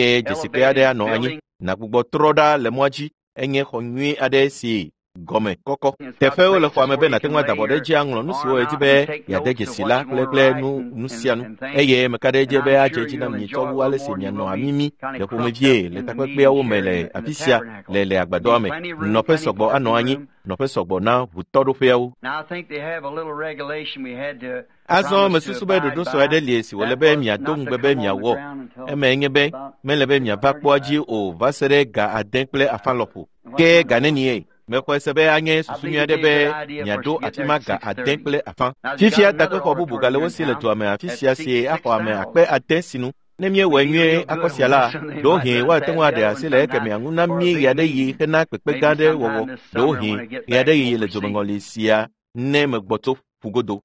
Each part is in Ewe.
Eye dzesikpe aɖe anɔ anyi. Nàgbugbɔ trɔ ɖa le mɔa dzi. Enye xɔ nyui aɖe si gɔme kɔkɔ. Teƒewo le xɔa me be nàte ŋu ada abɔ ɖe edzi aŋlɔ nu siwo yedi be yeade dzesi la kple kple nu nu sia nu. Eye meka ɖe edzi be adze edzi na mi tsɔ wu ale si mianɔ amimi le ƒomevie le takpekpeawo me le afi sia le le agbadɔa me. Nɔƒe sɔgbɔ anɔ anyi, nɔƒe sɔgbɔ na ʋutɔɖoƒeawo. Azɔ mesusu be ɖoɖo sue aɖe li si wòle be miado ŋugbe be miawɔ. Emae nye be mele be miava kpɔa dzi o va se ɖe ga 9:30 lɔƒo. Ke ga nenie? Mexɔe se be anye susu nyui aɖe be miaɖo afi ma ga 6:30. Fifia takpexɔ bubu gale wo si le dua me afi sia si axɔ ame 6,000 sinu. Ne míewɔe nyuie akɔ sia la, ɖewohĩ woate ŋu aɖe asi le ekemɛa ŋu na mí ɣeaɖeɣi hena kpekpe gã aɖe wɔwɔ, ɖewohĩ ɣeaɖeɣi le dzomeŋɔli sia ne megbɔ tso ƒugodo.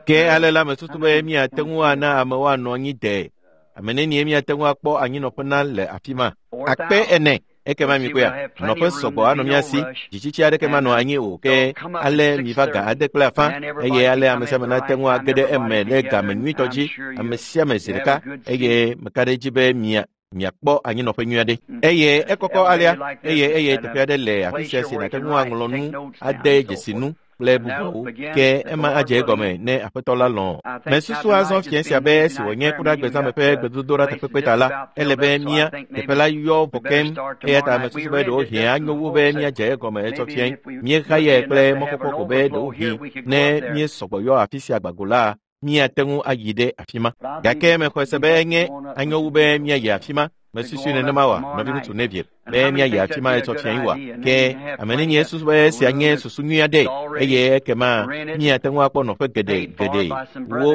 Ke ale la mesusu be míate ŋu ana amewo anɔ anyi de. Ame nenie míate ŋu akpɔ anyinɔƒe na le afi ma? 4,000. Ekema mikpɔea, nɔƒe sɔgbɔ anɔ mía si, dzitsitsi aɖeke manɔ anyi o. Ke ale miva ga 6:30 eye ale ame sia ame nate ŋu age ɖe eme le game nyuitɔ dzi, ame sia ame zi ɖeka, eye meka ɖe edzi be miakpɔ anyinɔƒe nyui aɖe. Eye ekɔkɔ alea, eye teƒe aɖe le afi sia si nàte ŋu aŋlɔ nu, ade dzesi nu kple bubuawo. Ke ema adze egɔme ne Aƒetɔ la lɔ̃. Mesusu azɔ fiẽ sia be esi wònye kuɖagbezãme ƒe gbedodoɖa takpekpe ta la, ele be mía teƒe la yɔ vɔ keŋ. Eya ta mesusu be ɖewohĩ anyo wu be míadze egɔme etsɔ fiẽ. Míexa kple mɔkpɔkpɔ ko be ɖewohĩ ne míesɔgbɔ yɔ afi sia gbago la, míate ŋu ayi ɖe afi ma. Gake mexɔe se be enye anyo wu be míayi afi ma. Mesusu nenema wa, nɔviŋutsu Neville, be míayi afi ma etsɔ fiẽ wa. Ke ame nenie susu be esia nye susu nyui aɖe, eye ekema míate ŋu akpɔ nɔƒe geɖe.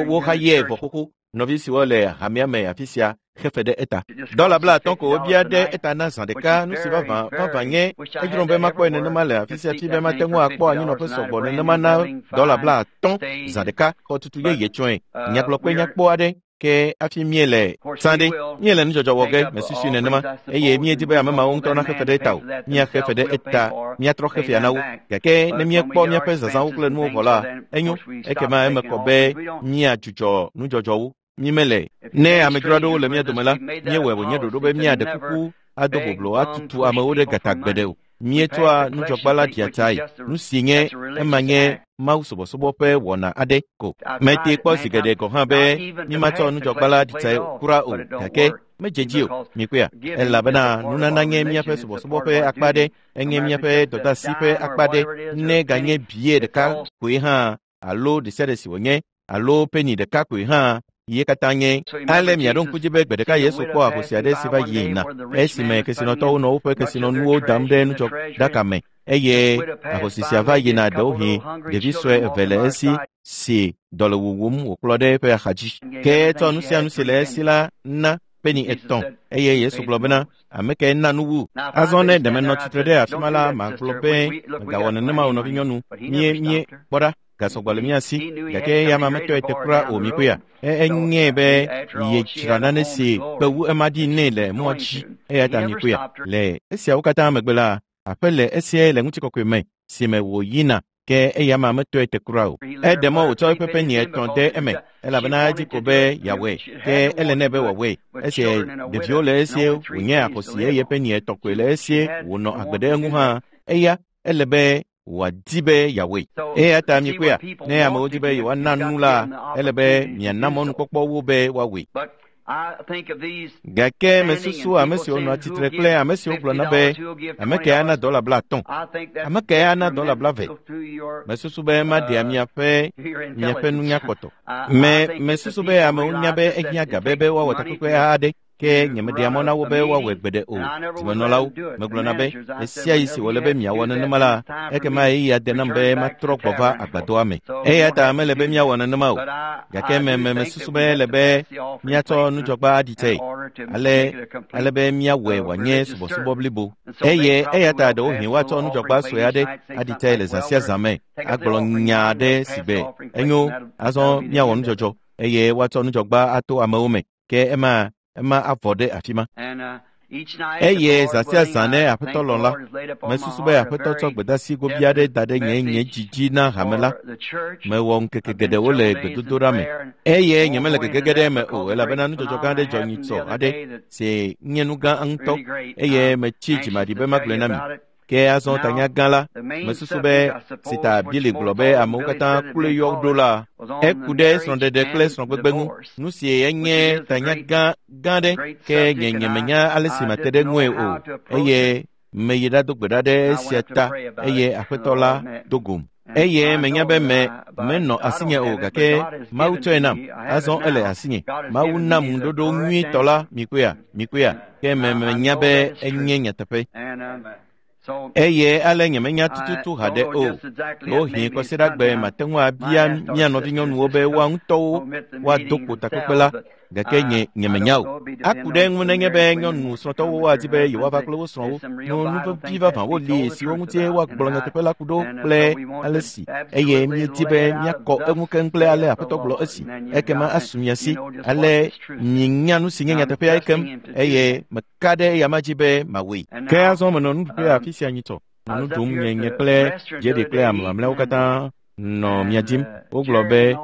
Woxa ye vɔ xoxo. Nɔvi siwo le hamea me afi sia xefe ɖe eta. $50 ko wobia ɖe eta na zã ɖeka. Nu si vavã nye edzrom be makpɔe nenema le afi sia fi be mate ŋu akpɔ anyinɔƒe sɔgbɔ nenema na $50 zã ɖeka. Xɔtutu yeye tsɔe. Nyagblɔkpe nyakpɔ aɖe. Ke afi míele zã ɖe, míele nudzɔdzɔ wɔ ge, mesusui nenema, eye míedi be ame mawo ŋutɔ naxe fe ɖe eta o. Míaxe fe ɖe eta, míatrɔ xefea na wo. Gake ne míekpɔ míaƒe zazãwo kple nuwo vɔ la, enyo, ekema eme kɔ be míadzudzɔ nudzɔdzɔwo. Mímele. Ne amedzro aɖewo le mía dome la, míewɔe wònye ɖoɖo be míaɖe kuku ado boblo atutu amewo ɖe gata gbeɖe o. Míetsɔa nudzɔgba la ɖia tsae. Nu si nye ema nye Mawu subɔsubɔ ƒe wɔna aɖe ko. Mete kpɔ zi geɖe gɔ̃ hã be mímatsɔ nudzɔgba la ɖi tsae kura o, gake medze dzi o. Mikpɔea, elabena nunana nye míaƒe subɔsubɔ ƒe akpa aɖe, enye míaƒe dɔdeasi ƒe akpa aɖe, ne ganye bie ɖeka koe hã alo ɖe sia ɖe si wònye, alo peni ɖeka koe hã, ye katã nye. Ale miaɖo ŋku dzi be gbe ɖeka Yesu kpɔ ahosi aɖe si va yina, esime kesinɔtɔwo nɔ woƒe kesinɔnuwo dam ɖe nudzɔɖaka me, eye ahosi sia va yina ɖewohĩ ɖevi sue eve le esi si dɔ le wuwum wòkplɔ ɖe eƒe axadzi. Ke etsɔ nu sia nu si le esi la na peni 3, eye Yesu gblɔ bena, ame kae na nu wu? Azɔ ne ɖe menɔ tsitre ɖe afi ma la, magblɔ be megawɔ nenema o, nɔvinyɔnu. Mie kpɔ ɖa, gasɔgbɔ le mía si, gake eya ma metɔe te kura o. Mikpɔea, enye be yedzra nane si kpe wu ema ɖi nɛ le mɔa dzi. Eya ta mikpɔea, le esiawo katã megbe la, aƒe le esia le ŋutikɔkɔe me si me wòyina, ke eya ma metɔe te kura o. Eɖe mɔ wòtsɔ eƒe peni 3 de eme, elabena edzi ko be yeawɔe, ke ele nɛ be wòawɔe. Esi ɖeviwo le esie wònye ahosi eye peni 3 koe le esie wònɔ agbe ɖe eŋu hã, eya ele be wòadi be yeawɔe. Eya ta mikpɔea, ne amewo di be yewoana nu la, ele be miana mɔnukpɔkpɔ wo be woawɔe. Gake mesusu ame siwo nɔa tsitre kple ame siwo gblɔna be ame kae ana $50, ame kae ana $20. Mesusu be maɖea miaƒe nunya kpɔtɔ. Mesusu be amewo nya be ehiã ga be woawɔ takpekpe aɖe, ke nyemeɖea mɔ na wo be woawɔe gbeɖe o. Zimenɔlawo, megblɔna be ɣesiaɣi si wòle be miawɔ nenema la, ekema ɣeyiɣi ade nam be matrɔ gbɔ va agbadɔa me. Eya ta mele be míawɔ nenema o. Gake mesusu be ele be míatsɔ nudzɔgba aɖi tsae, ale be míawɔe wòanye subɔsubɔ blibo. Eye eya ta ɖewohĩ woatsɔ nudzɔgba sue aɖe aɖi tsae le zã sia zã me, agblɔ nya aɖe si be enyo, azɔ míawɔ nudzɔdzɔ, eye woatsɔ nudzɔgba ato amewo me. Ke ema avɔ ɖe afi ma. Eye zã sia zã ne Aƒetɔ lɔ̃ la, mesusu be Aƒetɔ tsɔ gbedeasi gobi aɖe da ɖe nye dzi dzi na hame la. Mewɔ ŋkeke geɖewo le gbedodoɖa me, eye nyemele gegege ɖe eme o, elabena nudzɔdzɔ gã aɖe dzɔ nyitsɔ aɖe si nye nu gã ŋutɔ, eye metsi dzimaɖi be magblɔe na mi. Ke azɔ tanya gã la, mesusu be si ta Billy gblɔ be amewo katã kloe yɔ ɖo la, eku ɖe srɔ̃ɖeɖe kple srɔ̃gbegbe ŋu. Nu si enye tanya gã ɖe, ke nye nyemenya ale si mate ɖe ŋue o, eye meyi ɖado gbe ɖa ɖe esia ta, eye Aƒetɔ la do gom. Eye menya be me menɔ asinye o gake Mawu tsɔe nam. Azɔ ele asinye. Mawu nam ŋuɖoɖo nyuitɔ la mikpɔea, mikpɔea. Ke me menya be enye nyateƒe. Eye ale nyemenya tututu haɖe o. Ɖewohĩ kɔsiɖagbe mate ŋu abia mía nɔvinyɔnuwo be woa ŋutɔwo woado kpo takpekpe la gake nye nyemenya o. Aku ɖe eŋu nenye be nyɔnu srɔ̃tɔwo woadi be yewoava kple wo srɔ̃wo. No nu vevi vavãwo li siwo ŋuti woagblɔ nyateƒe la ku ɖo kple ale si eye míedi be míakɔ eŋu keŋ kple ale Aƒetɔ gblɔ esi. Ekema asu mia si ale mienya nu si nye nyateƒea keŋ eye meka ɖe eyama dzi be mawɔe. Ke azɔ menɔ nuɖuƒe afi sia nyitɔ. Nɔ nu ɖum nye nye kple Jerry kple ame mamlɛawo katã nɔ mia dim. Wogblɔ be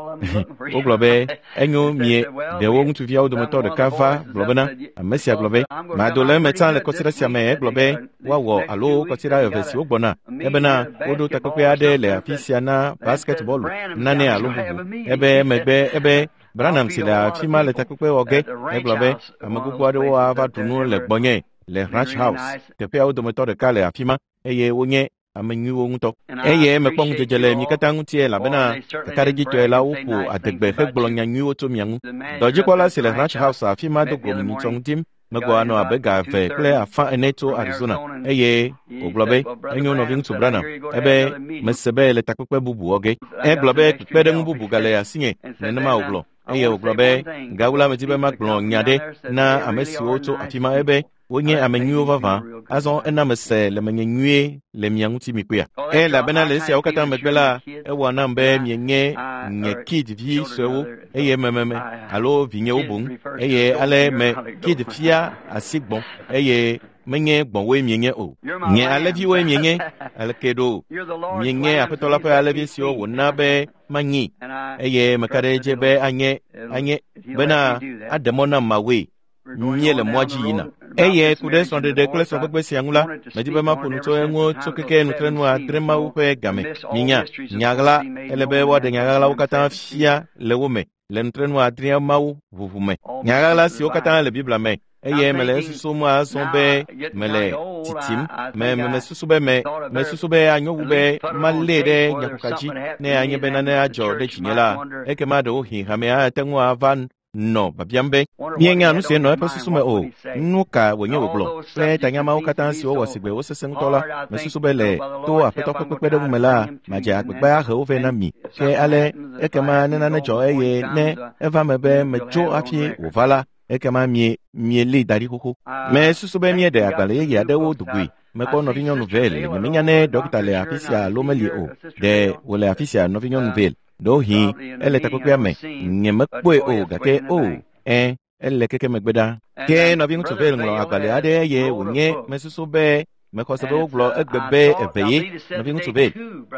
wogblɔ be enyo mie ɖewo ŋutsuviawo dometɔ ɖeka va gblɔ bena ame sia gblɔ be mado le eme tsã le kɔsiɖa sia me egblɔ be woawɔ alo kɔsiɖa eve siwo gbɔna ebena woɖo takpekpe aɖe le afi sia na basketbɔlu nane alo bubu ebe megbe ebe Branham si le afi ma le takpekpe wɔ ge egblɔ be ame gbogbo aɖewo ava ɖu nu le gbɔnye le Ranch House teƒeawo dometɔ ɖeka le afi ma eye wonye ame nyuiwo ŋutɔ. Eye mekpɔ ŋudzedze le mi katã ŋuti elabena kakaɖedzitɔe la woƒo adegbe hegblɔ nya nyuiwo tso mia ŋu. Dɔdzikpɔla si le Ranch House afi ma do go nyitsɔ ŋutim megbɔ anɔ abe ga 2.5 ene tso Arizona eye wògblɔ be enyo nɔviŋutsu Branham ebe mese be le takpekpe bubu wɔ ge. Egblɔ be kpekpeɖeŋu bubu gale asinye nenema wògblɔ eye wògblɔ be gawu la medi be magblɔ nya ɖe na ame siwo tso afi ma ebe wonye ame nyuiwo vavã. Azɔ ena mese le menye nyuie le mia ŋuti mikpɔea. Elabena le esiawo katã megbe la, ewɔ nam be mienye nye Kid vi suewo eye mememe alo vinyewo boŋ eye ale me Kid fia asi gbɔ̃ eye menye gbɔ̃woe mienye o. Nye alẽviwoe mienye aleke ɖo? Mienye Aƒetɔ la ƒe alẽvi siwo wòna be manyi eye meka ɖe edzi be anye anye bena aɖe mɔ nam mawɔe. Míele mɔa dzi yina. Eye ku ɖe srɔ̃ɖeɖe kple srɔ̃gbegbe sia ŋu la, medi be maƒo nu tso eŋu tso keke nutrenu adre Mawu ƒe game. Minya, nyaɣla, ele be woaɖe nyaɣlawo katã fia le wo me le nutrenu adrea Mawu ʋuʋu me. Nyaɣla siwo katã le Biblia me eye mele esusum azɔ be mele titim me mesusu be me mesusu be anyo wu be malée ɖe nyakuka dzi ne anye be nane adzɔ ɖe dzinye la ekema ɖewohĩ hamea ate ŋu ava nɔ biabiam be mienya nu si nɔ eƒe susu me o nu ka wònye wògblɔ kple tanyamawo katã siwo wɔ sigbe wosesẽ ŋutɔ la mesusu be le to Aƒetɔ ƒe kpekpeɖeŋu me la madze agbagba ahe wo vɛ na mi ke ale ekema ne nane dzɔ eye ne eva me be metso hafi wòva la ekema mie mielée da ɖi xoxo. Mesusu be míeɖe agbalẽ yeye aɖewo do goe. Mekpɔ nɔvinyɔnu Vale nyemenya ne ɖɔkita le afi sia alo meli o. Ɖe wòle afi sia nɔvinyɔnu Vale? Ɖewohĩ ele takpekpea me nyemekpɔe o gake o ẽ ele keke megbe ɖa. Ke nɔviŋutsu Vale ŋlɔ agbalẽ aɖe eye wònye mesusu be mexɔ se be wogblɔ egbe be eve ye nɔviŋutsu Vale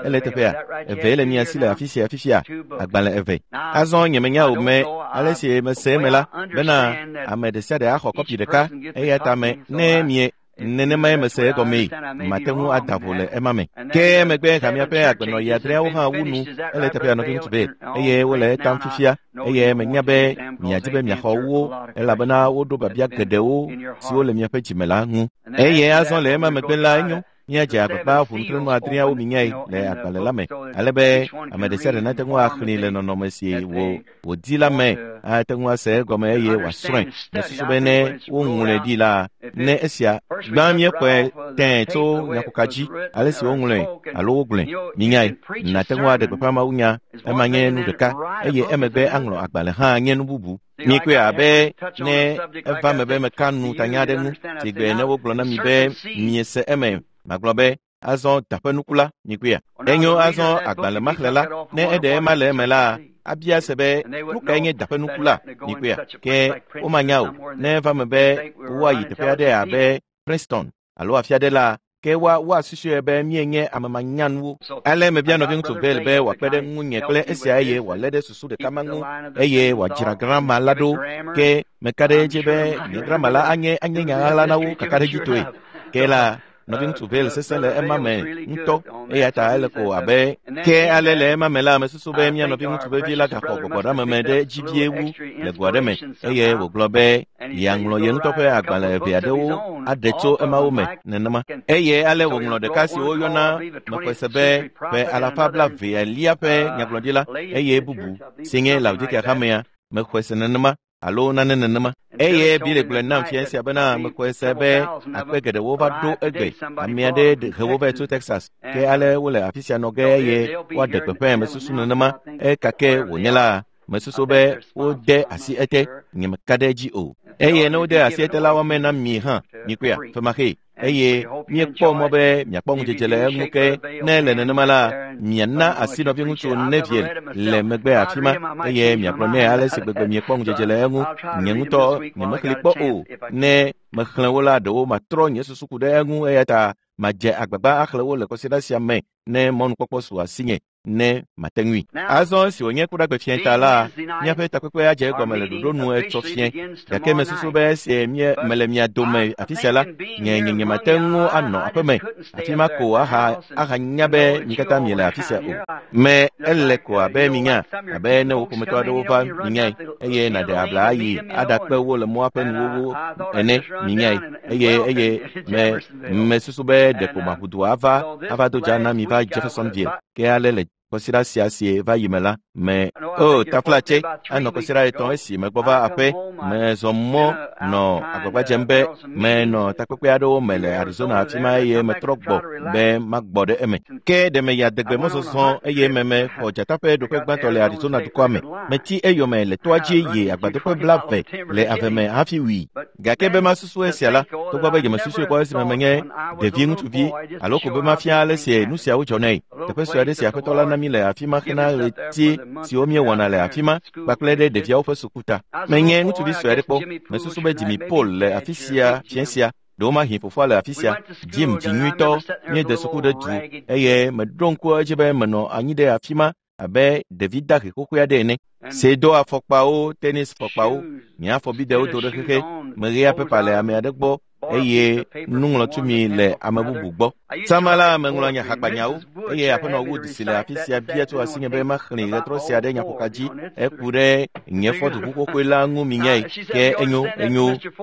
ele teƒea eve le mia si le afi sia fifia agbalẽ eve. Azɔ nyemenya o me ale si mese eme la bena ame ɖe sia ɖe axɔ kɔpi ɖeka eya ta me ne mie nenemae mese egɔmee mate ŋu ada vo le ema me. Ke megbe hamea ƒe agbenɔɣi adreawo hã wu nu ele teƒea nɔviŋutsu Vale eye wole etam fifia eye menya be miadi be miaxɔ wo elabena woɖo biabia geɖewo siwo le miaƒe dzime la ŋu. Eye azɔ le ema megbe la enyo míadze agbagba ʋu nutrenu adreawo minyae le agbalẽ la me ale be ame ɖe sia ɖe nate ŋu axlẽe le nɔnɔme si wòdi la me ate ŋu ase egɔme eye wòasrɔ̃e. Mesusu be ne woŋlɔe ɖi la ne esia gbã míekpɔe tẽe tso nyakuka dzi ale si woŋlɔe alo wogblɔe minyae nate ŋu aɖe gbeƒã mawunya ema nye nu ɖeka eye emegbe aŋlɔ agbalẽ hã nye nu bubu. Mikpɔe abe ne eva me be meka nu tanya aɖe ŋu si gbe ne wogblɔ na mi be miese eme magblɔ be azɔ daƒe nuku la mikpɔea. Enyo azɔ agbalẽ maxlẽla ne eɖe ema le eme la abia se be nu kae nye daƒe nuku la mikpɔea ke womanya o ne eva me be woayi teƒe aɖe abe Princeton alo afi aɖe la ke woasusue be míenye ame manyanuwo. Ale mebia nɔviŋutsu Vale be wòakpe ɖe ŋunye kple esia eye wòalé ɖe susu ɖeka ma ŋu eye wòadzra grama la ɖo ke meka ɖe edzi be nye grama la anye anye nya ɣaɣla na wo kakaɖedzitɔe. Ke la nɔviŋutsu Vale sesẽ le ema me ŋutɔ eya ta ele ko abe ke ale le ema me la mesusu be mía nɔviŋutsu vevi la gaxɔ gbɔgbɔɖeameme ɖe dzi vie wu le go aɖe me eye wògblɔ be yeaŋlɔ ye ŋutɔ ƒe agbalẽ eve aɖewo aɖe tso emawo me nenema. Eye ale wòŋlɔ ɖeka si woyɔna mexɔe se be ƒe alafa blaevelia ƒe nyagblɔɖila eye bubu si nye Laodikea hamea mexɔe se nenema alo nane nenema. Eye Bili gblɔe nam fia sia bena mexɔe se be akpe geɖewo va ɖo egbe. Ame aɖe he wo vɛ tso Texas. Ke ale wole afi sia nɔ ge eye woaɖe gbeƒãe mesusu nenema. Ekake wònye la, mesusu be wode asi ete, nyemeka ɖe edzi o. Eye ne wode asi ete la woame na mi hã, mikpɔea, femaxee. Eye míekpɔ mɔ be miakpɔ ŋudzedze le eŋu ke ne le nenema la, miana asi nɔviŋutsu Neville le megbe afi ma eye miagblɔ nɛ ale si gbegbe miekpɔ ŋudzedze le eŋu. Nye ŋutɔ nyemexlẽ kpɔ o. Ne mexlẽ wo la, ɖewo matrɔ nye susu ku ɖe eŋu eya ta madze agbagba axlẽ wo le kɔsiɖa sia me ne mɔnukpɔkpɔ su asinye ne mate ŋui. Azɔ esi wònye kuɖagbe fiẽ ta la, míaƒe takpekpe adze egɔme le ɖoɖo nu etsɔ fiẽ. Gake mesusu be esi mele mia dome afi sia la, nye nye mate ŋu anɔ aƒeme afi ma ko ahanya be mi katã miele afi sia o. Me ele ko abe minya, abe ne wò ƒometɔ aɖewo va minyae eye nàɖe abla ayi aɖakpe wo le mɔa ƒe nuwuwu ene minyae eye mesusu be ɖeko maʋu du ava do dza na mi va Jeffersonville. Ke ale le kɔsiɖa sia si va yi me la, me taflatse anɔ kɔsiɖa etɔ̃ esi megbɔ va aƒe, mezɔ mɔ nɔ agbagba dzem be menɔ takpekpe aɖewo me le Arizona afi ma eye metrɔ gbɔ be magbɔ ɖe eme. Ke ɖe meyi adegbe mɔzɔzɔ eye mexɔ dzata ƒe ɖoƒe gbãtɔ le Arizona dukɔa me. Metsi eyome le toa dzi yi agbadoƒe 20 le ave me hafi wui. Gake be masusu esia la, togbɔ be nyemesusui kpɔ esime menye ɖevi ŋutsuvi alo ko be mafia ale si nu siawo dzɔnɛ. Teƒe sue aɖe si aƒetɔ la na mí le afi ma hena ɣleti siwo míewɔna le afi ma kpakple ɖe ɖeviawo ƒe suku ta. Menye ŋutsuvi sue aɖe kpɔ. Mesusu be Jimmy Paul le afi sia fiẽ sia. Ɖewomahi fofoa le afi sia. Jim dzinyuitɔ míede suku ɖe du eye meɖo ŋku edzi be menɔ anyi ɖe afi ma abe ɖevi dahe xoxoe aɖe ene. Si do afɔkpawo, tenis fɔkpawo, nye afɔbidewo do ɖe xexe, meɣea pepa le ame aɖe gbɔ eye nuŋlɔtumi le ame bubu gbɔ. Sama la meŋlɔ nye hakpanyawo eye aƒenɔ Wood si le afi sia bia tso asinye be maxlẽ ɣetrɔ sia ɖe nyaƒoka dzi eku ɖe nye fɔduʋu xoxoe la ŋu minyae. Ke enyo.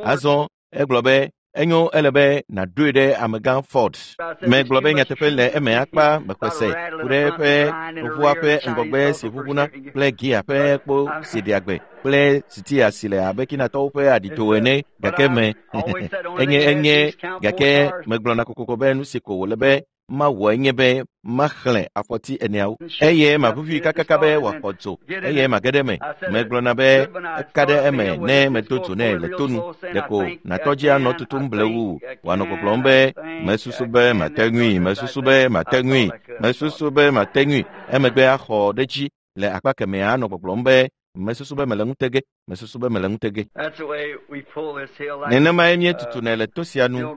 Azɔ egblɔ be enyo ele be nàɖoe ɖe amegã Ford. Megblɔ be nyateƒe le eme akpa mexɔe se ku ɖe eƒe ʋua ƒe ŋgɔgbe si ʋuʋuna kple gia ƒe kpo si ɖea gbe kple sitia si le abe Kinatɔwo ƒe aɖito ene gake me enye gake megblɔna kokoko be nu si ko wòle be mawɔ enye be maxlẽ afɔti eneawo eye maʋuʋui kakaka be wòaxɔ dzo eye mage ɖe eme. Megblɔna be eka ɖe eme ne medo dzo nɛ le tonu. Ɖeko nàtɔ dzi anɔ tutum blewu wòanɔ gbɔgblɔm be mesusu be mate ŋui, mesusu be mate ŋui, mesusu be mate ŋui. Emegbe axɔ ɖe dzi le akpa kemɛa anɔ gbɔgblɔm be mesusu be mele ŋutege, mesusu be mele ŋutege. Nenemae míetutunɛ le to sia nu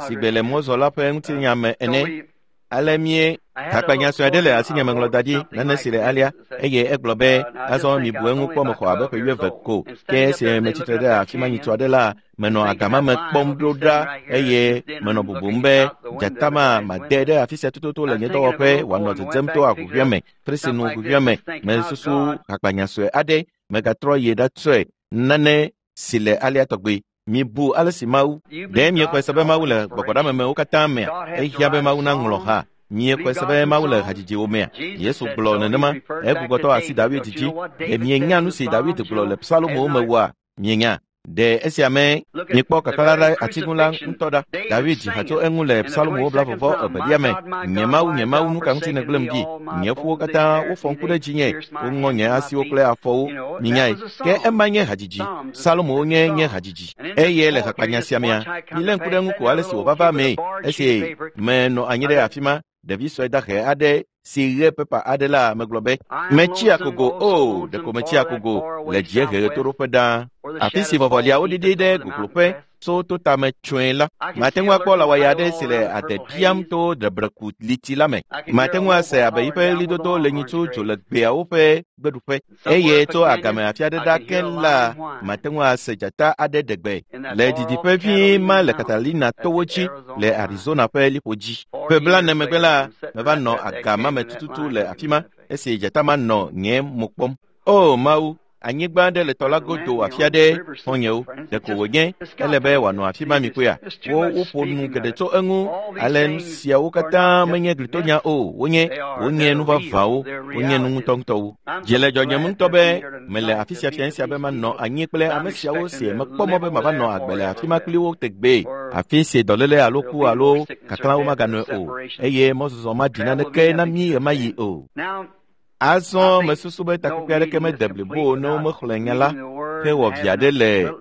si gbe le mɔzɔla ƒe ŋutinya me ene. Ale mie hakpanya sue aɖe le asinye meŋlɔ da ɖi nane si le alea eye egblɔ be azɔ mibu eŋu kpɔ mexɔ abe ƒe 20 ko. Ke esi metsitre ɖe afi ma nyitsu aɖe la, menɔ agama me kpɔm ɖo ɖa eye menɔ bubum be dzata ma made ɖe afi sia tututu le nye dɔwɔƒe wòanɔ dzedzem to aʋuʋua me, fresinu ʋuʋua me. Mesusu hakpanya sue aɖe megatrɔ yi ɖatsɔe nane si le alea tɔgbe. Mibu ale si Mawu ɖe miexɔe se be Mawu le gbɔgbɔɖamemewo katã mea? Ehiã be Mawu naŋlɔ ha. Miexɔe se be Mawu le hadzidziwo mea? Yesu gblɔ nenema. Egbugbɔtɔ asi David dzi. Ɖe mienya nu si David gblɔ le Psalomowo me woa? Mienya. Ɖe esia me miekpɔ kaklã ɖe atiŋu la ŋutɔ ɖa. David dzi ha tso eŋu le Psalomowo 22 me. Nye Mawu, nye Mawu, nu ka ŋuti nègblẽm ɖi? Nye ƒuwo katã wofɔ ŋku ɖe dzinye, woŋɔ nye asiwo kple afɔwo. Minyae. Ke ema nye hadzidzi. Psalomowo nye hadzidzi. Eye le hakpanya sia mea, milé ŋku ɖe eŋu ko ale si wòva va mee. Esi menɔ anyi ɖe afi ma, ɖevi sue dahe aɖe si ɣe pepa aɖe la megblɔ be metsi akogo o, ɖeko metsi akogo le dziehe ɣetoɖoƒe ɖaa. Afi si vɔvɔliawo ɖiɖi ɖe gogloƒe tso to tame tsɔe la, mate ŋu akpɔ lãwɔya aɖe si le ade biam to ɖebreku liti la me. Mate ŋu ase abe yiƒe ɣlidodo le nyitsu dzo le gbeawo ƒe gbeɖuƒe. Eye tso agame afi aɖe ɖa ke la, mate ŋu ase dzata aɖe ɖe gbe le didiƒe vi ma le Catalina towo dzi le Arizona ƒe liƒo dzi. Ƒe 40 megbe la, meva nɔ agama me tututu le afi ma esi dzata ma nɔ nye mo kpɔm. O Mawu, Anyigba aɖe le tɔ la godo afi aɖe xɔ̃nyewo. Ɖeko wònye ele be wòanɔ afi ma mikpɔea? Wo woƒo nu geɖe tso eŋu. Ale nu siawo katã menye glitonya o. Wonye wonye nu vavãwo. Wonye nu ŋutɔŋutɔwo. Dzi le dzɔdzɔm ŋutɔ be mele afi sia fia sia be manɔ anyi kple ame siawo si mekpɔ mɔ be mava nɔ agbe le afi ma kpli wo tegbee. Afi si dɔléle alo ku alo kaklãwo maganɔe o eye mɔzɔzɔ maɖi naneke na mí ɣemaɣi o. Azɔ mesusu be takpekpe aɖeke mede blibo o ne womexlẽ nya la hewɔ vi aɖe le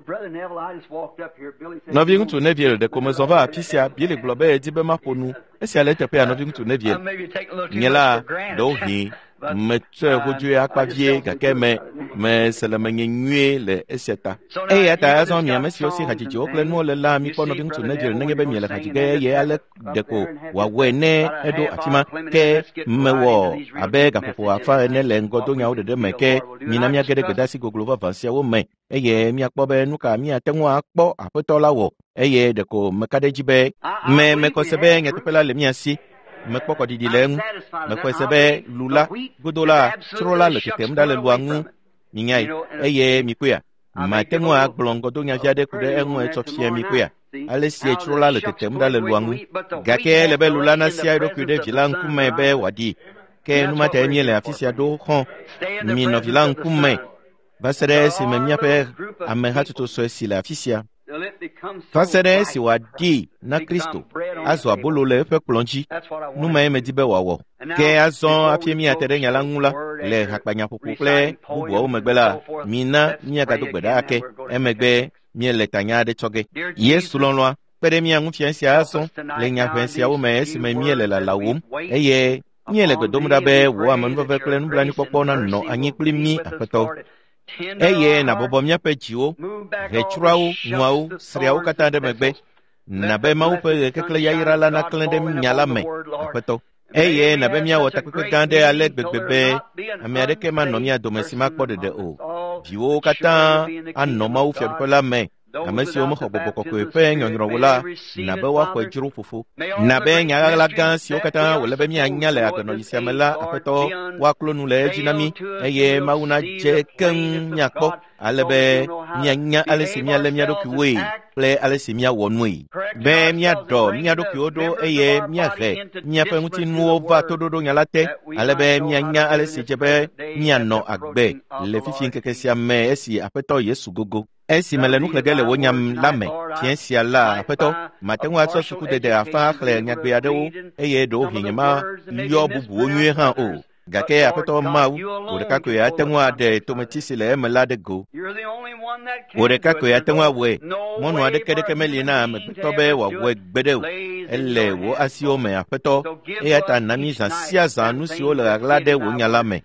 nɔviŋutsu Neville ɖeko mezɔ va afi sia. Billy gblɔ be yedi be maƒo nu. Esia le eteƒea nɔviŋutsu Neville. Nye la ɖewohĩ metsɔe hodzoe akpa vie gake me mese le menye nyuie le esia ta. Eya ta azɔ mi ame siwo si hadzidziwo kple nuwo le la mikpɔ nɔviŋutsu Neville nenye be miele hadzi ge eye ale ɖeko wòawɔe ne eɖo afi ma. Ke mewɔ abe gaƒoƒo afã ene le ŋgɔdonyawo ɖeɖe me ke mina míage ɖe gbedeasi goglo vavã siawo me eye míakpɔ be nu ka míate ŋu akpɔ aƒetɔ la wɔ eye ɖeko meka ɖe edzi be me mexɔ se be nyateƒe la le mía si. Mekpɔ kɔɖiɖi le eŋu. Mexɔe se be lu la godo la tsro la le tetem ɖa le lua ŋu. Minyae eye mikpɔea. Mate ŋu agblɔ ŋgɔdonya vi aɖe ku ɖe eŋu etsɔ fia mikpɔea. Ale si tsro la le tetem ɖa le lua ŋu. Gake ele be lu la nasia eɖokui ɖe vi la ŋkume be wòaɖi. Ke nu ma tae míele afi sia ɖo xɔ. Minɔ vi la ŋkume va se ɖe esime míaƒe amehatsotso sue si le afi sia. Va se ɖe esi wòaɖi na Kristo azɔ abolo le eƒe kplɔ̃ dzi. Nu mae medi be wòawɔ. Ke azɔ hafi míate ɖe nya la ŋu la, le hakpanyaƒoƒo kple bubuawo megbe la, mina míagado gbe ɖa ake. Emegbe míele tanya aɖe tsɔ ge. Yesu lɔlɔ̃a kpe ɖe mía ŋu fia sia azɔ le nya ʋɛ siawo me esime míele lalawòm eye míele gbe dom ɖa be wò amenuveve kple nublanuikpɔkpɔ nanɔ anyi kpli mí Aƒetɔ. Eye nàbɔbɔ míaƒe dziwo, ʋetsroawo, nuawo, sriawo katã ɖe megbe. Nabe Mawu ƒe ɣekeklẽ yayra la naklẽ ɖe nya la me, Aƒetɔ. Eye nabe míawɔ takpekpe gã aɖe ale gbegbe be ame aɖeke manɔ mía dome si makpɔ ɖeɖe o. Viwo katã anɔ Mawu fiaɖuƒe la me. Ame siwo mexɔ gbɔgbɔ kɔkɔe ƒe nyɔnyrɔ o la, nabe woaxɔe dzro fofo. Nabe nya ɣaɣla gã siwo katã wòle be míanya le agbenɔɣi sia me la, Aƒetɔ, woaklo nu le edzi na mí eye Mawu nadze keŋ míakpɔ ale be míanya ale si míalé mía ɖokuiwoe kple ale si míawɔ nue. Be míaɖɔ mía ɖokuiwo ɖo eye míahe míaƒe ŋutinuwo va toɖoɖo nya la te ale be míanya ale si dze be míanɔ agbe le fifi ŋkeke sia me esi Aƒetɔ Yesu gogo. Esi mele nu xlẽ ge le wò nya la me fiẽ sia la, Aƒetɔ, mate ŋu atsɔ sukudede afã axlẽ nyagbe aɖewo eye ɖewohĩ nyemayɔ bubuwo nyuie hã o. Gake Aƒetɔ Mawu, wò ɖeka koe ate ŋu aɖe tometsi si le eme la ɖe go. Wò ɖeka koe ate ŋu awɔe. Mɔnu aɖeke ɖeke meli na amegbetɔ be wòawɔe gbeɖe o. Ele wò asiwo me, Aƒetɔ. Eya ta na mí zã sia zã nu siwo le ɣaɣla ɖe wò nya la me.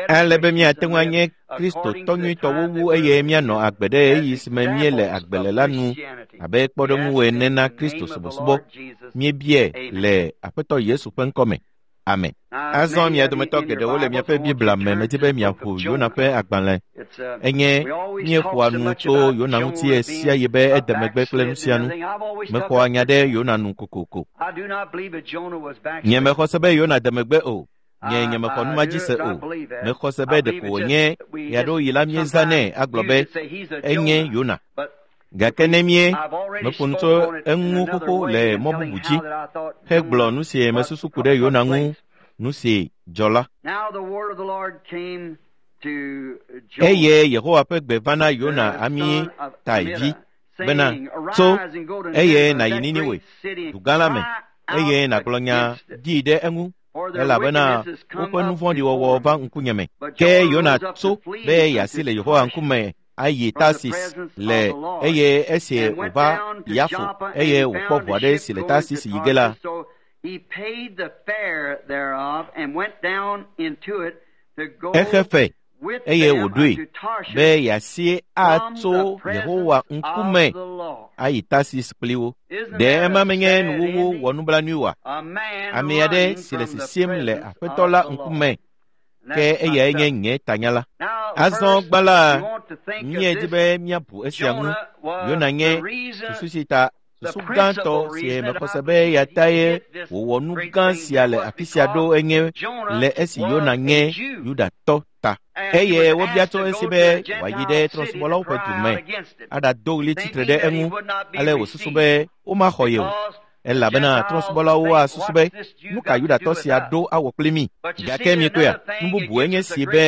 Ale be míate ŋu anye Kristotɔ nyuitɔwo wu eye míanɔ agbe ɖe ɣeyiɣi si me míele agbe le la nu abe kpɔɖeŋu ene na Kristo subɔsubɔ. Míebiae le Aƒetɔ Yesu ƒe ŋkɔ me. Amen. Azɔ mia dometɔ geɖewo le miaƒe Biblia me medi be miaƒo Yona ƒe agbalẽ. Enye míeƒoa nu tso Yona ŋuti ɣesiaɣi be ede megbe kple nu sia nu. Mexɔa nya ɖe Yona nu kokoko. Nye mexɔ se be Yona de megbe o. Nye nyemexɔ nu ma dzi se o. Mexɔ se be ɖeko wònye ɣeaɖewoɣi la míezãnɛ agblɔ be enye Yona. Gake ne mie meƒo nu tso eŋu xoxo le mɔ bubu dzi hegblɔ nu si mesusu ku ɖe Yona ŋu nu si dzɔ la. Eye Yehowa ƒe gbe va na Yona Amitai vi bena, Tso, eye nàyi Niniwe, dugã la me, eye nàgblɔ nya ɖi ɖe eŋu, elabena woƒe nu vɔ̃ɖi wɔwɔ va ŋkunye me. Ke Yona tso be yeasi le Yehowa ŋkume ayi Tarsis le eye esi wòva Yafo eye wòkpɔ ʋu aɖe si le Tarsis yi ge la, exe fe eye wòɖoe be yeasi atso Yehowa ŋkume ayi Tarsis kpli wo. Ɖe ema menye nuwuwu wɔnublanui oa? Ame aɖe si le sisim le Aƒetɔ la ŋkume ke eyae nye nye tanya la. Azɔ gbã la, míedi be míabu esia ŋu. Yona nye susu si ta Susu gãtɔ si mexɔ se be eya tae wòwɔ nu gã sia le afi sia ɖo enye le esi Yona nye Yudatɔ ta. Eye wobia tso esi be wòayi ɖe trɔ̃subɔlawo ƒe du me aɖado ɣli tsitre ɖe eŋu ale wòsusu be womaxɔ ye o. Elabena trɔ̃subɔlawo asusu be nu ka Yudatɔ sia ɖo awɔ kpli mí. Gake miekpɔea, nu bubue nye si be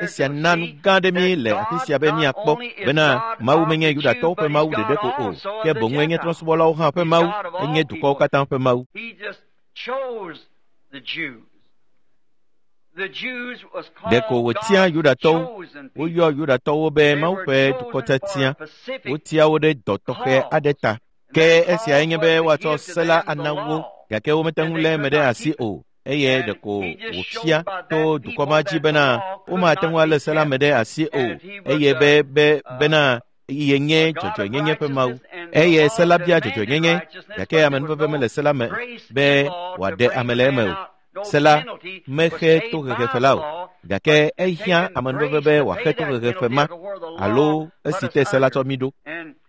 esia na nu gã aɖe mí le afi sia be míakpɔ bena Mawu menye Yudatɔwo ƒe Mawu ɖeɖe ko o, ke boŋue nye trɔ̃subɔlawo hã ƒe Mawu, enye dukɔwo katã ƒe Mawu. Ɖeko wòtia Yudatɔwo. Woyɔ Yudatɔwo be Mawu ƒe dukɔ tiatia. Wotia wo ɖe dɔ tɔxɛ aɖe ta. Ke esiae nye be woatsɔ se la ana wo, gake womete ŋu lé eme ɖe asi o. Eye ɖeko wòfia to dukɔ ma dzi bena womate ŋu alé se la me ɖe asi o, eye be be bena yenye dzɔdzɔenyenye ƒe Mawu. Eye se la bia dzɔdzɔenyenye, gake amenuveve mele se la me be wòaɖe ame le eme o. Se la mexe tohehefe la o, gake ehiã amenuveve be wòaxe tohehefe ma alo esi te se la tsɔ mí ɖo.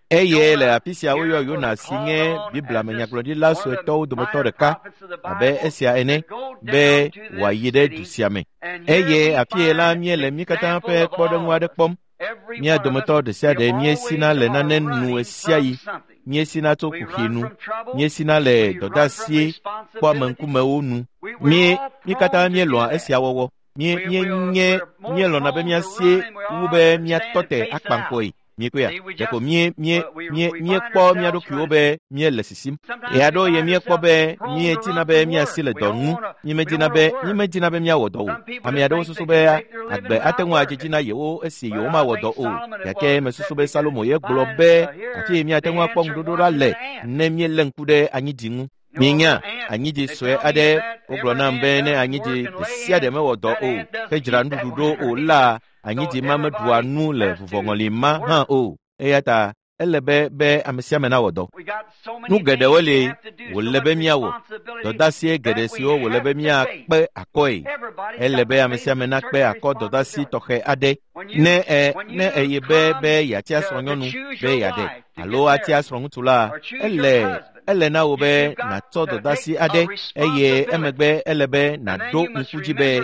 Eye le afi sia woyɔ Yona si nye Biblia me nyagblɔɖila suetɔwo dometɔ ɖeka abe esia ene be wòayi ɖe du sia me. Eye afie la míele mí katã ƒe kpɔɖeŋu aɖe kpɔm. Mía dometɔ ɖe sia ɖe míesina le nane nu ɣesiaɣi. Míesina tso kuxi nu. Míesina le dɔdeasi kpɔameŋkumewo nu. Mí mí katã míelɔ̃a esia wɔwɔ. Mí míenye míelɔ̃na be míasie wu be míatɔ te akpaŋkɔe. Miekpɔea, ɖeko mie mie mie míekpɔ mía ɖokuiwo be míele sisim. Ɣeaɖewo ɣi míekpɔ be míedina be míasi le dɔ ŋu. Mímedina be mímedina be míawɔ dɔ o. Ame aɖewo susu be agbe ate ŋu adze dzi na yewo esi yewomawɔ dɔ o. Gake mesusu be Salomo ye gblɔ be afi yi míate ŋu akpɔ ŋuɖoɖo ɖa le ne míelé ŋku ɖe anyidi ŋu. Minya anyidi sue aɖe wogblɔ nam be ne anyidi ɖe sia ɖe mewɔ dɔ o hedzra nuɖuɖu ɖo o la, anyidi ma meɖua nu le vuvɔŋɔli ma hã o. Eya ta ele be be ame sia ame nawɔ dɔ. Nu geɖewo li wòle be míawɔ. Dɔdeasie geɖe siwo wòle be míakpe akɔe. Ele be ame sia ame nakpe akɔ dɔdeasi tɔxɛ aɖe. Ne e ne eye be be yeatia srɔ̃nyɔnu be yeaɖe alo atia srɔ̃ŋutsu la, ele ele na wò be nàtsɔ dɔdeasi aɖe eye emegbe ele be nàɖo ŋku dzi be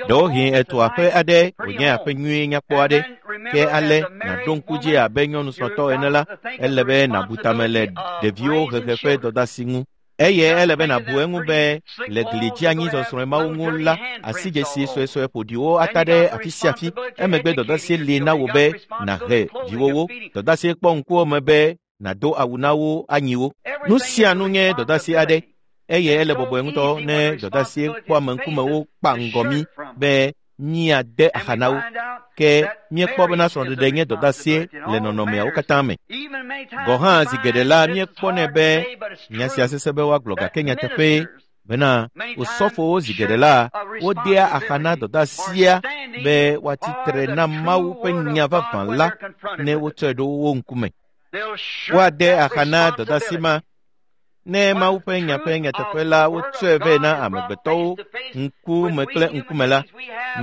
ɖewohĩ ètu aƒe aɖe wònye aƒe nyui nyakpɔ aɖe. Ke ale nàɖo ŋku dzi abe nyɔnu srɔ̃tɔ ene la, ele be nàbu tame le ɖeviwo hehe ƒe dɔdeasi ŋu. Eye ele be nàbu eŋu be le gli dzi anyi zɔzrɔ̃e mawo ŋu la, asidzesi suesue ƒoɖiwo ata ɖe afi sia afi. Emegbe dɔdeasi li na wò be nàhe viwòwo. Dɔdeasi kpɔ ŋkuwò me be nàdo awu na wo anyi wo. Nu sia nu nye dɔdeasi aɖe eye ele bɔbɔe ŋutɔ ne dɔdeasi kpɔameŋkumewo kpa ŋgɔ mí be míade axa na wo. Ke míekpɔ bena srɔ̃ɖeɖe nye dɔdeasie le nɔnɔmeawo katã me. Gɔ̃ hã zi geɖe la míekpɔnɛ be nya sia sesẽ be woagblɔ gake nyateƒee bena osɔfowo zi geɖe la wodea axa na dɔdeasia be woatsi tre na Mawu ƒe nya vavã la ne wotsɔe ɖo wo ŋkume. Woade axa na dɔdeasi ma ne Mawu ƒe nya ƒe nyateƒe la wotsɔe vɛ na amegbetɔwo ŋkume kple ŋkume la,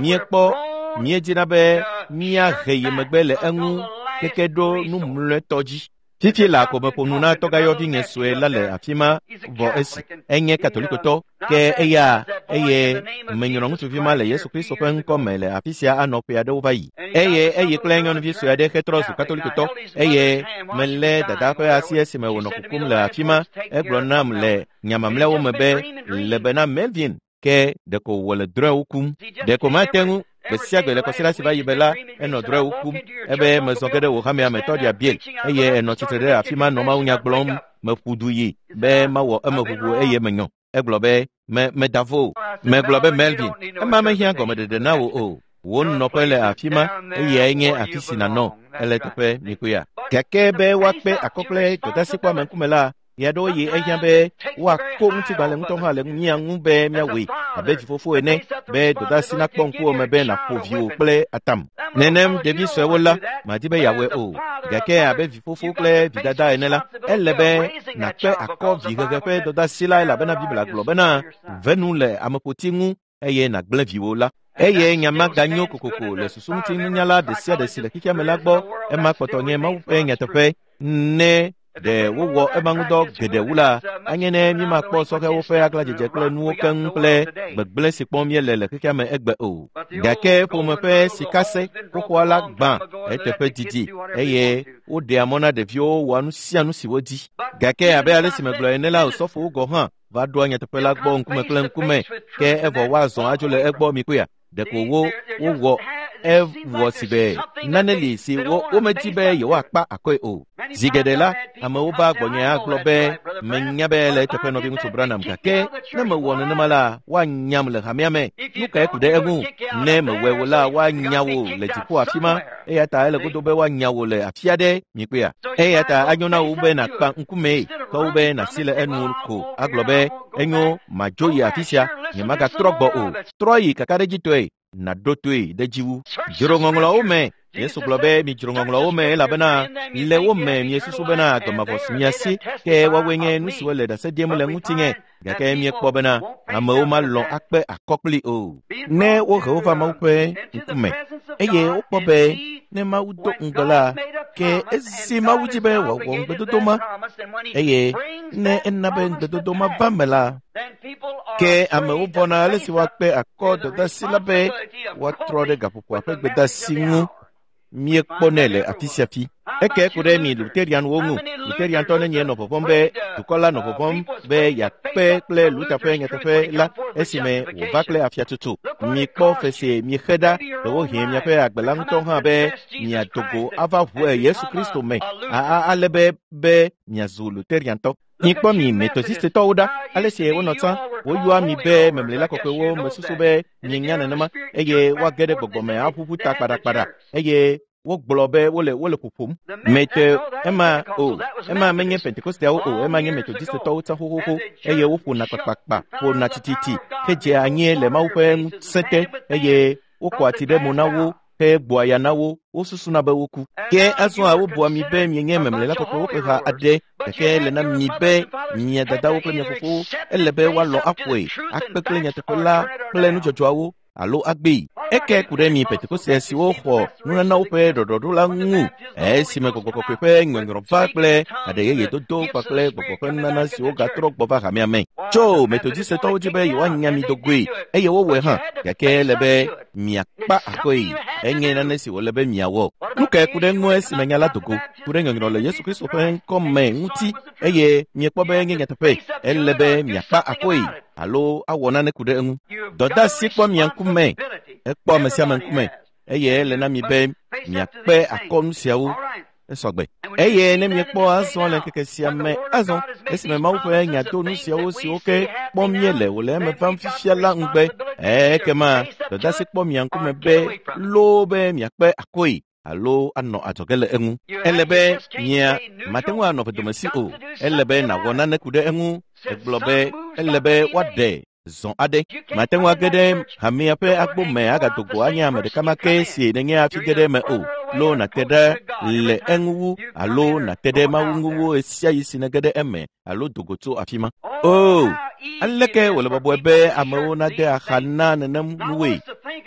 míekpɔ míedina be míahe yi megbe le eŋu keke ɖo nu mlɔetɔ dzi. Fifi la ko meƒo nu na tɔgayɔvi nye sue la le afi ma vɔ esi enye katolikotɔ ke eya eye menyrɔ ŋutsuvi ma le Yesu Kristo ƒe ŋkɔ me le afi sia anɔ ƒe aɖewo va yi. Eye eyi kple nyɔnuvi sue aɖe hetrɔ zu katolikotɔ eye melé dada ƒe asi esime wònɔ kukum le afi ma. Egblɔ nam le nya mamlɛawo me be le bena Melvin ke ɖeko wòle drɔ̃ewo kum. Ɖeko mate ŋu gbe sia gbe le kɔsiɖa si va yi be la, enɔ drɔ̃ewo kum ebe mezɔ ge ɖe wò hamea me tɔɖia Bill eye enɔ tsitre ɖe afi ma nɔ mawunya gblɔm. Meƒu du yi be mawɔ emeʋuʋu eye menyɔ. Egblɔ be me meda vo o. Megblɔ be Melvin, ema mehiã gɔmeɖeɖe na wò o. Wò nɔƒe le afi ma eyae nye afi si nànɔ. Ele teƒe mikpɔea. Gake be woakpe akɔ kple dɔdeasi kpɔameŋkume la, ɣeaɖewo ɣi ehiã be woako ŋutigbalẽ ŋutɔ hã le mía ŋu be míawɔe abe vifofo ene be dɔdeasi nakpɔ ŋkuwò me be nàƒo viwò kple atam. Nenem ɖevi suewo la, madi be yeawɔe o. Gake abe vifofo kple vidada ene la, ele be nàkpe akɔ vihehe ƒe dɔdeasi la elabena Biblia gblɔ bena ve nu le ameƒoti ŋu eye nàgblẽ viwò la. Eye nya ma ganyo kokoko le susuŋutinunyala ɖe sia ɖe si le xexea me la gbɔ. Ema kpɔtɔ nye Mawu ƒe nyateƒe ne Ɖe wowɔ ema ŋudɔ geɖe wu la, anye ne mímakpɔ sɔhɛwo ƒe aglãdzedze kple nuwo keŋ kple gbegblẽ si kpɔm míele le xexea me egbe o. Gake ƒome ƒe sikase xoxoa la gbã eteƒe didi eye woɖea mɔ na ɖeviwo wɔa nu sia nu si wodi. Gake abe ale si megblɔ ene la, osɔfowo gɔ̃ hã va ɖoa nyateƒe la gbɔ ŋkume kple ŋkume, ke evɔ woazɔ adzo le egbɔ mikpɔea? Ɖeko wo wowɔ ewɔ si be nane li si womedi be yewoakpa akɔe o. Zi geɖe la, amewo va gbɔnye agblɔ be menya be le eteƒe nɔviŋutsu Branham, gake ne mewɔ nenema la, woanyam le hamea me. Nu kae ku ɖe eŋu? Ne mewɔe o la, woanya wò le dziƒo afi ma. Eya ta ele godo be woanya wò le afi aɖe mikpɔea? Eya ta anyo na wò be nàkpa ŋkumee ke wu be nàsi le enu ko agblɔ be enyo madzo yi afi sia, nyemagatrɔ gbɔ o. Trɔ yi kakaɖedzitɔe nàɖo toe ɖe dzi wu. Dzro ŋɔŋlɔawo me. Yesu gblɔ be midzro ŋɔŋlɔawo me elabena le wo me miesusu bena agbe mavɔ su mia si, ke woawoe nye nu siwo le ɖase ɖim le ŋutinye. Gake míekpɔ bena amewo malɔ̃ akpe akɔ kpli o. Ne wohe wo va Mawu ƒe ŋkume eye wokpɔ be ne Mawu do ŋugbe la, ke ezi Mawu dzi be wòawɔ ŋugbedodo ma, eye ne ena be ŋugbedodo ma va me la, ke amewo vɔ̃na ale si woakpe akɔ dɔdeasi la be woatrɔ ɖe gaƒoƒoa ƒe gbedeasi ŋu. Míekpɔnɛ le afi sia fi. Eke ku ɖe mi Luterianwo ŋu. Luteriantɔ nenye nɔ vɔvɔ̃m be dukɔ la nɔ vɔvɔ̃m be yeakpe kple Luther ƒe nyateƒe la esime wòva kple afiatsotso. Mikpɔ fe si miexe ɖa, ɖewohĩ miaƒe agbe la ŋutɔ hã be miado go ava ʋu Yesu Kristo me ale be miazu Luteriantɔ. Mikpɔ mi Metodistetɔwo ɖa, ale si wonɔ tsã, woyɔa mi be memlela kɔkɔewo mesusu be mienya nenema, eye woage ɖe gbɔgbɔme aʋuʋu ta kpaɖakpaɖa, eye wogblɔ be wole ƒoƒom. Mete ema o, ema menye Pentekosteawo o, ema nye Metodistetɔwo tsã xoxoxo, eye woƒona kpakpakpa, ƒona tititi, hedzea anyi le Mawu ƒe ŋusẽ te, eye wokɔa tsi ɖe mo na wo hegboa ya na wo, wosusuna be woku. Ke azɔa wobua mi be mienye memlela kɔkɔewo ƒe ha aɖe, gake ele na mi be mia dadawo kple mia fofowo ele be woalɔ̃ aƒoe, akpe kple nyateƒe la kple nudzɔdzɔawo alo agbee. Eke ku ɖe mi Pentekoste siwo xɔ nunanawo ƒe ɖɔɖɔɖo la ŋu, esime gbɔgbɔ kɔkɔe ƒe nyɔnyrɔ va kple aɖe yeye dodo kpakple gbɔgbɔ ƒe nunana siwo gatrɔ gbɔ va hamea me. Tso Metodistetɔwo dzi be yewoanya mi do goe, eye wowɔe hã, gake ele be miakpa akɔe. Enye nane si wòle be miawɔ. Nu kae ku ɖe ŋu esime nya la do go ku ɖe nyɔnyrɔ le Yesu Kristo ƒe ŋkɔ me ŋuti, eye miekpɔ be enye nyateƒe? Ele be miakpa akɔe alo awɔ nane ku ɖe eŋu. Dɔdeasi kpɔ mia ŋkume, ekpɔ ame sia ame ŋkume, eye ele na mi be miakpe akɔ nu siawo. Esɔgbe. Eye ne miekpɔ azɔ le ŋkeke sia me azɔ, esime Mawu ƒe nya do nu siawo siwo ke kpɔm míele wòle eme vam fifia la ŋugbe, ekema dɔdeasi kpɔ mia ŋkume be loo be miakpe akɔe alo anɔ adzɔge le eŋu. Ele be mia mate ŋu anɔ vedomesi o. Ele be nàwɔ nane ku ɖe eŋu. Egblɔ be ele be woaɖe zɔ aɖe. Mate ŋu age ɖe hamea ƒe agbo me agado go anye ame ɖeka ma ke si nenye hafi ge ɖe eme o. Loo nàte ɖe le eŋu wu alo nàte ɖe Mawu ŋu wu ɣesiaɣi si nege ɖe eme alo do go tso afi ma. O, aleke wòle bɔbɔe be amewo nade axa na nenem nuwoe,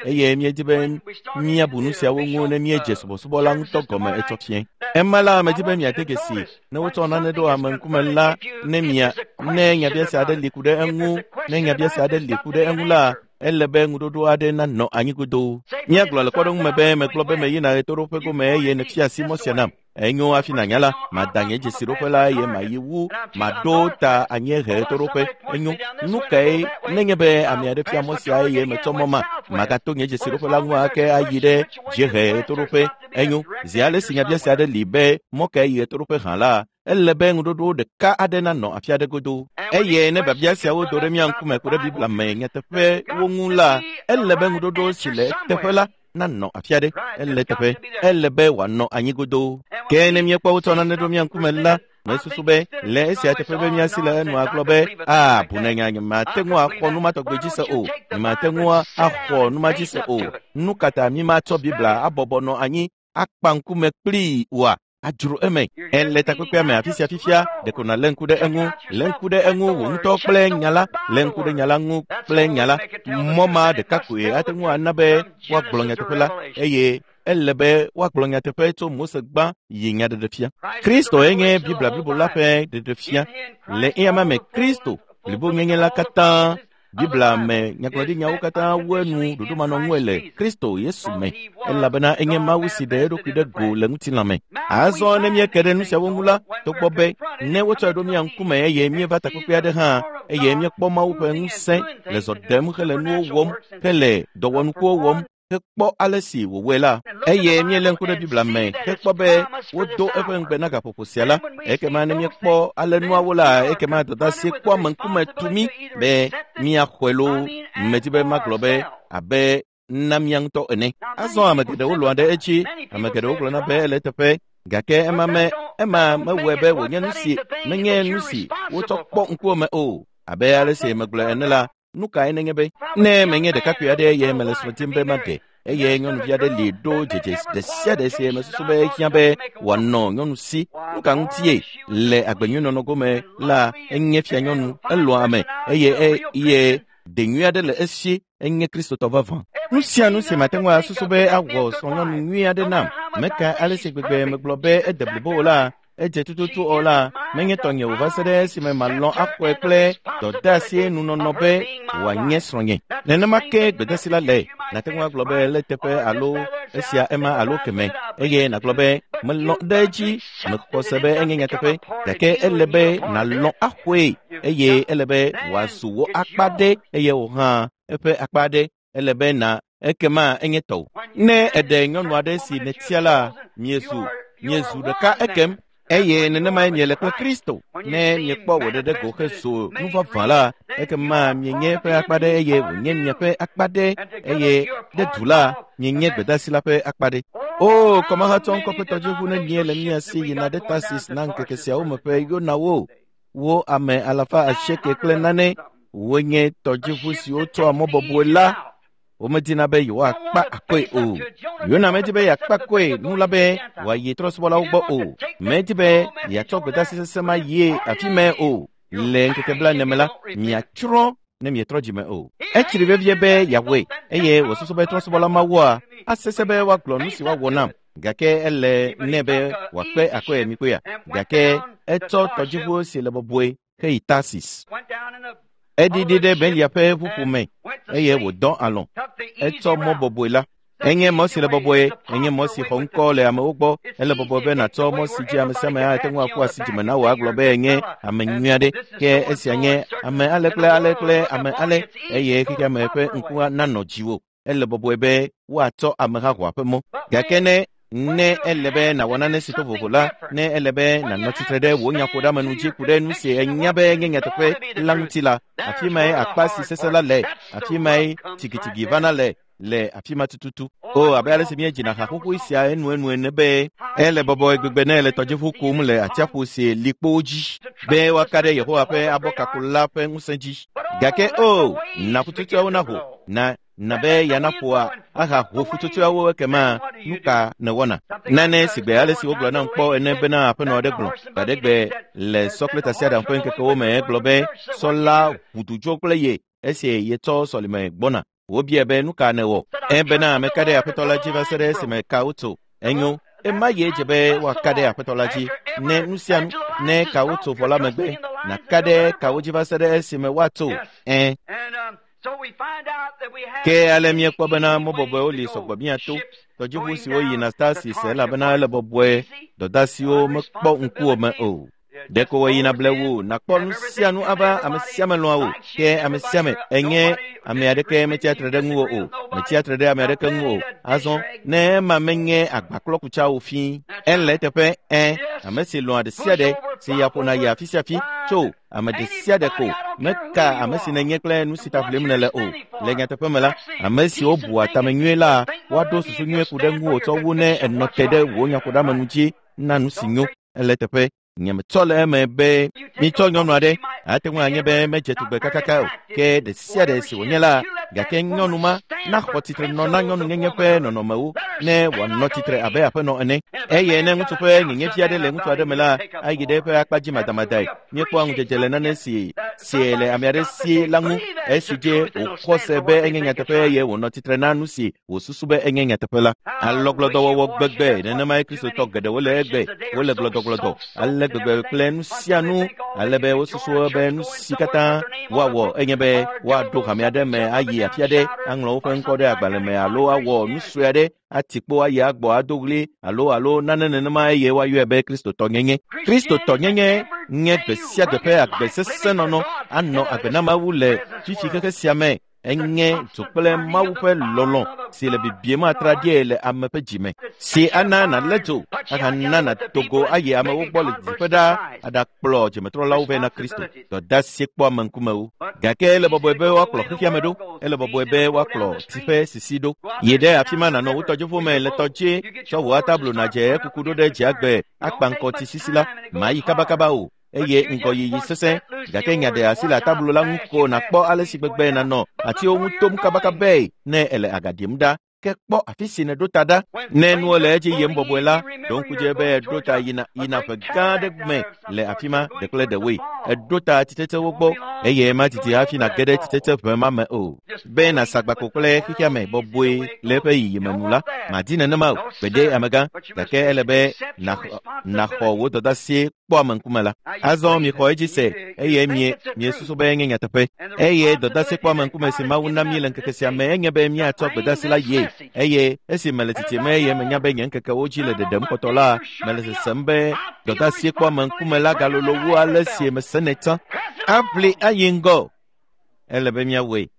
eye míedi be míabu nu siawo ŋu ne míedze subɔsubɔ la ŋutɔ gɔme etsɔ fiẽ. Ema la, medi be miade dzesi ne wotsɔ nane ɖo ame ŋkume la, ne mia ne nyabiase aɖe li ku ɖe eŋu, ne nyabiase aɖe li ku ɖe eŋu la, ele be ŋuɖoɖo aɖe nanɔ anyi godoo. Míagblɔ le kpɔɖeŋu me be megblɔ be meyina ɣetoɖoƒe gome eye nèfia asi mɔ sia nam. Enyo hafi nànya la, mada nye dzesiɖoƒe la eye mayi wu, maɖo ta anyiehe ɣetoɖoƒe. Enyo, nu kae nenye be ame aɖe fia mɔ sia eye metsɔ mɔ ma, magato nye dzesiɖoƒe la ŋu ake ayi ɖe dziehe ɣetoɖoƒe. Enyo, zi ale si nyabiase aɖe li be mɔ kae yi ɣetoɖoƒe hã la, ele be ŋuɖoɖo ɖeka aɖe nanɔ afi aɖe godoo. Eye ne biabia siawo do ɖe mía ŋkume ku ɖe Biblia me nyateƒewo ŋu la, ele be ŋuɖoɖo si le eteƒe la nanɔ afi aɖe. Ele teƒe, ele be wòanɔ anyi godoo. Ke ne míekpɔ wotsɔ nane ɖo mía ŋkume la, mesusu be le esia teƒe be míasi le enu agblɔ be, a bu ne nya nyemate ŋu axɔ nu ma tɔgbe dzi se o, nyemate ŋu axɔ nu ma dzi se o. Nu ka ta mímatsɔ Biblia abɔbɔ nɔ anyi akpa ŋkume kplii oa? Adzro eme. Ele takpekpea me afi sia fifia, ɖeko nàlé ŋku ɖe eŋu, lé ŋku ɖe eŋu wò ŋutɔ kple nya la, lé ŋku ɖe nya la ŋu kple nya la. Mɔ ma ɖeka koe ate ŋu ana be woagblɔ nyateƒe la, eye Ele be woagblɔ nyateƒe tso Mose gbã yi nyaɖeɖefia. Kristo enye Biblia blibo la ƒe ɖeɖefia. Le eya me Kristo blibonyenye la katã Biblia me nyagblɔɖinyawo katã wu enu ɖoɖomanɔŋue le Kristo Yesu me, elabena enye Mawu si ɖe eɖokui ɖe go le ŋutilã me. Azɔ ne míeke ɖe nu siawo ŋu la, togbɔ be ne wotsɔe ɖo mía ŋkume eye míeva takpekpe aɖe hã, eye míekpɔ Mawu ƒe ŋusẽ le zɔ ɖem hele nuwo wɔm, hele dɔwɔnukuwo wɔm, hekpɔ ale si wòwɔe la, eye míelé ŋku ɖe Biblia me hekpɔ be wodo eƒe ŋugbe na gaƒoƒo sia la, ekema ne míekpɔ ale nuawo la, ekema dɔdeasie kpɔa ame ŋkume tu mí be míaxɔe loo. Medi be magblɔ be abe na mía ŋutɔ ene. Azɔ ame geɖewo lɔ̃a ɖe edzi, ame geɖewo gblɔna be ele eteƒe, gake ema me ema mewɔe be wònye nu si menye nu si wotsɔ kpɔ ŋkuwò me o. Abe ale si megblɔe ene la, nu kae nenye be ne menye ɖekakpui aɖe eye mele srɔ̃ dim be maɖe eye nyɔnuvi aɖe li ɖo dzedze ɖe sia ɖe si mesusu be ehiã be wòanɔ nyɔnu si, nu ka ŋutie le agbenyuinɔnɔ gome la enye fianyɔnu, elɔ̃a ame eye eye de nyui aɖe le esi, enye Kristotɔ vavã. Nu sia nu si mate ŋu asusu be awɔ srɔ̃nyɔnu nyui aɖe nam, meka ale si gbegbe megblɔ be ede blibo o la, edze tututu o la, menye tɔnye o va se ɖe esime malɔ̃ axɔe kple dɔdeasie nunɔnɔ be wòanye srɔ̃nye. Nenema ke gbedeasi la le. Nàte ŋu agblɔ be ele teƒe alo esia ema alo keme, eye nàgblɔ be melɔ̃ ɖe edzi, mexɔ se be enye nyateƒe, gake ele be nàlɔ̃ axɔe eye ele be wòazu wò akpa ɖe eye wò hã eƒe akpa ɖe. Ele be na ekema enye tɔwò. Ne eɖe nyɔnu aɖe si nètia la, miezu ɖeka ekem, eye nenemae miele kple Kristo. Ne miekpɔ wò ɖeɖe go hezu nu vavã la, ekema mienye eƒe akpa ɖe eye wònye miaƒe akpa ɖe, eye ɖe du la, mienye gbedeasi la ƒe akpa ɖe. O, kɔmahatsɔ ŋkɔ ƒe tɔdziʋu nenie le mía si yina ɖe Tarsis na ŋkeke siawo me ƒe Yonawo, wo ame 800 kple nane, wonye tɔdziʋu siwo tsɔa mɔ bɔbɔe la. Womedina be yewoakpa akɔe o. Yona medi be yeakpa akɔe nu la be wòayi trɔ̃subɔlawo gbɔ o. Medi be yeatsɔ gbedeasi sesẽ ma yie afi mae o. Le ŋkeke 40 me la, miatsrɔ̃ ne mietrɔ dzime o. Etsri vevie be yeawɔe eye wòsusu be trɔ̃subɔla mawoa asesẽ be woagblɔ nu si woawɔ nam, gake ele nɛ be wòakpe akɔe mikpɔea. Gake etsɔ tɔdziʋu si le bɔbɔe heyi Tarsis. Eɖiɖi ɖe Belia ƒe ʋuƒo me eye wòdɔ alɔ̃. Etsɔ mɔ bɔbɔe la. Enye mɔ si le bɔbɔe, enye mɔ si xɔ ŋkɔ le amewo gbɔ. Ele bɔbɔe be nàtsɔ mɔ si dzi ame sia ame ate ŋu aƒu asi dzime na wò agblɔ be enye ame nyui aɖe. Ke esia nye ame ale kple ale kple ame ale eye xexea me ƒe ŋku nanɔ dziwò. Ele bɔbɔe be woatsɔ amehahoa ƒe mɔ. Gake ne ele be nàwɔ nane si to vovo la, ne ele be nànɔ tsitre ɖe wò nyaƒoɖeamenu dzi ku ɖe nu si enya be nye nyateƒe la ŋuti la, afi mae akpa si sesẽ la le, afi mae tsigitsiги vana le afi ma tututu. O, abe ale si míedzina ha xoxoe sia enuenu ene be ele bɔbɔe gbegbe ne ele tɔdziʋu kum le atsiaƒu si li kpowo dzi be woaka ɖe Yehowa ƒe abɔkako la ƒe ŋusẽ dzi. Gake o, na ƒutsotsoeawo naho, na be yeanaƒoa ahaho ƒutsotsoeawo ekema nu ka nèwɔna? Nane si gbe ale si wogblɔ nam kpɔ ene bena aƒenɔ aɖe gblɔ gbaɖegbe le sɔ kple tasiaɖam ƒe ŋkekewo me egblɔ be sɔ la ʋu du dzo kple ye esi yetsɔ sɔlime gbɔna. Wobiae be nu ka nèwɔ? Ebena meka ɖe aƒetɔ la dzi va se ɖe esime ka wotso. Enyo, ema ye dze be woaka ɖe aƒetɔ la dzi ne nu sia nu ne ka wotso vɔ la megbe naka ɖe kawo dzi va se ɖe esime woatso. Ẽ. Ke ale míekpɔ bena mɔ bɔbɔewo li sɔgbɔ míato. Tɔdziʋu siwo yina Tarsis elabena ele bɔbɔe, dɔdeasiwo mekpɔ ŋkuwò me o. Ɖeko wòyina blewu nàkpɔ nu sia nu ava ame sia ame lɔ̃a wò. Ke ame sia ame enye ame aɖeke metsia tre ɖe ŋuwò o, metsia tre ɖe ame aɖeke ŋu o. Azɔ ne ema menye agbaklɔkutsa o fĩ, ele eteƒe ẽ, ame si lɔ̃a ɖe sia ɖe si ya ƒona yi afi sia afi tso ame ɖe sia ɖe ko meka ame si nènye kple nu si ta ʋlim nèle o. Le nyateƒe me la, ame siwo bua tame nyuie la, woaɖo susu nyuie ku ɖe ŋuwò tsɔ wu ne ènɔ te ɖe wò nyaƒoɖeamenu dzi na nu si nyo. Ele teƒe nye metsɔ le eme be mitsɔ nyɔnu aɖe ate ŋu anye be medze tugbe kakaka o, ke ɖe sia ɖe si wònye la, Gake nyɔnu ma naxɔ tsitre nɔ na nyɔnunyenye ƒe nɔnɔmewo ne wòanɔ tsitre abe aƒenɔ ene. Eye ne ŋutsu ƒe nyenyevi aɖe le ŋutsu aɖe me la, ayi ɖe eƒe akpa dzi madamadae. Míekpɔa ŋudzedze le nane si si le ame aɖe si la ŋu esi dzi wòxɔ se be enye nyateƒe eye wònɔ tsitre na nu si wòsusu be enye nyateƒe la. Alɔgblɔdɔwɔwɔ gbegbe nenemae Kristotɔ geɖewo le egbe. Wole gblɔdɔgblɔdɔ ale gbegbe kple nu sia nu ale be wosusu be nu si katã woawɔ enye be woaɖo hame aɖe me ayi afi aɖe aŋlɔ woƒe ŋkɔ ɖe agbalẽ me alo awɔ nu sue aɖe ati kpo ayi agbɔ ado ɣli alo nane nenema eye woayɔe be Kristotɔnyenye. Kristotɔnyenye nye gbe sia gbe ƒe agbe sesẽ nɔnɔ anɔ agbe na Mawu le fifi xexe sia me. Enye dzo kple Mawu ƒe lɔlɔ̃ si le bibiem atraɖie le ame ƒe dzime, si ana nàlé dzo ahana nàdo go ayi amewo gbɔ le didiƒe ɖaa aɖakplɔ dzimetrɔlawo vɛ na Kristo. Dɔdeasi kpɔ ame ŋkumewo. Gake ele bɔbɔe be woakplɔ xexea me ɖo, ele bɔbɔe be woakplɔ tsi ƒe sisi ɖo. Yi ɖe afi ma nànɔ wò tɔdziʋu me le tɔ dzi, tsɔ wò atablo nàdze ekuku ɖo ɖe dziagbe akpa ŋkɔ tsi sisi la. Mayi kabakaba o eye ŋgɔyiyi sesẽ, gake nya ɖe asi le atablo la ŋu ko nàkpɔ ale si gbegbe nànɔ atiwo ŋu tom kabakabae ne ele aga ɖim ɖa. Ke kpɔ afi si nèɖo ta ɖa. Ne nuwo le edzi yim bɔbɔe la, ɖo ŋku dzi be èɖo ta yina ƒe gã aɖe me le afi ma ɖe kple ɖewoe. Èɖo ta tsitsetsewo gbɔ eye madidi hafi nàge ɖe tsitsetse ʋe ma me o. Be nàsa agbako kple xexea me bɔbɔe le eƒe yiyime nu la, màdi nenema o. Gbeɖe amegã, gake ele be nàxɔ wò dɔdeasi kpɔ ame ŋkume la. Azɔ mixɔ edzi se eye miesusu be enye nyateƒe. Eye dɔdeasi kpɔ ame ŋkume si Mawu na mí le ŋkeke sia me enye be míatsɔ gbedeasi la yie. Eye esi mele tsitsime eye menya be nye ŋkekewo dzi le ɖeɖem kpɔtɔ la, mele sesem be dɔdeasi kpɔ ame ŋkume la galolo wu ale si mesenɛ tsã. Aʋli ayi ŋgɔ. Ele be míawɔe.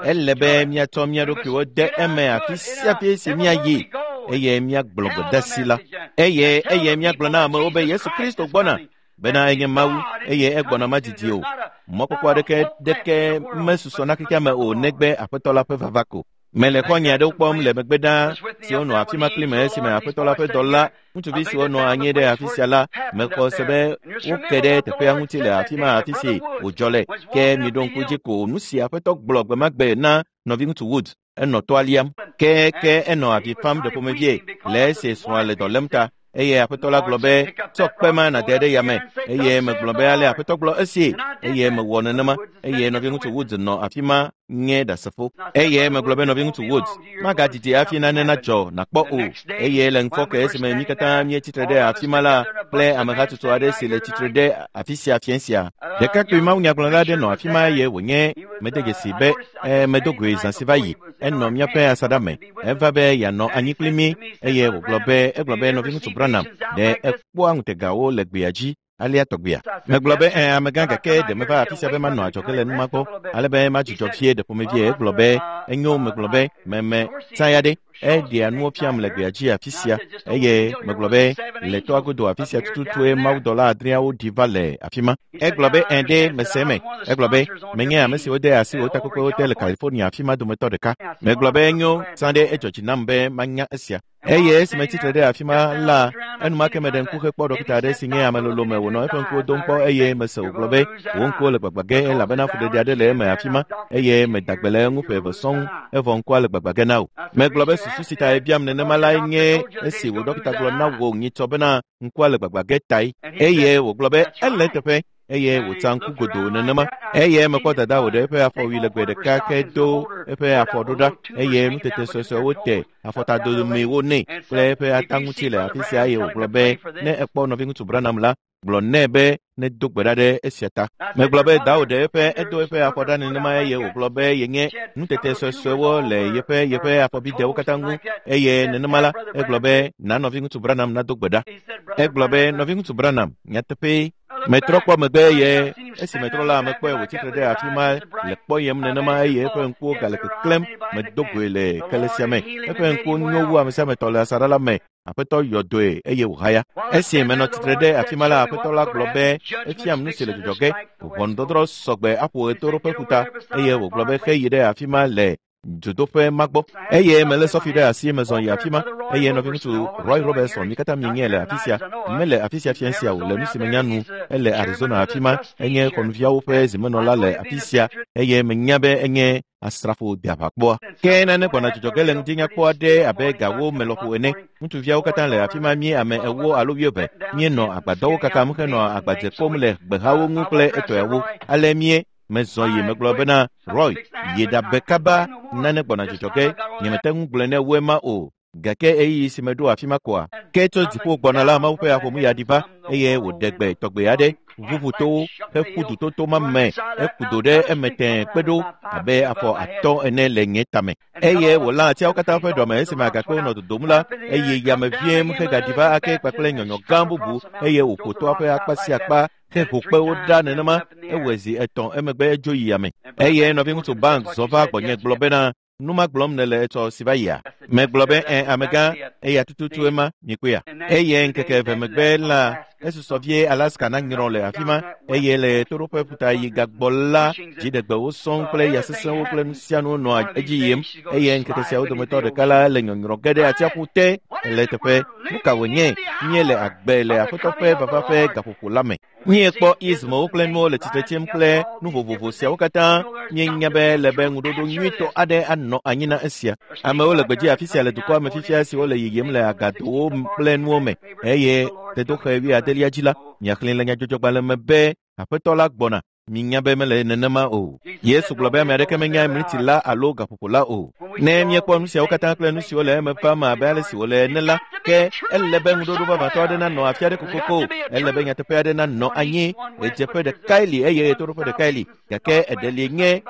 Ele be míatsɔ mía ɖokuiwo de eme afi sia afi si míayi eye míagblɔ gbedeasi la. Eye míagblɔ na amewo be Yesu Kristo gbɔna bena enye Mawu eye egbɔna madidi o. Mɔkpɔkpɔ aɖeke ɖeke mesusɔ na xexea me o negbe Aƒetɔ la ƒe vava ko. Mele xɔ̃nye aɖewo kpɔm le megbe ɖaa siwo nɔ afi ma kpli me esime Aƒetɔ la ƒe dɔla ŋutsuvi siwo nɔ anyi ɖe afi sia la mexɔ se be woke ɖe teƒea ŋuti le afi ma afi si wòdzɔ le. Ke miɖo ŋku dzi ko nu si Aƒetɔ gblɔ gbe ma gbe na nɔviŋutsu Wood. Enɔ toa liam. Ke enɔ avi fam ɖe ƒomevie le esi srɔ̃a le dɔ lém ta. Eye Aƒetɔ la gblɔ be, tsɔ kpe ma nàde ɖe yame. Eye megblɔ be ale Aƒetɔ gblɔ esie. Eye mewɔ nenema. Eye nɔviŋutsu Woods nɔ afi ma nye ɖasefo. Eye megblɔ be nɔviŋutsu Woods, magadidi hafi nane nadzɔ nàkpɔ o. Eye le ŋufɔke esime mí katã míetsitre ɖe afi ma la kple amehatsotso aɖe si le tsitre ɖe afi sia fiẽ sia. Ɖekakpui mawunyagblɔla aɖe nɔ afi ma eye wònye mede dzesi be medo goe zã si va yi. Enɔ míaƒe asaɖa me. Eva be yeanɔ anyi kpli mí eye wògblɔ be egblɔ be nɔviŋutsu Branham ɖe ekpɔa ŋutegawo le gbea dzi alea tɔgbea. Megblɔ be amegã gake ɖe meva afi sia be manɔ adzɔge le nu ma gbɔ ale be madzudzɔ vie ɖe ƒomevie. Egblɔ be enyo. Megblɔ be meme tsã ya ɖe eɖea nuwo fiam le gbea dzi afi sia eye megblɔ be le toa godo afi sia tututue mawudɔla adreawo ɖi va le afi ma. Egblɔ be ɖe mese eme. Egblɔ be menye ame siwo de asi wò takpekpewo te le California afi ma dometɔ ɖeka. Megblɔ be enyo tsã ɖe edzɔ dzi nam be manya esia. Eye esime tsitre ɖe afi ma la, enumake meɖe ŋku hekpɔ ɖɔkita aɖe si nye ame lolo me wònɔ eƒe ŋkuwo dom kpɔ eye mese wògblɔ be wò ŋkuwo le gbagbã ge elabena fuɖeɖe aɖe le eme afi ma eye meda gbe le eŋu ƒe eve sɔŋ evɔ ŋkua le gbagbã ge na wò. Megblɔ be susu si ta ebiam nenema lae nye esi wò ɖɔkita gblɔ na wò nyitsɔ bena ŋkua le gbagbã ge tae. Eye wògblɔ be ele eteƒe eye wòtsa ŋku godoo nenema. Eye mekpɔ dada wòɖe eƒe afɔwui legbe ɖeka ke do eƒe afɔ ɖo ɖa eye nutete suesuewo te afɔtadomewo nɛ kple eƒe ata ŋuti le afi sia eye wògblɔ be ne ekpɔ nɔviŋutsu Branham la, gblɔ nɛ be nedo gbe ɖa ɖe esia ta. Megblɔ be dawo ɖe eƒe edo eƒe afɔ ɖa nenema eye wògblɔ be yenye nutete suesuewo le yeƒe afɔbidewo katã ŋu eye nenema la egblɔ be na nɔviŋutsu Branham nado gbe ɖa. Egblɔ be nɔviŋutsu Branham nyateƒee. Metrɔ kpɔ megbe eye esi metrɔ la mekpɔe wòtsitre ɖe afi ma le kpɔyem nenema eye eƒe ŋkuwo gale keklẽm. Medo goe le kele sia me. Eƒe ŋkuwo nyo wu ame sia ame tɔ le asaɖa la me. Aƒetɔ yɔ dɔe eye wòhaya. Esi menɔ tsitre ɖe afi ma la, Aƒetɔ la gblɔ be efiam nu si le dzɔdzɔ ge. Ʋɔnudɔdrɔ̃ sɔgbe aƒo ɣetoɖoƒe ƒuta eye wògblɔ be xeyi ɖe afi ma le dzodoƒe ma gbɔ. Eye melé sɔfi ɖe asi mezɔ yi afi ma eye nɔviŋutsu Roy Robertson mi katã mienyae le afi sia. Mele afi sia fiẽ sia o le nu si menya nu. Ele Arizona afi ma. Enye xɔnuviawo ƒe zimenɔla le afi sia eye menya be enye Asrafo de aʋakpɔa. Ke nane gbɔna dzidzɔ ge le ŋdi nyakpɔ aɖe abe gawo me lɔƒo ene. Ŋutsuviawo katã le afi ma mí ame 40 alo 20. Míenɔ agbadɔwo kakam henɔ agbadze kpɔm le gbehawo ŋu kple etɔewo. Ale mie mezɔ yi megblɔ bena Roy, yi ɖabe kaba nane gbɔna dzidzɔ ge. Nyemete ŋu gblɔe ne woe ma o. Gake ɣeyiɣi si meɖo afi ma koa, ke tso dziƒo gbɔna la Mawu ƒe aƒomu ya ɖi va eye wòɖe gbe tɔgbe aɖe ʋuʋutowo heƒu dutoto ma me eku do ɖe eme tẽe kpe ɖo abe afɔ 5 ene le nye tame. Eye wòlã atiawo katã ƒe ɖɔme esime agakpewo nɔ dodom la, eye yame viem hegaɖi va ake kpakple nyɔnyɔ gã bubu eye wòƒo toa ƒe akpa sia akpa heho kpewo ɖa nenema ewɔe zi 3 emegbe edzo yi yame. Eye nɔviŋutsu Bank zɔ va gbɔnye gblɔ bena nu ma gblɔm nèle etsɔ si va yia. Megblɔ be ẽ amegã eya tututu ema mikpɔea. Eye ŋkeke 2 megbe la esusɔ vie Alaska nanyrɔ le afi ma eye le toɖoƒe ƒuta yi gagbɔ la dziɖegbewo sɔŋ kple ya sesẽwo kple nu sia nu nɔa edzi yim eye ŋkeke siawo dometɔ ɖeka la le nyɔnyrɔ ge ɖe atsiaƒu te le teƒe. Nu ka wònye? Míele agbe le Aƒetɔ ƒe vava ƒe gaƒoƒo la me. Míekpɔ ismewo kple nuwo le tsitre tsim kple nu vovovo siawo katã. Míenya be le be ŋuɖoɖo nyuitɔ aɖe anɔ anyi na esia. Amewo le gbedzi afi sia le dukɔa me fifia siwo le yiyim le agadowo kple nuwo me eye tedoxe 70 dzi la, miaxlẽe le nyadzɔdzɔgbalẽ me be Aƒetɔ la gbɔna. Minya be mele nenema o. Yesu gblɔ be ame aɖeke menya mliti la alo gaƒoƒo la o. Ne míekpɔ nu siawo katã kple nu siwo le eme vam abe ale si wòle ene la, ke ele be ŋuɖoɖo vavãtɔ aɖe nanɔ afi aɖe kokoko. Ele be nyateƒe aɖe nanɔ anyi. Ɣedzeƒe ɖekae li eye ɣetoɖoƒe ɖekae li. Gake eɖe li nye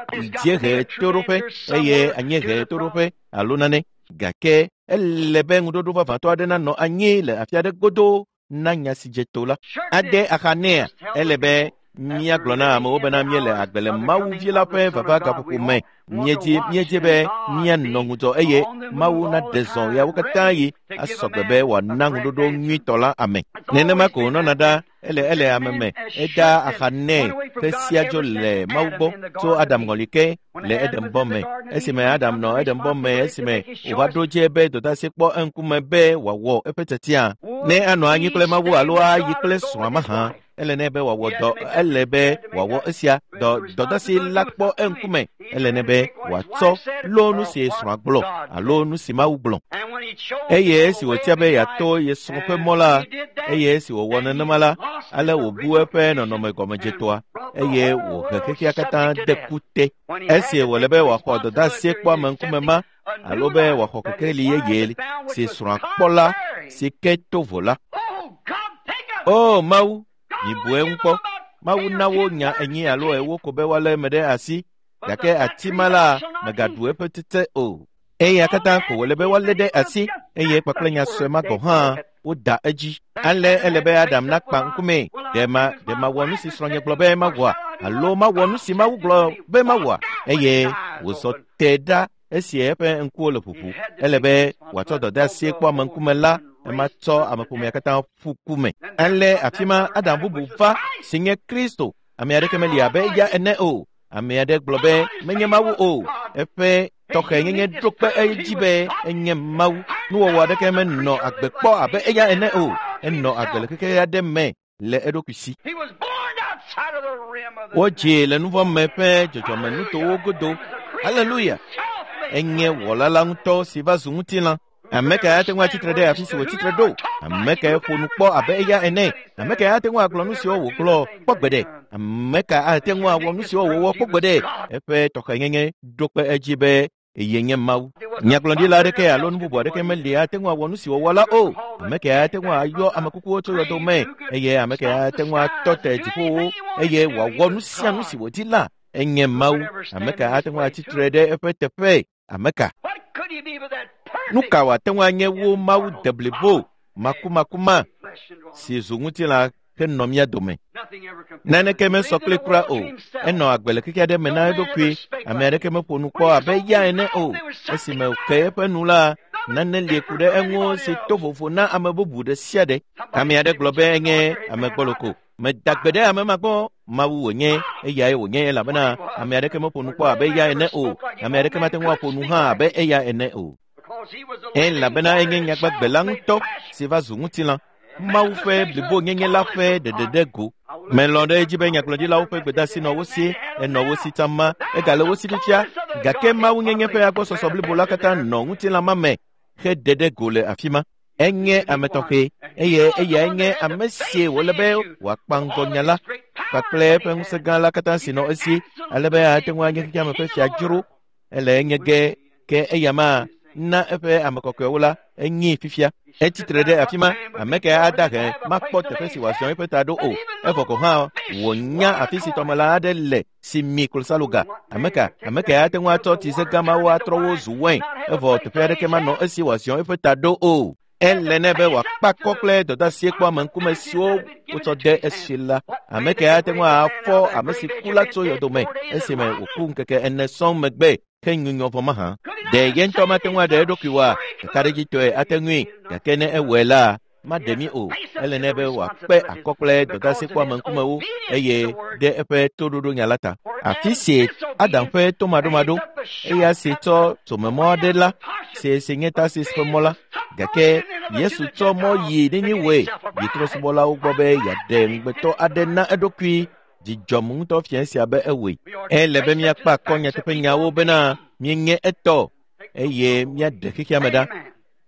dziehe toɖoƒe eye anyiehe toɖoƒe alo nane. Gake ele be ŋuɖoɖo vavãtɔ aɖe nanɔ anyi le afi aɖe godoo na nya si dze to la. Ade axa nɛa, ele be míagblɔ na amewo bena míele agbe le Mawu vi la ƒe vava gaƒoƒo me. Míedzi be míanɔ ŋudzɔ eye Mawu naɖe zɔ ɣeawo katã yi asɔgbe be wòana ŋuɖoɖo nyuitɔ la ame. Nenema ko wònɔna ɖa ele ame me eda axa nɛ ƒe sia dzo le Mawu gbɔ tso Adam ŋɔli ke le Edenbɔ me. Esime Adam nɔ Edenbɔ me esime wòva ɖo dze be dɔdeasi kpɔ eŋkume be wòawɔ eƒe tiatia. Ne anɔ anyi kple Mawu alo ayi kple srɔ̃a mahã, ele nɛ be wòawɔ dɔ, ele be wòawɔ esia dɔdeasi la kpɔ eŋkume. Ele nɛ be wòatsɔ lo nu si srɔ̃a gblɔ alo nu si Mawu gblɔ. Eye esi wòtia be yeato ye srɔ̃ ƒe mɔ la, eye esi wòwɔ nenema la, ale wòbu eƒe nɔnɔme gɔmedzetɔa eye wòhe xexea katã de ku te. Esi wòle be wòaxɔ dɔdeasie kpɔ ame ŋkume ma alo be wòaxɔ kekeli yeye si srɔ̃a kpɔ la si ke to vo la. O Mawu, mibu eŋu kpɔ. Mawu na wo nya 4 alo 4 ko be woalé eme ɖe asi, gake ati ma la megaɖu eƒe tete o. Eya katã ko wòle be woalé ɖe asi eye kpakple nya sue ma gɔ̃ hã woda edzi. Ale ele be Adam nakpa ŋkume. Ɖe mawɔ nu si srɔ̃nye gblɔ be mawɔa alo mawɔ nu si Mawu gblɔ be mawɔa? Eye wòzɔ te ɖa esi eƒe ŋkuwo le ʋuʋu. Ele be wòatsɔ dɔdeasie kpɔ ame ŋkume la, ema tsɔ ameƒomea katã ƒu ku me. Ale afi ma Adam bubu va si nye Kristo. Ame aɖeke meli abe eya ene o. Ame aɖe gblɔ be menye Mawu o. Eƒe tɔxɛnyenye ɖo kpe edzi be enye Mawu. Nuwɔwɔ aɖeke menɔ agbe kpɔ abe eya ene o. Enɔ agbe le xexe aɖe me le eɖokui si. Wodzee le nuvɔ̃ me ƒe dzɔdzɔmenutowo godo. Haleluya! Enye wɔla la ŋutɔ si va zu ŋutilã. Ame kae ate ŋu atsitre ɖe afi si wòtsitre ɖo? Ame kae ƒo nu kpɔ abe eya ene? Ame kae ate ŋu agblɔ nu siwo wògblɔ kpɔ gbeɖe? Ame ka ate ŋu awɔ nu siwo wòwɔ kpɔ gbeɖe? Eƒe tɔxɛnyenye ɖo kpe edzi be eye nye Mawu. Nyagblɔɖila aɖeke alo nu bubu aɖeke meli ate ŋu awɔ nu si wòwɔ la o. Ame kae ate ŋu ayɔ ame kukuwo tso yɔdo me? Eye ame kae ate ŋu atɔ te dziƒowo eye wòawɔ nu sia nu si wòdi la? Enye Mawu. Ame ka ate ŋu atsitre ɖe eƒe teƒe? Ame ka? Nu ka wòate ŋu anye wo Mawu deblibo makumakuma si zu ŋutilã henɔ mía dome? Naneke mesɔ kple kura o. Enɔ agbe le xexe aɖe me na eɖokui. Ame aɖeke meƒo nu kpɔ abe eya ene o. Esime wòke eƒe nu la, nane li ku ɖe eŋu si to vovo na ame bubu ɖe sia ɖe. Ame aɖe gblɔ be enye ame gbɔloko. Meda gbe ɖe ame ma gbɔ. Mawu wònye, eyae wònye elabena ame aɖeke meƒo nu kpɔ abe eya ene o. Ame aɖeke mate ŋu aƒo nu hã abe eya ene o. Elabena enye nyagbagbe la ŋutɔ si va zu ŋutilã. Mawu ƒe blibonyenye la ƒe ɖeɖe ɖe go. Melɔ̃ ɖe edzi be nyagblɔɖilawo ƒe gbedeasi nɔ wo si, enɔ wo si tsã egale wo si fifia, gake mawunyenye ƒe agbɔsɔsɔ blibo la katã nɔ ŋutilã ma me heɖe ɖe go le afi ma. Enye ame tɔxɛ eye eyae nye ame si wòle be wòakpa ŋgɔ nya la kpakple eƒe ŋusẽ gã la katã si nɔ esi ale be ate ŋu anye xexeame ƒe fia dzro. Ele enye ge ke eya ma na eƒe ame kɔkɔewo la enyi fifia. Etsitre ɖe afi ma, ame ke ada he makpɔ teƒe si wòaziɔ eƒe ta ɖo o. Evɔ gɔ̃ hã wònya afi si tɔmelã aɖe le si mi klosaloga. Ame ka ame ke ate ŋu atsɔ tsize gã mawo atrɔ wo zu wain evɔ teƒe aɖeke manɔ esi wòaziɔ eƒe ta ɖo o. Ele nɛ be wòakpe akɔ kple dɔdeasie kpɔ ame ŋkume siwo wotsɔ de esi la. Ame ke ate ŋu afɔ ame si ku la tso yɔdome esime wòku ŋkeke ene sɔŋ megbe ke nyunyɔ vɔ mahã. Ɖe ye ŋutɔ mate ŋu aɖe eɖokui oa? Kakaɖedzitɔe ate ŋui, gake ne ewɔe la, maɖe mí o. Ele nɛ be wòakpe akɔ kple dɔdeasi kpɔ ame ŋkumewo eye ɖe eƒe toɖoɖo nya la ta. Afi si Adam ƒe tomaɖomaɖo, eya si tsɔ tsomemɔ aɖe la, si si nye Tarsis ƒe mɔ la, gake Yesu tsɔ mɔ yi Niniwe yi trɔ̃subɔlawo gbɔ be yeaɖe ŋugbetɔ aɖe na eɖokui. Dzidzɔm ŋutɔ fia esia be ewɔe. Ele be míakpe akɔ nyateƒenyawo bena míenye etɔ eye míaɖe xexeame ɖa.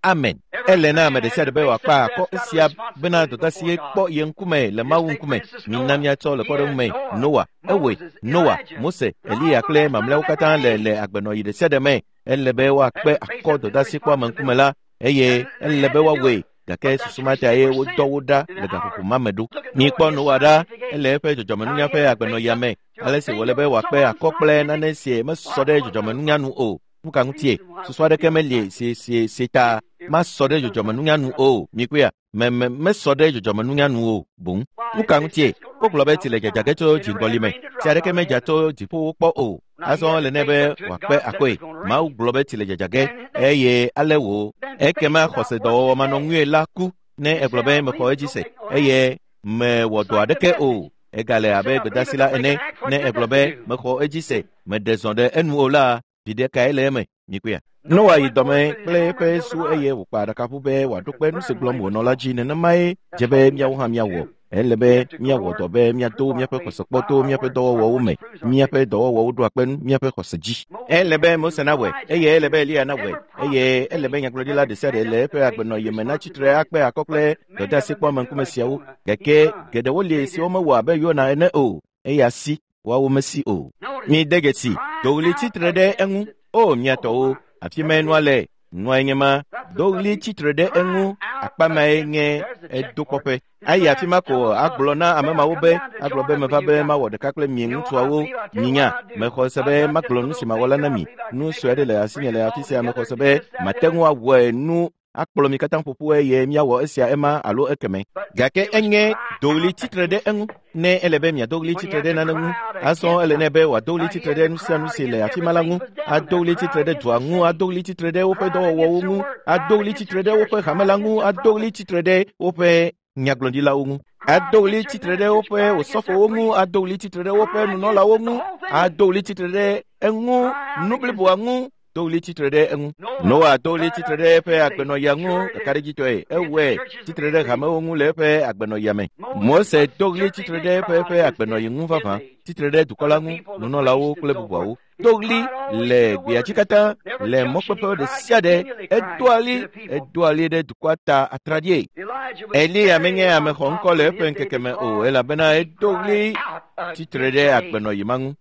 Amen. Ele na ame ɖe sia ɖe be wòakpe akɔ esia bena dɔdeasie kpɔ ye ŋkume le Mawu ŋkume. Mina míatsɔ le kpɔɖeŋu me Noa, ewɔe, Noa, Mose, Eliya kple mamlɛawo katã le le agbenɔɣi ɖe sia ɖe me. Ele be woakpe akɔ dɔdeasi kpɔ ame ŋkume la eye ele be woawɔe. Gake susu ma ta ye wodɔ wo ɖa le gaƒoƒo ma me ɖo. Mikpɔ Noa ɖa, ele eƒe dzɔdzɔmenunya ƒe agbenɔɣia me, ale si wòle be wòakpe akɔ kple nane si mesɔ ɖe dzɔdzɔmenunya nu o. Nu ka ŋutie? Susu aɖeke meli si si si ta masɔ ɖe dzɔdzɔmenunya nu o. Mikpɔea? Me me mesɔ ɖe dzɔdzɔmenunya nu o boŋ. Nu ka ŋutie? Wogblɔ be tsi le dzadza ge tso dziŋgɔli me. Tsi aɖeke medza tso dziƒowo kpɔ o. Azɔ ele nɛ be wòakpe akɔe. Mawu gblɔ be tsi le dzadza ge eye ale wò. Ekema xɔse dɔwɔwɔ manɔŋui la ku ne egblɔ be mexɔ edzi se eye mewɔ dɔ aɖeke o. Egale abe gbedeasi la ene ne egblɔ be mexɔ edzi se meɖe zɔ ɖe enu o la, viɖe kae le eme? Mikpɔea? Noa yi dɔme kple eƒe su eye wòkpa aɖakaʋu be wòaɖo kpe nu si gblɔm wònɔ la dzi. Nenemae dze be míawo hã míawɔ. Ele be míawɔ dɔ be míado míaƒe xɔse kpɔ to míaƒe dɔwɔwɔwo me. Míaƒe dɔwɔwɔwo ɖoa kpe míaƒe xɔse dzi. Ele be Mose nawɔe eye ele be Eliya nawɔe eye ele be nyagblɔɖila ɖe sia ɖe le eƒe agbenɔɣi me natsi tre akpe akɔ kple dɔdeasi kpɔ ame ŋkume siawo. Gake geɖewo li siwo mewɔ abe Yona ene o. Eya si woawo mesi o. Mide dzesi, do ɣli tsitre ɖe eŋu. O mia tɔwo, afi mae nua le. Nuae nye ma. Do ɣli tsitre ɖe eŋu. Akpa mae nye edokpɔƒe. Ayi afi ma ko agblɔ na ame mawo be, agblɔ be meva be mawɔ ɖeka kple mi ŋutsuawo. Minya, mexɔ se be magblɔ nu si mawɔ la na mi. Nu sue aɖe le asinye le afi sia mexɔ se be mate ŋu awɔe nu akplɔ mi katã ƒoƒu eye míawɔ esia ema alo ekeme. Gake enye do ɣli tsitre ɖe eŋu. Ne ele be miado ɣli tsitre ɖe nane ŋu, azɔ ele nɛ be wòado ɣli tsitre ɖe nu sia nu si le afi ma la ŋu, ado ɣli tsitre ɖe dua ŋu, ado ɣli tsitre ɖe woƒe dɔwɔwɔwo ŋu, ado ɣli tsitre ɖe woƒe hame la ŋu, ado ɣli tsitre ɖe woƒe nyagblɔɖilawo ŋu, ado ɣli tsitre ɖe woƒe osɔfowo ŋu, ado ɣli tsitre ɖe woƒe nunɔlawo ŋu, ado ɣli tsitre ɖe eŋu, nu bliboa ŋu, do ɣli tsitre ɖe eŋu. Noa do ɣli tsitre ɖe eƒe agbenɔɣia ŋu kakaɖedzitɔe. Ewɔe tsitre ɖe hamewo ŋu le eƒe agbenɔɣia me. Mose do ɣli tsitre ɖe eƒe eƒe agbenɔɣi ŋu vavã, tsitre ɖe dukɔ la ŋu, nunɔlawo kple bubuawo. Do ɣli le gbea dzi katã, le mɔkpeƒe ɖe sia ɖe. Edoa ɣli, edoa ɣli ɖe dukɔa ta atraɖie. Eliya menye ame xɔŋkɔ le eƒe ŋkeke me o, elabena edo ɣli tsitre ɖe agbenɔɣi ma ŋu.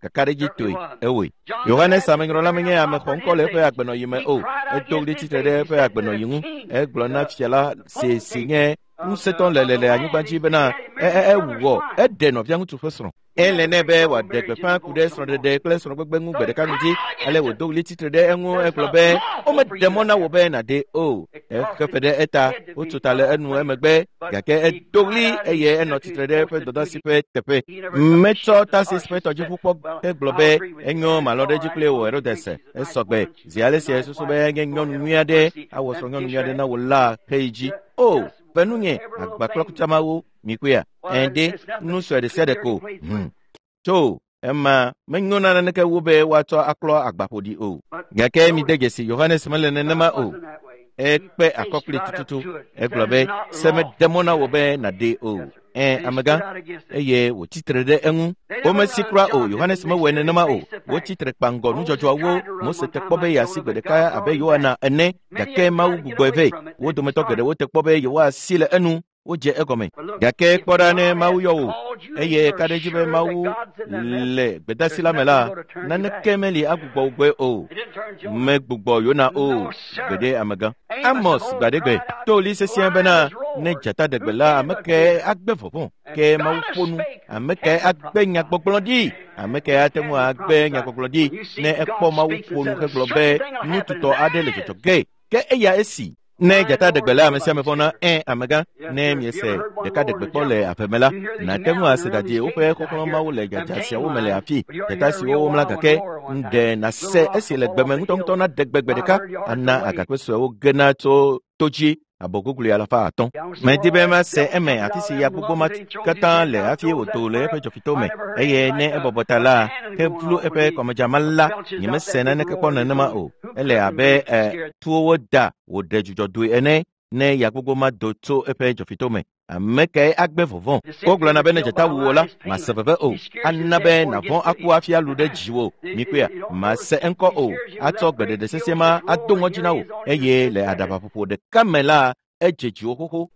Kakaɖedzitɔe ewɔe. Yohanes amenyrɔla menye ame xɔŋkɔ le eƒe agbenɔɣi me o. Edo ɣli tsitre ɖe eƒe agbenɔɣi ŋu. Egblɔ na fia la si si nye ŋusẽtɔ le le le anyigba dzi bena ewɔ eɖe nɔvia ŋutsu ƒe srɔ̃. Ele nɛ be wòaɖe gbeƒã ku ɖe srɔ̃ɖeɖe kple srɔ̃gbegbe ŋu gbe ɖeka ŋdi. Ale wòdo ɣli tsitre ɖe eŋu egblɔ be womeɖe mɔ na wò be nàɖe o. Exe fe ɖe eta, wotso ta le enu emegbe gake edo ɣli eye enɔ tsitre ɖe eƒe dɔdeasi ƒe teƒe. Metsɔ Tarsis ƒe tɔdziʋu kpɔ hegblɔ be enyo malɔ̃ ɖe edzi kple wò Herodes. Esɔgbe zi ale si esusu be enye nyɔnu nyui aɖe awɔ srɔ̃nyɔnu nyui aɖe na wò la heyi dzi. O, ve nunye agba kple kutsamawo mikpɔea? Ɛ̃ nu sue ɖe sia ɖe ko. Tso ema menyo na naneke wu be woatsɔ aklɔ agbaƒoɖi o. Gake mide dzesi Yohanes mele nenema o. Ekpe akɔ kpli tututu. Egblɔ be se meɖe mɔ na wò be nàɖee o. Ẽ, amegã, eye wòtsi tre ɖe eŋu. Womesi kura o, Yohanes mewɔe nenema o. Wotsi tre kpaŋgɔ nudzɔdzɔawo. Mose te kpɔ be yeasi gbe ɖeka abe Yohana ene, gake Mawu gbugbɔe vɛ. Wo dometɔ geɖewo te kpɔ be yewoasi le enu. Wodze egɔme. Gake kpɔ ɖa ne Mawu yɔ wò, eye ka ɖe edzi be Mawu le gbedasi la me la, naneke meli agbugbɔ wò gbɔe o. Megbugbɔ Yona o, gbeɖe amegã. Amos gbaɖegbe to ɣli sesĩe bena ne dzata ɖe gbe la, ame kae agbe vɔvɔ̃? Ke Mawu ƒo nu. Ame kae agbe nyagbɔgblɔ ɖi? Ame kae ate ŋu agbe nyagbɔgblɔ ɖi ne ekpɔ Mawu ƒo nu hegblɔ be nu tutɔ aɖe le dzɔdzɔ ge? Ke eya esi. Ne dzata ɖe gbe la, ame sia ame vɔ̃na. Ẽ, amegã, ne miese ɖeka ɖe gbe kpɔ le ave me la, nàte ŋu ase ɖadie woƒe xɔxlɔ̃mawo le dzadza siawo me le afi. Dzata siwo womla gake ŋɖe nàse esi le gbeme ŋutɔŋutɔ naɖe gbe gbe ɖeka ana agakpe suewo gena tso to dzi abɔ gogloe 500. Medi be mase eme afi si ya gbogbo ma katã le hafi wòdo le eƒe dzɔfito me eye ne ebɔbɔ ta la, hevlu eƒe kɔmedzama la, nyemese naneke kpɔ nenema o. Ele abe tuwo da wòɖe dzudzɔ doe ene ne ya gbogbo ma do tso eƒe dzɔfito me. Ame kae agbe vɔvɔ̃? Wogblɔna be ne dzata wu wò la, mase veve o. Ana be nàvɔ̃ aku hafi alu ɖe dziwò. Mikpɔea, mase eŋkɔ o. Atsɔ gbeɖeɖe sesĩe ma ado ŋɔdzi na wò eye le aɖabaƒoƒo ɖeka me la, edze dziwò xoxo.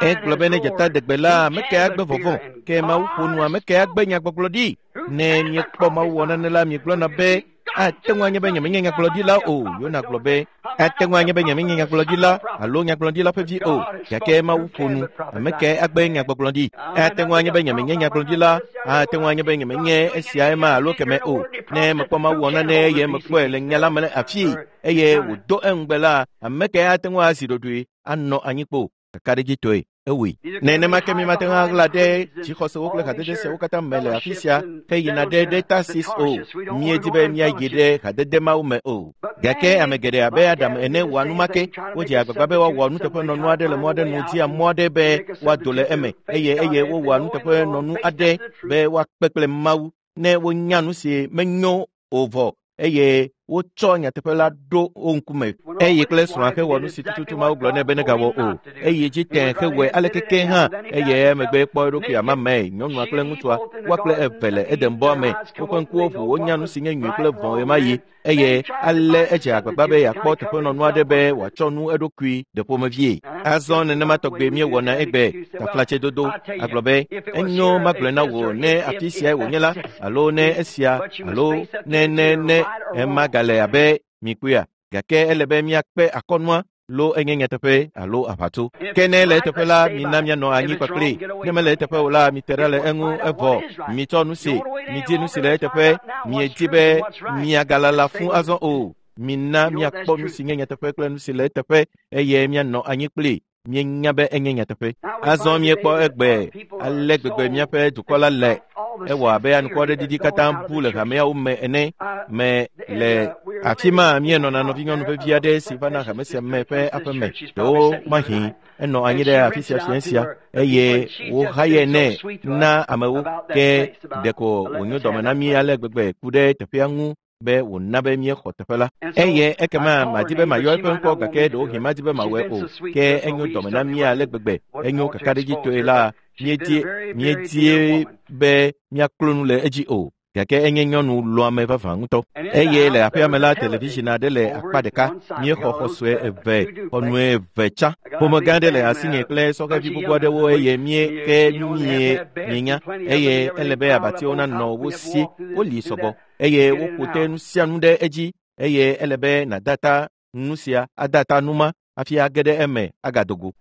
Egblɔ be ne dzata ɖe gbe la, ame kae agbe vɔvɔ̃? Ke Mawu ƒo nu, ame kae agbe nyagbɔgblɔ ɖi? Ne miekpɔ Mawu wɔ nane la, miegblɔna be ate ŋu anye be nyemenye nyagblɔɖila o. Yona gblɔ be ate ŋu anye be nyemenye nyagblɔɖila alo nyagblɔɖila ƒe vi o, gake Mawu ƒo nu. Ame kae agbe nyagbɔgblɔ ɖi? Ate ŋu anye be nyemenye nyagblɔɖila, ate ŋu anye be nyemenye esia ema alo keme o. Ne mekpɔ Mawu wɔ nane eye mekpɔe le nya la me le afii eye wòdo eŋugbe la, ame kae ate ŋu azi ɖoɖoe anɔ anyi kpo? Kakaɖedzitɔe ewɔe. Nenema ke mímate ŋu aɣla ɖe dzixɔsewo kple hadede siawo katã me le afi sia heyina ɖe Tarsis o. Míedi be míayi ɖe hadede mawo me o. Gake ame geɖe abe Adam ene wɔa nu ma ke. Wodze agbagba be woawɔ nuteƒenɔnu aɖe le mɔ aɖe nu, dia mɔ aɖe be woado le eme eye eye wowɔa nuteƒenɔnu aɖe be woakpe kple Mawu ne wonya nu si menyo o vɔ eye wotsɔ nyateƒe la ɖo wo ŋkume. Eye kple srɔ̃a hewɔ nu si tututu Mawu gblɔ nɛ be negawɔ o. Eye dzi tẽ hewɔe aleke ke hã eye emegbe kpɔ eɖokui amamae. Nyɔnua kple ŋutsua, woa kple eve le Edenbɔa me. Woƒe ŋkuwo ʋu, wonya nu si nye nyui kple vɔ̃ ɣemaɣi eye ale edze agbagba be yeakpɔ teƒenɔnu aɖe be wòatsɔ nu eɖokui ɖe ƒomevie. Azɔ nenema tɔgbe míewɔna egbe taflatsedodo. Agblɔ be enyo magblɔe na wò ne afi siae wònye la alo ne esia alo ne ne ne ema gale abe mikpɔea. Gake ele be míakpe akɔnua lo enye nyateƒe alo aʋatso. Ke ne le eteƒe la, mina míanɔ anyi kpakpli. Ne mele eteƒe o la, mite ɖa le eŋu evɔ. Mitsɔ nu si, midi nu si le eteƒe. Miedi be miagalala fũ azɔ o. Mina míakpɔ nu si nye nyateƒe kple nu si le eteƒe eye míanɔ anyi kpli. Míenya be enye nyateƒe. Azɔ míekpɔ egbe ale gbegbe míaƒe dukɔ la le. Ewɔ abe anukwaɖeɖiɖi katã bu le hameawo me ene. Me le afi ma míenɔna nɔvinyɔnu vevi aɖe si vana hame sia me ƒe aƒeme. Ɖewo mahi enɔ anyi ɖe afi sia fiẽ sia eye wohaye nɛ na amewo ke ɖeko wònyo dɔme na mí ale gbegbe ku ɖe teƒea ŋu be wòna be míexɔ teƒe la. Eye ekema madi be mayɔ eƒe ŋkɔ gake ɖewohĩ madi be mawɔe o. Ke enyo dɔme na mí ale gbegbe. Enyo kakaɖedzitɔe la, míedie be míaklo nu le edzi o. Gake enye nyɔnu lɔ̃ame vavã ŋutɔ. Eye le aƒea me la, television aɖe le akpa ɖeka. Míexɔ xɔ sue eve, xɔnue eve tsã. Ƒome gã aɖe le asinye kple sɔhɛvi gbogbo aɖewo eye mie ke mie mienya eye ele be abatiwo nanɔ wo si. Woli sɔgbɔ eye woƒo te nu sia nu ɖe edzi eye ele be nàda ta nu sia ada ta nu ma hafi age ɖe eme agado go.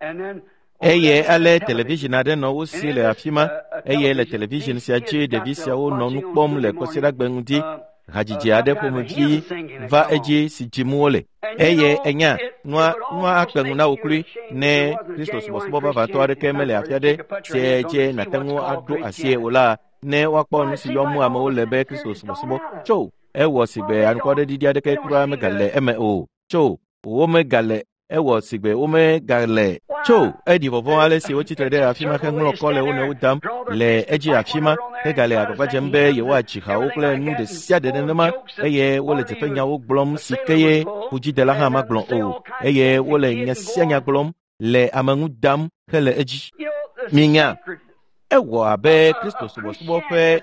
Eye ale television aɖe nɔ wo si le afi ma eye le television sia dzi ɖevi siawo nɔ nu kpɔm le Kwasiɖagbe ŋdi. Hadzidzi aɖe ƒomevi va edzi si dzim wole. Eye enya nua akpe ŋu na wò kloe ne Kristo subɔsubɔ vavãtɔ aɖeke mele afi aɖe si dzi nàte ŋu aɖo asie o la, ne woakpɔ nu si yɔm amewo le be Kristo subɔsubɔ tso ewɔ si gbe anukwaɖeɖiɖi aɖeke kura megale eme o. Tso womegale Ewɔ sigbe womegale tso eɖi vɔvɔ̃ ale si wotsitre ɖe afi ma heŋlɔ kɔ le wo nɔewo dam le edzi afi ma hegale agbagba dzem be yewoadzi hawo kple nu ɖe sia ɖe nenema eye wole dzeƒenyawo gblɔm si ke ye ƒudzidela hã magblɔ o eye wole nya sia nya gblɔm le ame ŋu dam hele edzi. Minya, ewɔ abe Kristo subɔsubɔ ƒe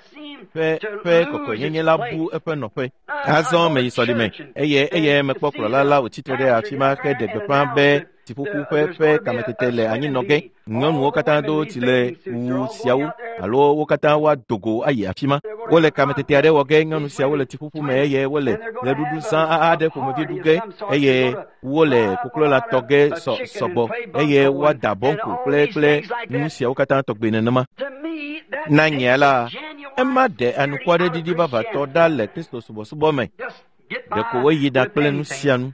ƒe kɔkɔenyenye la bu eƒe nɔƒe. Azɔ meyi sɔlime eye mekpɔ kplɔla la wòtsitre ɖe afi ma heɖe gbeƒã be tsiƒuƒu ƒe kametete le anyinɔ ge. Nyɔnuwo katã do tsi le wu siawo alo wo katã woado go ayi afi ma. Wole kametete aɖe wɔ ge, nyɔnu siawo le tsiƒuƒu me eye wole ɣeɖuɖu zã aɖe ƒomevi ɖu ge eye wole koklo la tɔ ge sɔgbɔ eye woada bɔnku kple nu siawo katã tɔgbe nenema. Na nyea la, ema ɖe anukwaɖeɖiɖi vavãtɔ ɖa le Kristo subɔsubɔ me. Ɖeko woyina kple nu sia nu.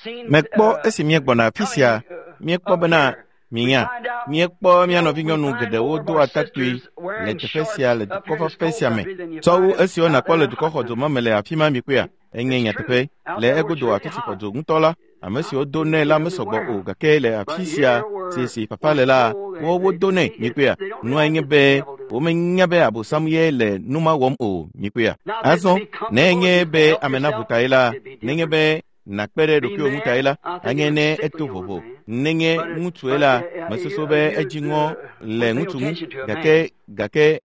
Mekpɔ esi míegbɔna afi sia, míekpɔ bena minya, míekpɔ mía nɔvinyɔnu geɖewo do atakpui le teƒe sia le dukɔ fafɛ sia me. Sɔwu esiwo nàkpɔ le dukɔ xɔdzo ma me le afi ma mikpɔea? Enye nyateƒe. Le egodo afi si xɔdzo ŋutɔ la, ame siwo do nɛ la mesɔgbɔ o gake le afi sia si fafa le la, wodo nɛ mikpɔea? Nua nye be womenya be Abosam ye le nu ma wɔm o mikpɔea? Azɔ ne nye be ame naʋu ta ye la, nenye be nakpe ɖe ɖokuiwò ŋu ta ye la, anye ne eto vovo. Nenye ŋutsue la, mesusu be edzi ŋɔ le ŋutsu ŋu gake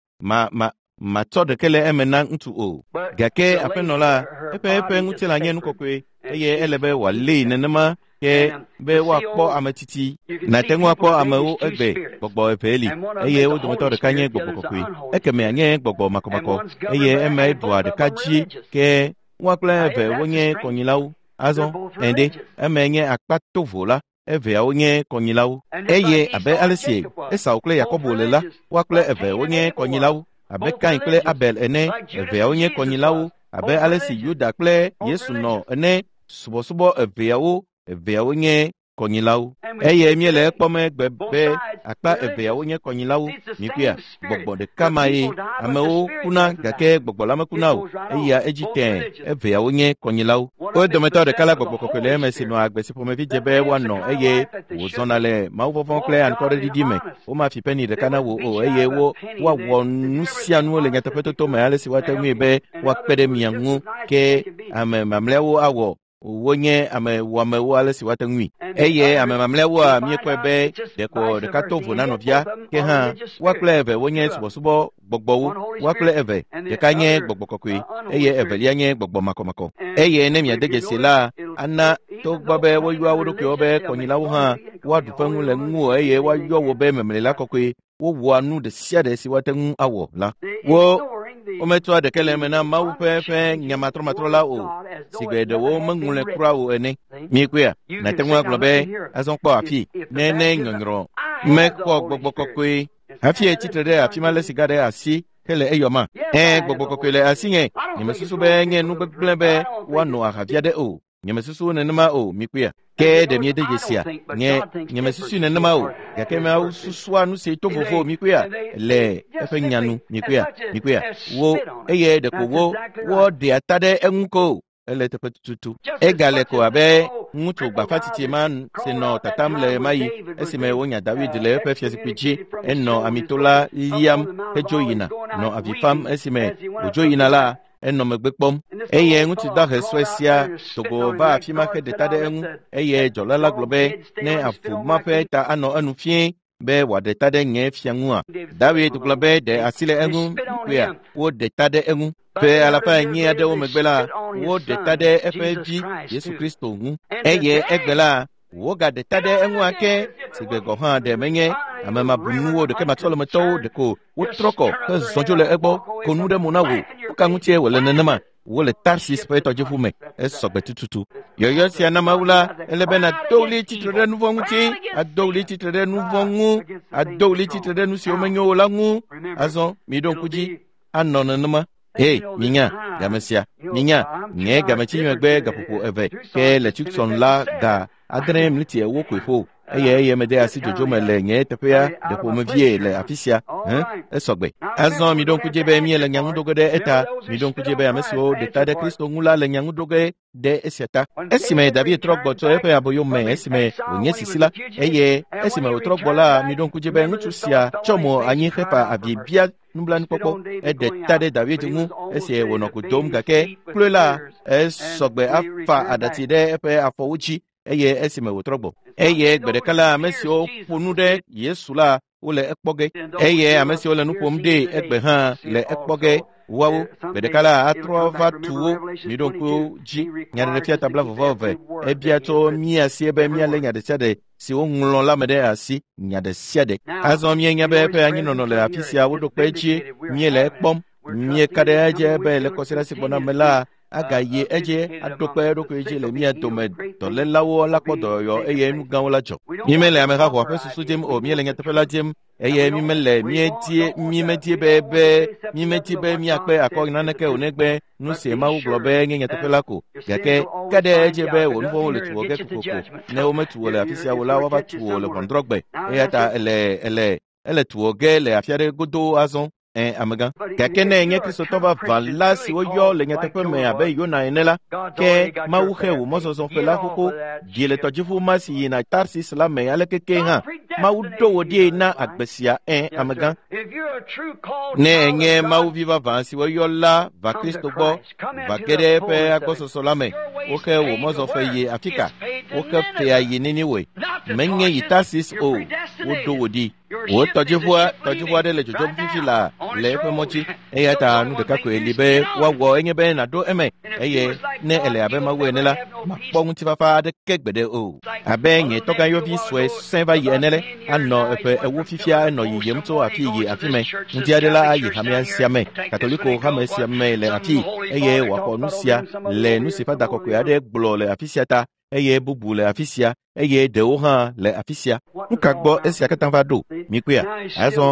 matsɔ ɖeke le eme na ŋutsu o. Gake aƒenɔ la, eƒe ŋutilã nye nu kɔkɔe eye ele be wòalée nenema ke be woakpɔ ame tsitsi. Nàte ŋu akpɔ amewo egbe gbɔgbɔ eve li eye wo dometɔ ɖeka nye gbɔgbɔ kɔkɔe, ekemea nye gbɔgbɔ makɔmakɔ eye emae ɖua ɖeka dzi ke woa kple eve wonye kɔnyilawo. Azɔ ende emae nye akpa tovo la, eveawo nye kɔnyilawo. Eye abe ale si Esau kple Yakobo le la, woa kple eve wonye kɔnyilawo. Abe Kain kple Abel ene, eveawo nye kɔnyilawo. Abe ale si Yuda kple Yesu nɔ ene, subɔsubɔ eveawo nye kɔnyilawo. Eye míele ekpɔm egbe be akpa eveawo nye kɔnyilawo. Mikpɔea, gbɔgbɔ ɖeka ma ye. Amewo kuna gake gbɔgbɔ la mekuna o. Eya edzi tẽe, eveawo nye kɔnyilawo. Wo dometɔ ɖeka la gbɔgbɔ kɔkɔe le eme si nɔa agbe si ƒomevi dze be woanɔ eye wòzɔna le mawuvɔvɔ̃ kple anukwareɖiɖi me. Womafi peni ɖeka na wò o eye woawɔ nu sia nu le nyateƒetoto me ale si woate ŋui be woakpe ɖe mia ŋu ke ame mamlɛawo awɔ wonye ame wɔamewo ale si woate ŋui. Eye ame mamlɛawoa míekpɔe be ɖeko ɖeka to vo na nɔvia ke hã woa kple eve wonye subɔsubɔ gbɔgbɔwo. Woa kple eve, ɖeka nye gbɔgbɔ kɔkɔe eye evelia nye gbɔgbɔ makɔmakɔ. Eye ne miade dzesi la, ana togbɔ be woyɔa wo ɖokuiwo be kɔnyilawo hã woaɖu ƒe ŋu le ŋuwò eye woayɔ wo be memlela kɔkɔe. Wowɔa nu ɖe sia ɖe si woate ŋu awɔ la. Wometsɔa ɖeke le eme na Mawu ƒe nyamatrɔmatrɔ la o, sigbe ɖewo meŋlɔe kura o ene. Mikpɔea, nàte ŋu agblɔ be azɔ kpɔ afi ne nyɔnyrɔ mexɔ gbɔgbɔ kɔkɔe hafi etsitre ɖe afi ma le sika ɖe asi hele eyɔma. Gbɔgbɔ kɔkɔe le asinye. Nyemesusu be nye nu gbegblẽ be woano ahavia ɖe o. Nyemesusu nenema o, mikpɔea. Ke ɖe miede dzesia? Nyemesusu nenema o, gake Mawu susua nu si to vovo, mikpɔea, le eƒe nya nu, mikpɔea, mikpɔea. Wo eye ɖeko woɖea ta ɖe eŋu ko ele teƒe tututu. Egale ko abe ŋutsu gbafatsitsi ma si nɔ tatam le ɣemaɣi esime wonya David le eƒe fiazikpui dzi. Enɔ amito la liam hedzo yina, nɔ avi fam esime wòdzo yina la, enɔ megbe kpɔm. Eye ŋutsu dahe sue sia dogo va afi ma heɖe ta ɖe eŋu eye dzɔla la gblɔ be ne avu ma ƒe ta anɔ enu fie be wòaɖe ta ɖe nye fia ŋua. David gblɔ be ɖe asi le eŋu, mikpɔea, woɖe ta ɖe eŋu. Ƒe alafa enyi aɖewo megbe la, woɖe ta ɖe eƒe vi Yesu Kristo ŋu. Eye egbe la, wogaɖe ta ɖe eŋu ake sigbe gɔ̃ hã ɖe menye ame mabunuwo ɖeke matsɔlemetɔwo ɖeko wotrɔ kɔ hezɔ dzo le egbɔ ko nu ɖe mo na wò. Nuka ŋutie wòle nenema? Wole Tarsis ƒe tɔdziʋu me, esɔgbe tututu. Yɔyɔ sia na Mawu la, ele be nàdo ɣli tsitre ɖe nu vɔ̃ ŋuti, ado ɣli tsitre ɖe nu vɔ̃ ŋu, ado ɣli tsitre ɖe nu siwo menyo o la ŋu. Azɔ miɖo ŋku dzi anɔ nenema. Hey, minya game sia, minya nye gametsi megbe gaƒoƒo eve ke le Tucson la ga 8:40 koe ƒo. Eye eye mede asi dzodzo me le nye teƒea ɖe ƒomevie le afi sia. Hẽ? Esɔgbe. Azɔ miɖo ŋku dzi be míele nya ŋu ɖo ge ɖe eta. Miɖo ŋku dzi be ame siwo ɖe ta ɖe Kristo ŋu la le nya ŋu ɖo ge ɖe esia ta. Esime David trɔ gbɔ tso eƒe aboyo me esime wònye sisi la, eye esime wòtrɔ gbɔ la, miɖo ŋku dzi be ŋutsu sia tsɔ mo anyi hefa avi bia nublanuikpɔkpɔ. Eɖe ta ɖe David ŋu esi wònɔ ku dom gake kloe la, esɔgbe afa aɖatsi ɖe eƒe afɔwo dzi eye esime wòtrɔ gbɔ. Eye gbe ɖeka la, ame siwo ƒo nu ɖe Yesu la, wole ekpɔ ge. Eye ame siwo le nu ƒom ɖee egbe hã le ekpɔ ge. Woawo gbe ɖeka la atrɔ va tu wo. Miɖo ŋku dzi. Nyaɖeɖefia ta 22. Ebia tso mía sie be míalé nya ɖe sia ɖe si woŋlɔ la me ɖe asi, nya ɖe sia ɖe. Azɔ míenya be eƒe anyinɔnɔ le afi sia woɖo kpe edzi. Míele ekpɔm. Míeka ɖe edzi be le kɔsiɖa si gbɔna me la, agayi edzi aɖo kpe eɖokui dzi le mía dome. Dɔlélawo la kpɔ dɔyɔyɔ eye nu gãwo la dzɔ. Mímele amehahoa ƒe susu dim o, míele nyateƒe la dim eye mímele mímedie be mímedi be míakpe akɔ naneke o negbe nu si Mawu gblɔ be nye nyateƒe la ko. Gake ka ɖe edzi be wò nu vɔ̃wo le tu wò ge kokoko. Ne wometu wò le afi sia o la, woava tu wò le ʋɔnudrɔ̃gbe. Eya ta ele tu wò ge le afi aɖe godoo azɔ. Amegã. Gake ne enye Kristotɔ vavã la si woyɔ le nyateƒe me abe Yona ene la, ke Mawu xe wò mɔzɔzɔ ƒe la xoxo. Dzi le tɔdziʋu ma si yina Tarsis la me aleke ke hã. Mawu ɖo wò ɖi na agbe sia. Amegã. Ne enye Mawu vi vavã si woyɔ la va Kristo gbɔ, va ge ɖe eƒe agbɔsɔsɔ la me, woxe wò mɔzɔƒe yi afi ka? Woxe fea yi Niniwe. Menye yi Tarsis o, woɖo wò ɖi. Wò tɔdziʋua aɖe le dzodzom fifi la le eƒe mɔ dzi. Eya ta nu ɖeka koe li be woawɔ enye be nàɖo eme. Eye ne ele abe Mawu ene la, makpɔ ŋutifafa aɖeke gbeɖe o. Abe nye tɔgãyɔvi sue sẽ va yi ene le, anɔ eƒe 40 fifia enɔ yiyim tso afi yi afi me. Ŋdi aɖe la ayi hamea sia me, Katoliko hame sia me le afi, eye wòaxɔ nu sia le nu si Fada Kɔkɔe aɖe gblɔ le afi sia ta, eye bubu le afi sia, eye ɖewo hã le afi sia. Nu ka gbɔ esia katã va ɖo? Mikpɔea? Azɔ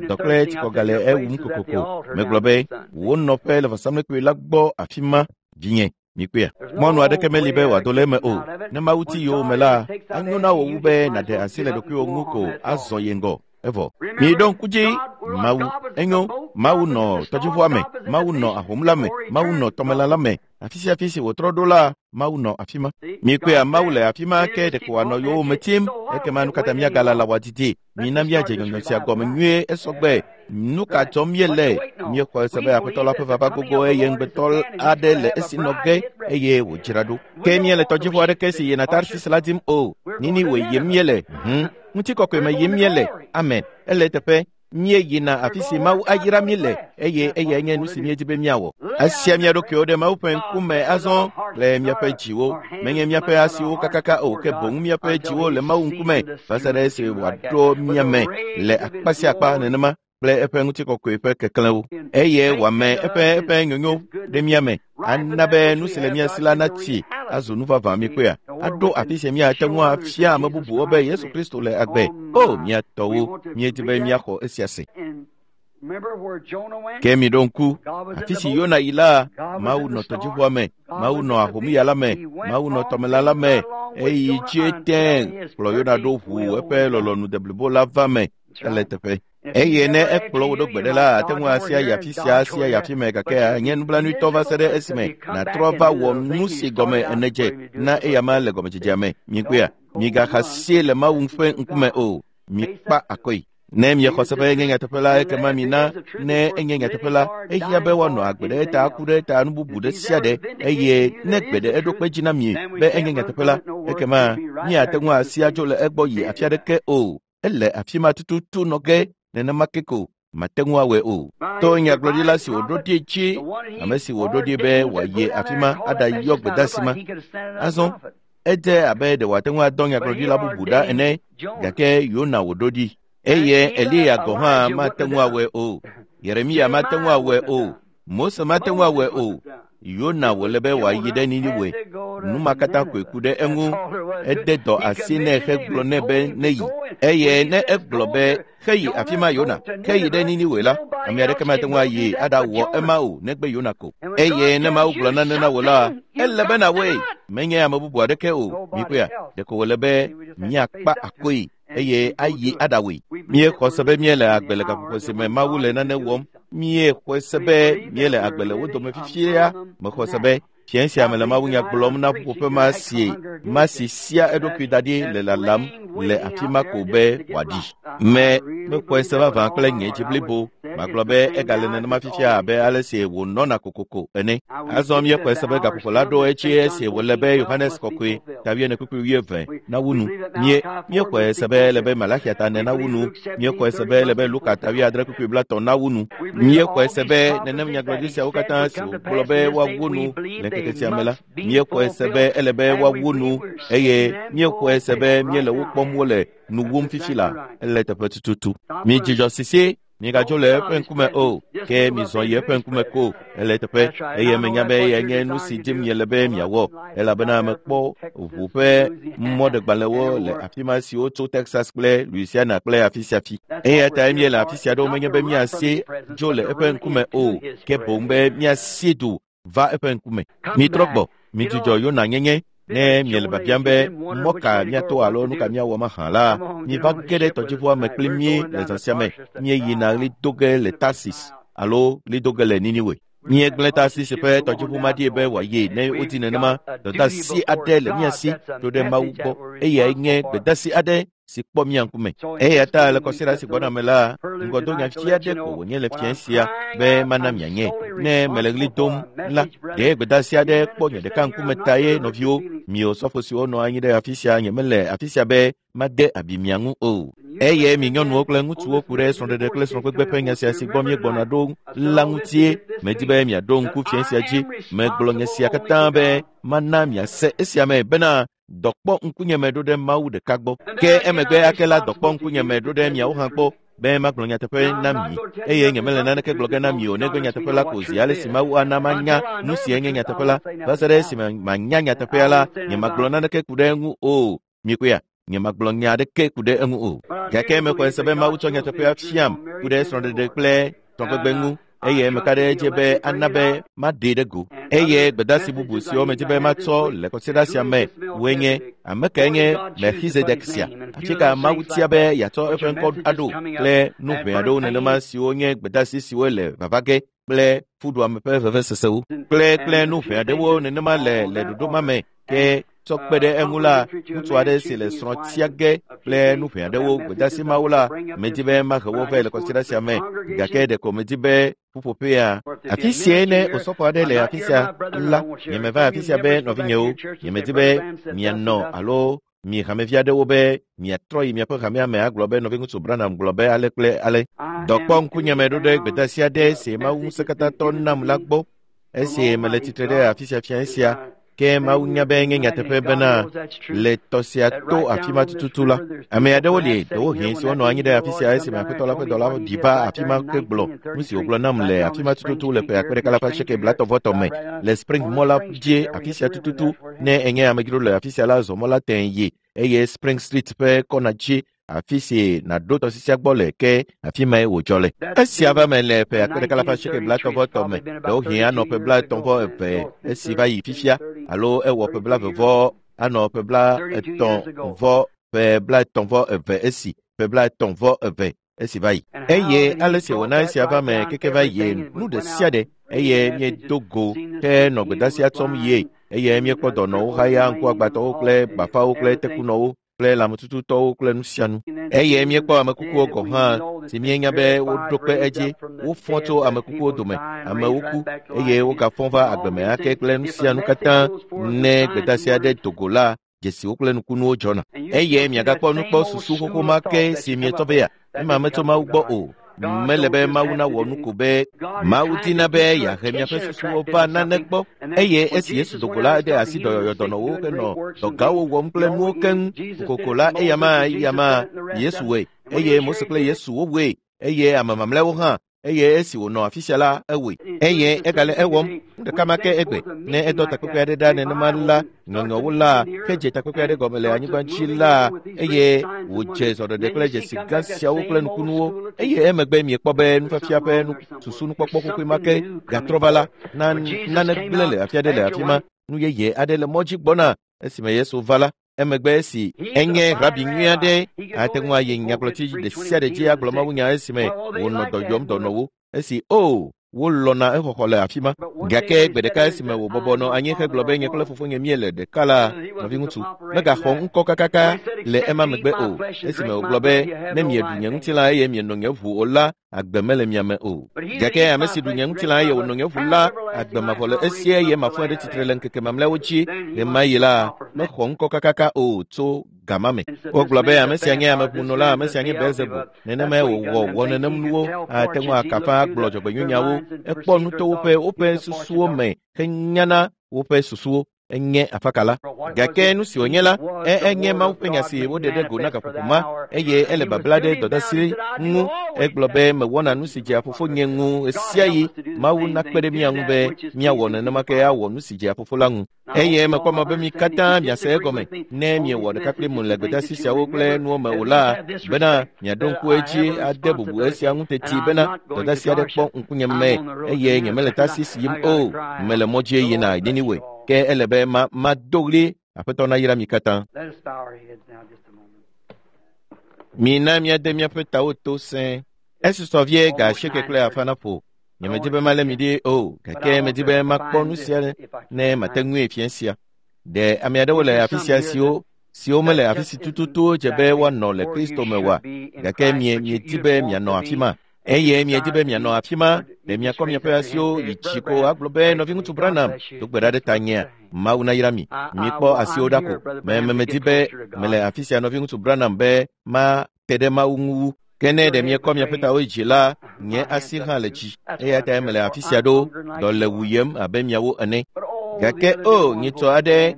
dɔ kple tsikɔga le ewum kokoko. Megblɔ be wò nɔƒe le vɔsamlekpui la gbɔ afi ma, vinye. Mikpɔea? Mɔnu aɖeke meli be wòado le eme o. Ne Mawu ti yowòme la, anyo na wò wu be nàɖe asi le ɖokuiwò ŋu ko azɔ yi ŋgɔ. Evɔ. Miɖo ŋku dzi. Mawu enyo. Mawu nɔ tɔdziʋua me. Mawu nɔ ahom la me. Mawu nɔ tɔmelã la me. Afi sia afi si wòtrɔ ɖo la, Mawu nɔ afi ma. Mikpɔea, Mawu le afi ma ke ɖeko wòanɔ yowòme tim. Ekema nu katã míagalala wòadidi. Mina míadze nyɔnyɔ sia gɔme nyuie esɔgbe. Nu ka dzɔm míele? Míexɔ ese be Aƒetɔ la ƒe vava gogo eye ŋugbetɔ aɖe le esi nɔ ge eye wòdzra ɖo. Ke míele tɔdziʋu aɖeke si yina Tarsis la dim o. Niniwe yim míele. Ŋutikɔkɔe me yim míele. Amen. Ele eteƒe. Míeyina afi si Mawu ayra mí le eye eyae nye nu si míedi be míawɔ. Esia mía ɖokuiwo ɖe Mawu ƒe ŋkume azɔ le míaƒe dziwo. Menye míaƒe asiwo kakaka o, ke boŋ míaƒe dziwo le Mawu ŋkume va se ɖe esi wòaɖo mía me le akpa sia akpa nenema kple eƒe ŋutikɔkɔe ƒe keklẽwo. Eye wòame eƒe nyonyo ɖe mía me. Ana be nu si le mía si la natsi azu nu vavã mikpɔea. Aɖo afi si míate ŋu afia ame bubuwo be Yesu Kristo le agbe. O, mía tɔwo, míedi be míaxɔ esia se. Ke miɖo ŋku afi si Yona yi la, Mawu nɔ tɔdziʋua me, Mawu nɔ ahomya la me, Mawu nɔ tɔmelã la me, eyi dzi tẽ kplɔ Yona ɖo ʋu eƒe lɔlɔ̃nu deblibo la va me. Ele teƒe. Eye ne ekplɔ wò ɖo gbe ɖe la, ate ŋu asia yi afi sia asia yi afi me gake anye nublanuitɔ va se ɖe esime nàtrɔ va wɔ nu si gɔme ene dze na eyama le gɔmedzedzea me. Mikpɔea? Migaxa sie le Mawu ƒe ŋkume o. Mikpa akɔe. Ne miexɔ se be enye nyateƒe la, ekema mina ne enye nyateƒe la, ehiã be woanɔ agbe ɖe eta, aku ɖe eta, nu bubu ɖe sia ɖe. Eye ne gbe ɖe eɖo kpe dzi na mi be enye nyateƒe la, ekema miate ŋu asia dzo le egbɔ yi afi aɖeke o. Ele afi ma tututu nɔ ge nenema ke ko mate ŋu awɔe o. To nyagblɔɖila si wòɖo ɖi dzi, ame si wòɖo ɖi be wòayi afi ma aɖayɔ gbedeasi ma. Azɔ edze abe ɖe wòate ŋu adɔ nyagblɔɖila bubu ɖa ene, gake Yona wòɖo ɖi. Eye Eliya gɔ̃ hã mate ŋu awɔe o. Yeremia mate ŋu awɔe o. Mose mate ŋu awɔe o. Yona wòle be wòayi ɖe Niniwe. Nu ma katã koe ku ɖe eŋu. Ede dɔ asi nɛ hegblɔ nɛ be neyi. Eye ne egblɔ be heyi afi ma Yona, heyi ɖe Niniwe la, ame aɖeke mate ŋu ayi aɖawɔ ema o negbe Yona ko. Eye ne Mawu gblɔ nane na wò la, ele be nàwɔe. Menye ame bubu aɖeke o. Mikpɔea, ɖeko wòle be míakpa akoe eye ayi aɖawɔe. Míexɔ se be míele agbe le gaƒoƒo si me Mawu le nane wɔm. Míexɔe se be míele agbe le wo dome fifia. Mexɔ se be fiẽ sia me le mawunya gblɔm na ƒuƒoƒe ma si ma si sia eɖokui da ɖi le lalam le afi ma ko be wòaɖi. Me mexɔe se vavã kple nye dzi blibo. Magblɔ be egale nenema fifia abe ale si wònɔna kokoko ene. Azɔ míexɔe se be gaƒoƒo la ɖo edzi esi wòle be Yohanes Kɔkɔe ta 4:20 nawu nu. Míexɔe se be ele be Malaxia ta 4 nawu nu. Míexɔe se be ele be Luka ta 6:30 nawu nu. Míexɔe se be nenem nyagblɔɖi siawo katã si wògblɔ be woawu nu le ŋkeke sia me la, míexɔe se be ele be woawu nu eye míexɔe se be míele wo kpɔm wole nu wum fifi la, ele teƒe tututu. Midzudzɔ sisi, migadzo le eƒe ŋkume o, ke mizɔ yi eƒe ŋkume ko, ele teƒe, eye menya be eyae nye nu si dim miele be miawɔ, elabena mekpɔ ʋu ƒe mɔɖegbalẽwo le afi ma siwo tso Texas kple Louisiana kple afi sia afi. Eya tae míele afi sia ɖo menye be míasi dzo le eƒe ŋkume o, ke boŋ be míasi du va eƒe ŋkume. Mitrɔ gbɔ, midzudzɔ Yona nyenye. Ne miele biabiam be mɔ ka míato alo nu ka míawɔ mahã la, miva ge ɖe tɔdziʋua me kpli mí le zã sia me. Míeyina ɣli do ge le Tarsis alo ɣli do ge le Niniwe. Míegblẽ Tarsis ƒe tɔdziʋu ma ɖi be wòayi ne wodi nenema. Dɔdeasi aɖe le mía si ɖo ɖe Mawu gbɔ. Eyae nye gbedeasi aɖe si kpɔ mía ŋkume. Eya ta le kɔsiɖa si gbɔna me la, ŋgɔdonya fi aɖe ko wònye le fiẽ sia be mana mianye. Ne mele ɣli dom la, ɖe gbedeasi aɖe kpɔ nye ɖeka ŋkume ta ye nɔviwo, mi osɔfo siwo nɔ anyi ɖe afi sia, nyemele afi sia be made abi mia ŋu o. Eye mi nyɔnuwo kple ŋutsuwo ku ɖe srɔ̃ɖeɖe kple srɔ̃gbegbe ƒe nya sia si gbɔ míegbɔna ɖo la ŋutie. Medi be miaɖo ŋku fiẽ sia dzi. Megblɔ nye sia katã be mana miase esia me bena dɔ kpɔ ŋkunyeme ɖo ɖe Mawu ɖeka gbɔ. Ke emegbe ake la dɔ kpɔ ŋkunyeme ɖo ɖe miawo hã gbɔ be magblɔ nyateƒe na mi. Eye nyemele naneke gblɔ ge na mi o negbe nyateƒe la ko zi ale si Mawu ana manya nu si enye nyateƒe la. Va se ɖe esime manya nyateƒea la, nyemagblɔ naneke ku ɖe eŋu o. Mikpɔea, nyemagblɔ nya aɖeke ku ɖe eŋu o. Gake mexɔe se be Mawu tsɔ nyateƒea fiam ku ɖe srɔ̃ɖeɖe kple srɔ̃gbegbe ŋu. Eye meka ɖe edzi be ana be maɖee ɖe go. Eye gbedeasi bubu siwo medi be matsɔ le kɔsiɖa sia me woe nye ame kae nye Melchizedek sia, afi ka Mawu tia be yeatsɔ eƒe ŋkɔ aɖo kple nu ʋɛ aɖewo nenema siwo nye gbedeasi siwo le vava ge kple fuɖuame ƒe vevesesewo kple nu ʋɛ aɖewo nenema le ɖoɖo ma me. Ke tsɔ kpe ɖe eŋu la, ŋutsu aɖe si le srɔ̃ tia ge kple nu ʋɛ aɖewo gbedeasi mawo la, medi be mahe wo vɛ le kɔsiɖa sia me, gake ɖeko medi be ƒuƒoƒea. Afi siae ne osɔfo aɖe le afi sia la, nyemeva afi sia be nɔvinyewo, nyemedi be mianɔ alo mi hamevi aɖewo be miatrɔ yi miaƒe hamea me agblɔ be nɔviŋutsu Branham gblɔ be ale kple ale. Dɔ kpɔ ŋkunyeme ɖo ɖe gbedeasi aɖe si Mawu ŋusẽkatãtɔ nam la gbɔ. Esi mele tsitre ɖe afi sia fiẽ sia, ke Mawu nya be nye nyateƒe bena le tɔ sia to afi ma tututu la, ame aɖewo li ɖewohĩ siwo nɔ anyi ɖe afi sia esime Aƒetɔ la ƒe dɔla ɖi va afi ma ke gblɔ nu si wògblɔ nam le afi ma tututu le ƒe 1980 me le Spring mɔ la dzi afi sia tututu. Ne enye amedzro le afi sia la, zɔ mɔ la tẽ yi eye Spring Street ƒe kɔna dzi afi si nàɖo tɔsisia gbɔ le ke afi mae wòdzɔ le. Esia va me le ƒe 1980 me, ɖewohĩ anɔ ƒe 32 esi va yi fifia, alo ewɔ ƒe 20 anɔ ƒe 32 esi ƒe 32 esi va yi. Eye ale si wòna esia va me keke va yi nu ɖe sia ɖe, eye míedo go ke nɔ gbedeasia tsɔm yie, eye míekpɔ dɔnɔwo haya, ŋkuagbãtɔwo kple bafawo kple tekunɔwo kple lãmetututɔwo kple nu sia nu. Eye míekpɔ amekukuwo gɔ̃ hã si míenya be woɖo kpe edzi, wofɔ tso amekukuwo dome, amewo ku eye wogafɔ va agbe me ake kple nu sia nu katã. Ne gbedeasi aɖe do go la, dzesiwo kple nukunuwo dzɔna. Eye miagakpɔ nukpɔsusu xoxo ma ke si mietsɔ be ya, ema metso Mawu gbɔ o. Mele be Mawu nawɔ nu ko be Mawu dina be yeahe miaƒe susuwo va nane gbɔ. Eye esi Yesu do go la, ede asi dɔyɔyɔ dɔnɔwo henɔ dɔgãwo wɔm kple nuwo keŋ. Kokoko la, eyama Yesu wɔe, eye Mose kple Yesu wowɔe, eye ame mamlɛawo hã. Eye esi wònɔ afi sia la, ewɔe. Eye egale ewɔm. Nu ɖeka ma ke egbe. Ne edɔ takpekpe aɖe ɖa nenema la, nyɔnyɔwo la, ke dze takpekpe aɖe gɔme le anyigba dzi la, eye wòdze zɔɖeɖe kple dzesi gã siawo kple nukunuwo. Eye emegbe miekpɔ be nufiafia ƒe susu nukpɔkpɔ xoxoe ma ke gatrɔ va la, nane gblẽ le afi aɖe le afi ma. Nu yeye aɖe le mɔ dzi gbɔna. Esime Yesu va la, emegbe esi enye rabi nyui aɖe, ate ŋu ayi nyagblɔti ɖe sia ɖe dzi agblɔ mawunya esime wònɔ dɔ yɔm dɔnɔwo. Esi o wolɔ̃na exɔxɔ le afi ma. Gake gbe ɖeka esime wòbɔbɔ nɔ anyi hegblɔ be nye kple fofonye míele ɖeka la, nɔviŋutsu, megaxɔ ŋkɔ kakaka le ema megbe o. Esime wògblɔ be ne mieɖu nye ŋutilã eye mieno nye ʋu o la, agbe mele mia me o. Gake ame si ɖu nye ŋutilã eye wòno nye ʋu la, agbe mavɔ le esi eye mafɔe ɖe tsitre le ŋkeke mamlɛawo dzi. Ɣemaɣi la, mexɔ ŋkɔ kakaka o tso gama me. Wogblɔ be ame sia nye ameʋunɔla, ame sia nye Belzebul. Nenemae wòwɔ wɔ nenem nuwo, ate ŋu akafa agblɔ dzɔgbenyuinyawo. Ekpɔ nu to woƒe susuwo me henyana woƒe susuwo. Enye afakala. Gake nu si wònye la, enye Mawu ƒe nya si woɖe ɖe go na gaƒoƒo ma, eye ele babla ɖe dɔdeasi ŋu. Egblɔ be mewɔna nu si dzea fofonye ŋu ɣesiaɣi. Mawu nakpe ɖe mía ŋu be míawɔ nenema ke awɔ nu si dzea fofo la ŋu. Eye mekpɔ mɔ be mi katã miase egɔme ne miewɔ ɖeka kpli mu le gbedeasi siawo kple nuwo me o la, bena miaɖo ŋku edzi ade bubu esia ŋu teti bena dɔdeasi aɖe kpɔ ŋkunye me eye nyemele Tarsis yim o, mele mɔ dzi yina Niniwe. Ke ele be mado ɣli Aƒetɔ nayra mi katã. Mina míade míaƒe tawo to sẽe. Esusɔ vie ga asieke kple afã naƒo. Nyemedi be malé mi ɖi o, gake medi be makpɔ nu sia ne mate ŋui fia sia. Ɖe ame aɖewo le afi sia siwo mele afi si tututu dze be woanɔ le Kristo me oa? Gake miedi be mianɔ afi ma. Eye miedi be mianɔ afi ma, ɖe miakɔ miaƒe asiwo yi dzi ko agblɔ be nɔviŋutsu Branham do gbe ɖa ɖe tanyea. Mawu nayra mi. Mikpɔ asiwo ɖa ko. Medi be mele afi sia nɔviŋutsu Branham be mate ɖe Mawu ŋu wu. Ke ne ɖe miekɔ miaƒe tawo yi dzi la, nye asi hã le dzi. Eya ta mele afi sia ɖo, dɔ le wuyem abe miawo ene. Gake o, nyitsɔ aɖe,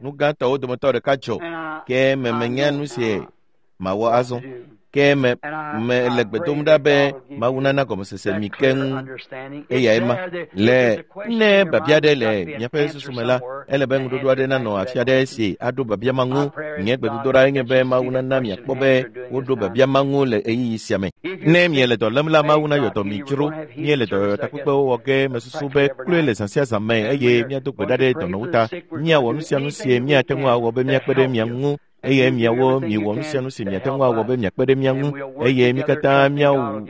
nu gãtɔwo dometɔ ɖeka dzɔ. Ke menya nu si mawɔ azɔ. Ke mele gbe dom ɖa be Mawu nana gɔmesese mi keŋ eyae ma. Le ne biabia aɖe le miaƒe susu me la, ele be ŋuɖoɖo aɖe nanɔ afi aɖe si aɖo biabia ma ŋu. Nye gbedodoɖa nye be Mawu nana miakpɔ be woɖo biabia ma ŋu le ɣeyiɣi sia me. Ne miele dɔ lém la, Mawu nayɔ dɔ mi dzro. Miele dɔyɔyɔtakpekpewo wɔ ge mesusu be kloe le zã sia zã me eye míado gbe ɖa ɖe dɔnɔwo ta. Míawɔ nu sia nu si míate ŋu awɔ be míakpe ɖe mia ŋu. Eye miawo miwɔ nu sia nu si miate ŋu awɔ be miakpe ɖe mía ŋu, eye mi katã míawɔ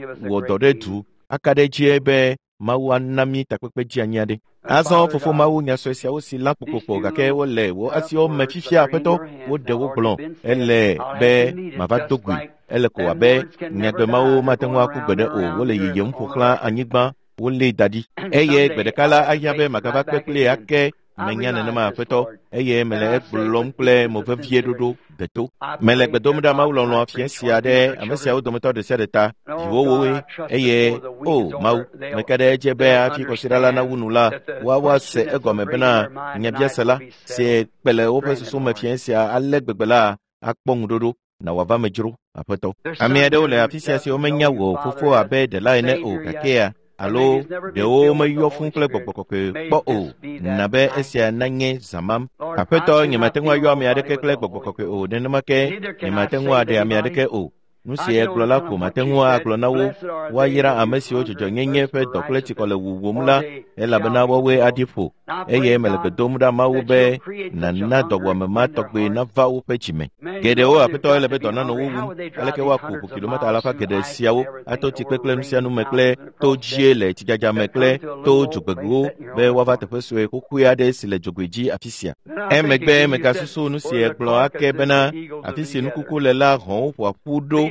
dɔ ɖe du aka ɖe edzi be Mawu ana mí takpekpe dzeanyi aɖe. Azɔ fofo Mawu nya sue siawo si lã kpokpokpo gake wole wò asiwo me fifia Aƒetɔ, woɖe wo gblɔ. Ele be mava do goe. Ele ko abe nyagbe mawo mate ŋu aku gbeɖe o. Wole yiyim ƒo xlã anyigba, wolée da ɖi. Eye gbe ɖeka la ahiã be magava kpe kplie ake. Menya nenema Aƒetɔ, eye mele egblɔm kple mo vevie ɖoɖo deto. Mele gbe dom ɖa Mawu lɔlɔ̃ fia sia ɖe ame siawo dometɔ ɖe sia ɖe ta, viwòwoe, eye o Mawu, meka ɖe edzi be hafi kɔsiɖa la nawu nu la, woawoa se egɔme bena nyabiase la si kpe le woƒe susu me fia sia ale gbegbe la akpɔ ŋuɖoɖo na wòava me dzro Aƒetɔ. Ame aɖewo le afi sia siwo menya wò fofo abe ɖela ene o gakea alo ɖewo meyɔ fũu kple gbɔgbɔ kɔkɔe kpɔ o, na be esia nanye zãmam. Aƒetɔ, nyemate ŋu ayɔ ame aɖeke kple gbɔgbɔ kɔkɔe o, nenema ke nyemate ŋu aɖe ame aɖeke o. Nu si egblɔ la ko mate ŋu agblɔ na wo. Woayra ame siwo dzɔdzɔnyenye ƒe dɔ kple tsikɔ le wuwum la, elabena woawoe aɖi ƒo. Eye mele gbe dom ɖa Mawu be nàna dɔwɔame ma tɔgbe nava woƒe dzime. Geɖewo Aƒetɔ ele be dɔ nanɔ wo wum. Aleke woaku ʋu kilometa alafa geɖe siawo ato tsikpe kple nu sia nu me kple to dzie le tsidzadza me kple to dzogbewo be woava teƒe sue xoxoe aɖe si le dzogoe dzi afi sia. Emegbe megasusu nu si egblɔ ake bena afi si nukuku le la hɔ̃wo ƒoa ƒu ɖo.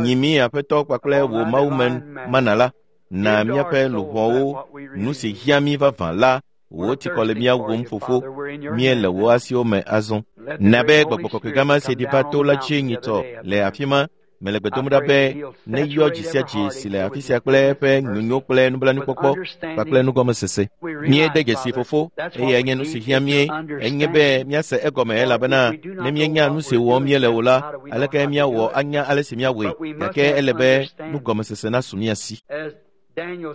Nyi mí Aƒetɔ kpakple wò Mawume mana la. Na míaƒe luʋɔwo nu si hiã mí vavã la, wò tsikɔ le mía wum fofo, míele wò asiwo me azɔ. Na be gbɔgbɔ kɔkɔe gã si ɖi va to la dzi nyitsɔ le afi ma. Mele gbe dom ɖa be neyɔ dzi sia dzi si le afi sia kple eƒe nyonyo kple nublanuikpɔkpɔ kpakple nugɔmesese. Míede dzesi fofo, eye enye nu si hiã mí, enye be míase egɔme elabena ne míenya nu si wɔm míele o la, aleke míawɔ anya ale si míawɔe, gake ele be nugɔmesese nasu mía si.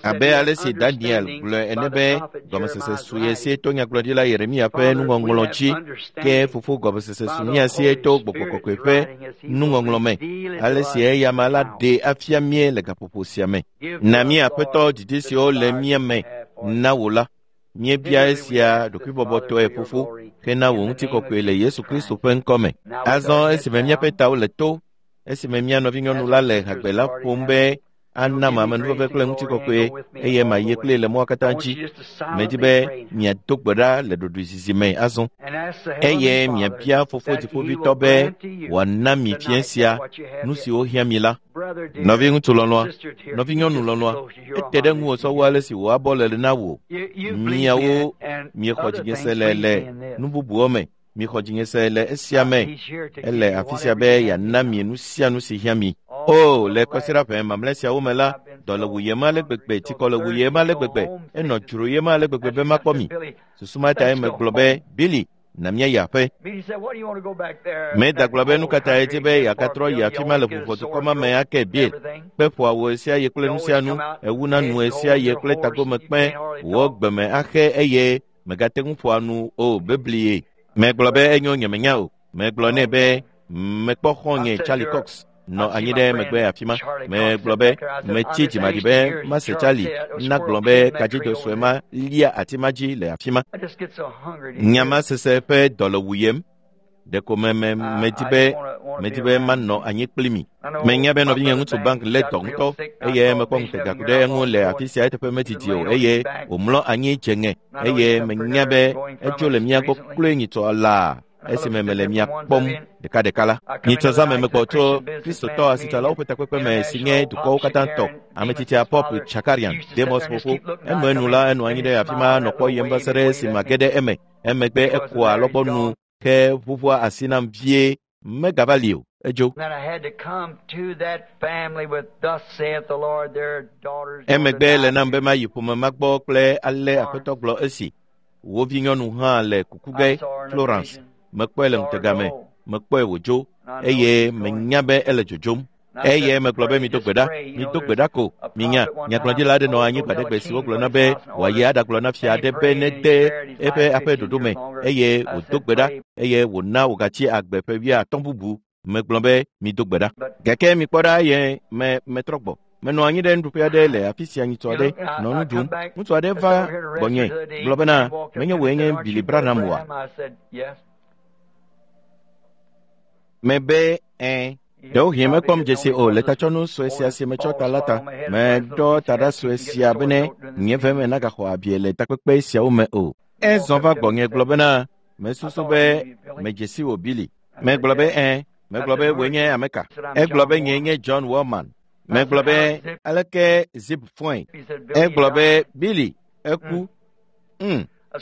Abe ale si Daniel gblɔe ene be gɔmesese su ye sie to nyagblɔɖila Yeremia ƒe nuŋɔŋlɔ dzi, ke fofo gɔmesese su mía sie to Gbɔgbɔ Kɔkɔe ƒe nuŋɔŋlɔ me, ale si eyama la ɖee afia mí le gaƒoƒo sia me. Na mí Aƒetɔ didi siwo le mía me na wò la, míebia esia ɖokuibɔbɔtɔe fofo hena wò ŋutikɔkɔe le Yesu Kristo ƒe ŋkɔ me. Azɔ esime míaƒe tawo le to, esime mía nɔvinyɔnu la le hagbe la ƒom be ana amenuveve kple ŋutikɔkɔe eye mayi kpli le mɔa katã dzi. Medi be miado gbe ɖa le ɖoɖoezizi me azɔ eye miabia fofo dziƒovitɔ be wòana mi fiẽ sia nu siwo hiã mi la. Nɔviŋutsu lɔlɔ̃a, nɔvinyɔnu lɔlɔ̃a, ete ɖe ŋuwò sɔwu ale si wò abɔ le na wò. Miawo miexɔ dzinye se le nu bubuwo me. Mixɔ dzinye se le esia me. Ele afi sia be yeana mi nu sia nu si hiã mi. O, le kɔsiɖa ƒe mamlɛ siawo me la, dɔ le wuyem ale gbegbe, tsikɔ le wuyem ale gbegbe, enɔ dzroyem ale gbegbe be makpɔ mi. Susu ma tae megblɔ be, Billy, na míayi aƒe. Meda gblɔ be nu ka ta edzi be yeagatrɔ yi afi ma le ʋuʋɔdukɔ ma me ake Bill. Kpe ƒoa wò ɣe sia ɣi kple nu sia nu, ewuna nu ɣe sia ɣi kple tagomekpẽ, wò gbeme axe eye megate ŋu ƒoa nu o beblie. Megblɔ be enyo nyemenya o. Megblɔ nɛ be mekpɔ xɔ̃nye Charlie Cox nɔ anyi ɖe megbe afi ma. Megblɔ be metsi dzimaɖi be mase Charlie nagblɔ be kadzido sue ma lia ati ma dzi le afi ma. Nya ma sese ƒe dɔ le wuyem. Ɖeko me me medi be medi be manɔ anyi kpli mi. Menya be nɔvinye ŋutsu Bank lé dɔ ŋutɔ eye mekpɔ ŋutega ku ɖe eŋu le afi sia eteƒe medidi o eye wòmlɔ anyi dze ŋe eye menya be edzo le mía gbɔ kloe nyitsɔ laa esime mele mia kpɔm ɖekaɖeka la. Nyitsɔ zã me megbɔ tso Kristotɔ asitsalawo ƒe takpekpe me si nye dukɔwo katã tɔ, ametsitsia Pop Chakarian, Demos fofo. Enuenu la enɔ anyi ɖe afi ma nɔ kpɔ yem va se ɖe esime mage ɖe eme. Emegbe ekoa alɔgbɔnu ke ʋuʋua asi nam vie. Megava li o, edzo. Emegbe le nam be mayi ƒome ma gbɔ kple ale Aƒetɔ gblɔ esi. Wo vinyɔnu hã le kuku ge, Florence. Mekpɔe le ŋutega me, mekpɔe wòdzo eye menya be ele dzodzom. Eye megblɔ be mido gbe ɖa, mido gbe ɖa ko. Minya, nyagblɔɖila aɖe nɔ anyi gbaɖegbe si wogblɔ na be wòayi aɖagblɔ na fia aɖe be nede eƒe aƒe ɖoɖo me eye wòdo gbe ɖa eye wòna wògatsi agbe ƒe 50 bubu. Megblɔ be mido gbe ɖa. Gake mikpɔ ɖa eye me metrɔ gbɔ. Menɔ anyi ɖe nuɖuƒe aɖe le afi sia nyitsɔ aɖe nɔ nu ɖum. Ŋutsu aɖe va gbɔnye gblɔ bena menye wòe nye Billy Branham oa? Mebe ẽ. Ɖewohĩ mekpɔm dzesi o le tatsɔnu sue sia si metsɔ ta la ta. Meɖɔ taɖa sue sia bene nye veme nagaxɔ abie le takpekpe siawo me o. Ezɔ va gbɔnye gblɔ bena mesusu be medze si wò Billy. Megblɔ be ẽ. Megblɔ be wòe nye ame ka? Egblɔ be nyee nye John Wellman. Megblɔ be aleke Zip fɔe? Egblɔ be Billy eku.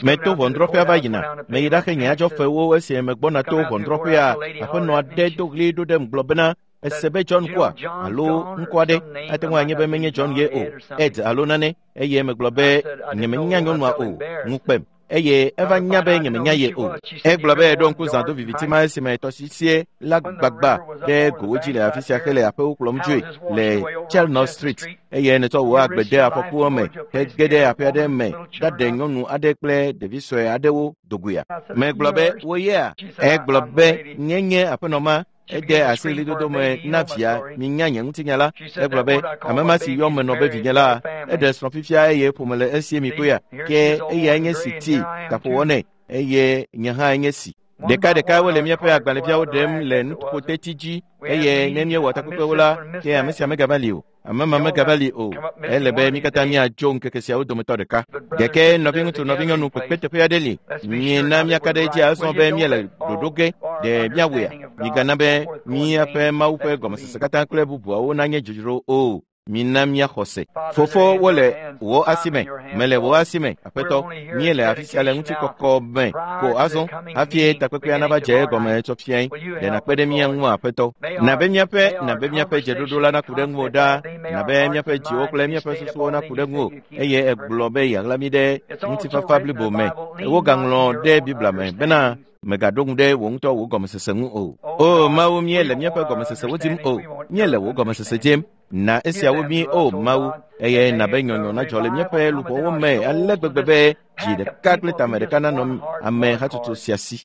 Meto ʋɔnudrɔ̃ƒea va yina. Meyi ɖaxe nye adzɔfewo esi megbɔna to ʋɔnudrɔ̃ƒea. Aƒenɔ aɖe do ɣli ɖo ɖem gblɔ bena ese be John kua alo ŋkɔ aɖe ate ŋu anye be menye John ye o, Ed alo nane. Eye megblɔ be nyemenya nyɔnua o, ŋu kpem. Eye eva nya be nyemenya ye o. Egblɔ be eɖo ŋku zã do viviti ma esime tɔsisie la gbagba ɖe gowo dzi le afi sia hele aƒewo kplɔm dzoe le Chelnor Street eye netsɔ wò agbe de afɔkuwo me hege ɖe aƒe aɖe me ɖaɖe nyɔnu aɖe kple ɖevi sue aɖewo dogoea. Megblɔ be wo yea? Egblɔ be nye nye aƒenɔ ma. Ede asi ɣlidodo me na via, minya nye ŋutinya la. Egblɔ be, ame ma si yɔm menɔ be vinye la, eɖe srɔ̃ fifia eye ƒome le esie mi kpɔea? Ke eyae nye si ti gaƒowɔ nɛ eye nye hã nye si. Ɖekaɖeka wole míaƒe agbalẽviawo ɖem le nuƒoteti dzi eye ne míewɔ takpekpewo la, ke ame sia megava li o. Ame ma megava li o. Ele be mí katã míadzo ŋkeke siawo dometɔ ɖeka. Gake nɔviŋutsu nɔvinyɔnu kpekpeteƒe aɖe li. Miena míaka ɖe edzi azɔ be míele ɖoɖo ge ɖe míawɔea? Migana be míaƒe Mawu ƒe gɔmesese katã kple bubuawo nanye dzodzro o. Mina míaxɔ se. Fofo wole wò asi me. Mele wò asi me, Aƒetɔ. Míele afi sia le ŋutikɔkɔ me ko azɔ hafi takpekpea nava dze egɔme tsɔ fiae. Ɖe nàkpe ɖe mía ŋu, Aƒetɔ. Na be míaƒe na be míaƒe dzeɖoɖo la naku ɖe ŋuwò ɖaa. Na be míaƒe dziwo kple míaƒe susuwo naku ɖe ŋuwò eye egblɔ be yeaɣla mí ɖe ŋutifafa blibo me. Wogaŋlɔ ɖe Biblia me bena megaɖo ŋu ɖe wò ŋutɔ wò gɔmesese ŋu o. O Mawu, míele míaƒe gɔmesesewo dim o. Míele wò gɔmesese dim. Na esiawo mí, O Mawu, eye na be nyɔnyɔ nadzɔ le míaƒe luʋɔwo me ale gbegbe be dzi ɖeka kple tame ɖeka nanɔ ame hatsotso sia si.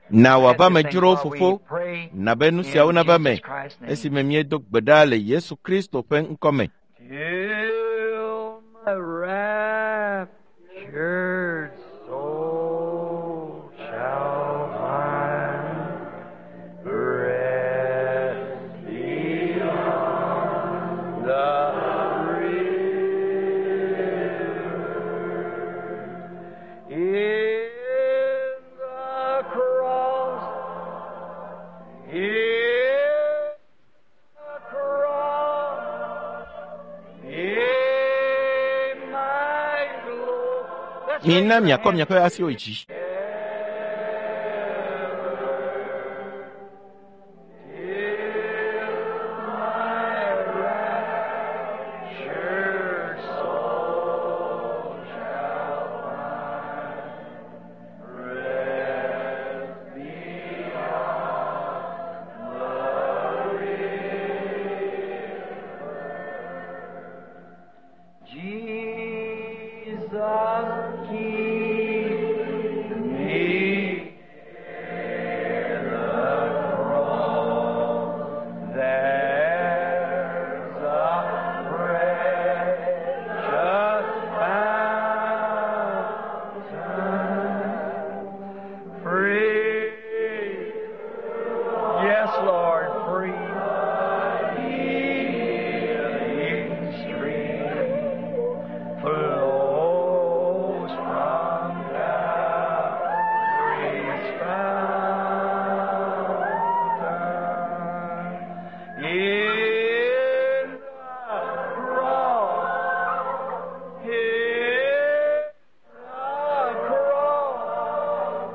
Na wòava me dzro, Fofo, na be nu siawo nava me esime míedo gbe ɖa le Yesu Kristo ƒe ŋkɔ me. Till my raptured soul shall find rest beyond the river. In the cross, in the cross, in my glory. Let's raise Mina your miakɔ hands. miaƒe asiwo yi dzi. Jesus, keep me near the cross. There's a precious fountain, free. Yes, Lord, free. Healing stream flows from Calvary's fountain. In the cross, in the cross,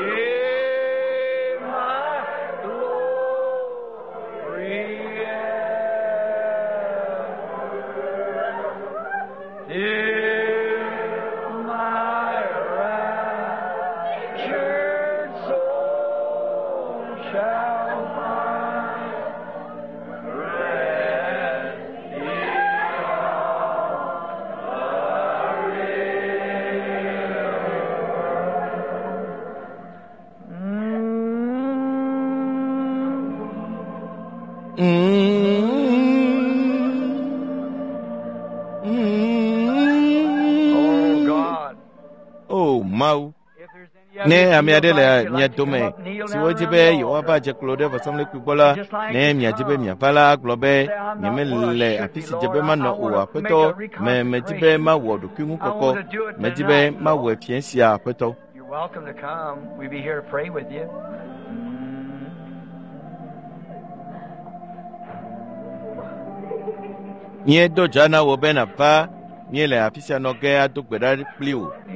in my glory ever. Till my raptured soul shall find rest beyond the river. Oh God. O Mawu, If there's any ne other ame aɖe le like mia to come dome up, kneel siwo down dzi around be the yewoava altar. dze klo ɖe vɔsamlekpui gbɔ la, ne miadi be miava la, gblɔ be nyemele afi si dze be manɔ o, Aƒetɔ, me medi be mawɔ ɖokuiŋukɔkɔ, medi be mawɔe fiẽ sia, Aƒetɔ. You're welcome to come. We'll be here to pray with you. Míedo dza na wò be nàva, míele afi sia nɔ ge ado gbe ɖa kpli wò. In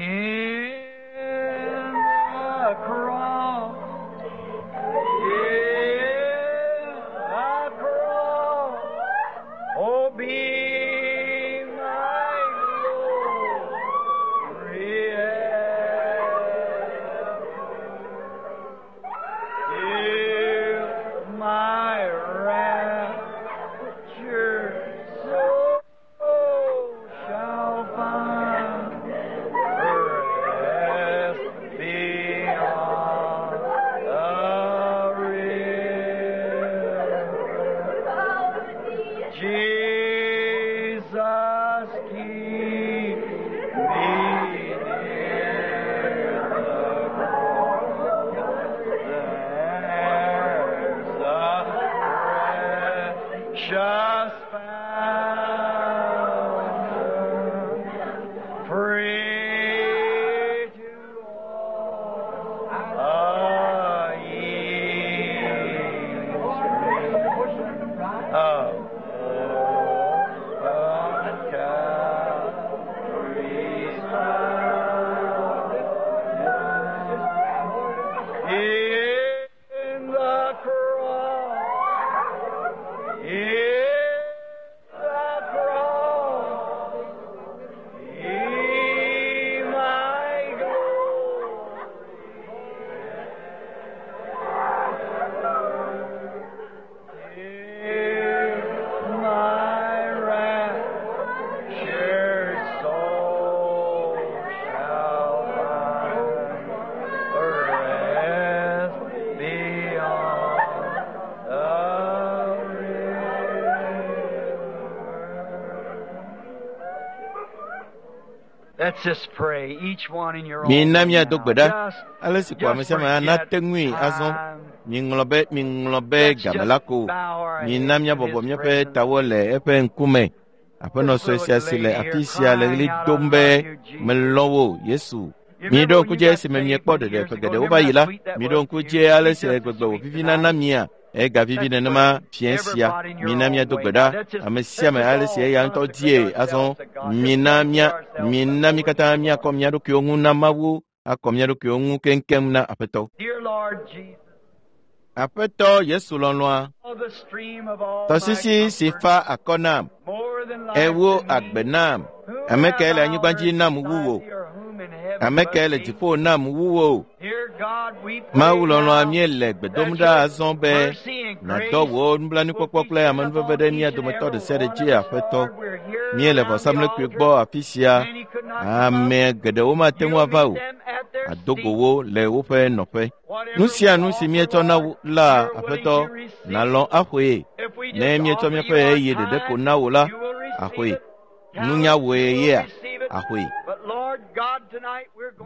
the cross, in the cross, oh, be my glory ever. Till my raptured soul shall find rest beyond the river. Jesus, keep me near the cross. There's a precious fountain, free to all a healing stream of open Calvary. Mina míado gbe ɖa ale si ko ame sia ame nate ŋui azɔ. Miŋlɔ be miŋlɔ be game la ko. Mina míabɔbɔ míaƒe tawo le eƒe ŋkume. Aƒenɔ sue sia si le afi sia le ɣli dom be melɔ̃ wò Yesu. Miɖo ŋku dzi esime miekpɔ ɖeɖe ƒe geɖewo va yi la, miɖo ŋku dzi ale si gbegbe wòvivina na mia. Egavivi nenema fiẽ sia. Mina míado gbe ɖa ame sia ame ale si eya ŋutɔ die azɔ. Mina mía mina mí katã míakɔ mía ɖokuiwo ŋu na Mawu, akɔ mía ɖokuiwo ŋu keŋkeŋ na Aƒetɔ. Aƒetɔ Yesu lɔlɔ̃a, tɔsisi si fa akɔ nam, ewo agbe nam. Ame kae le anyigba dzi nam wu wò? Ame kae le dziƒo nam wu wò? Mawu lɔlɔ̃a, míele gbe dom ɖa azɔ be nàdɔ wò nublanuikpɔkpɔ kple amenuveve ɖe mía dometɔ ɖe sia ɖe dzi, Aƒetɔ. Míele vɔsamlekpui gbɔ afi sia. Ame geɖewo mate ŋu ava o. Àdo go wo le woƒe nɔƒe. Nu sia nu si míetsɔ na wò la, Aƒetɔ, nàlɔ̃ axɔe. Ne míetsɔ míaƒe ɣeyiɣi ɖeɖe ko na wò la, axɔe. Nunya wòe yea, axɔe.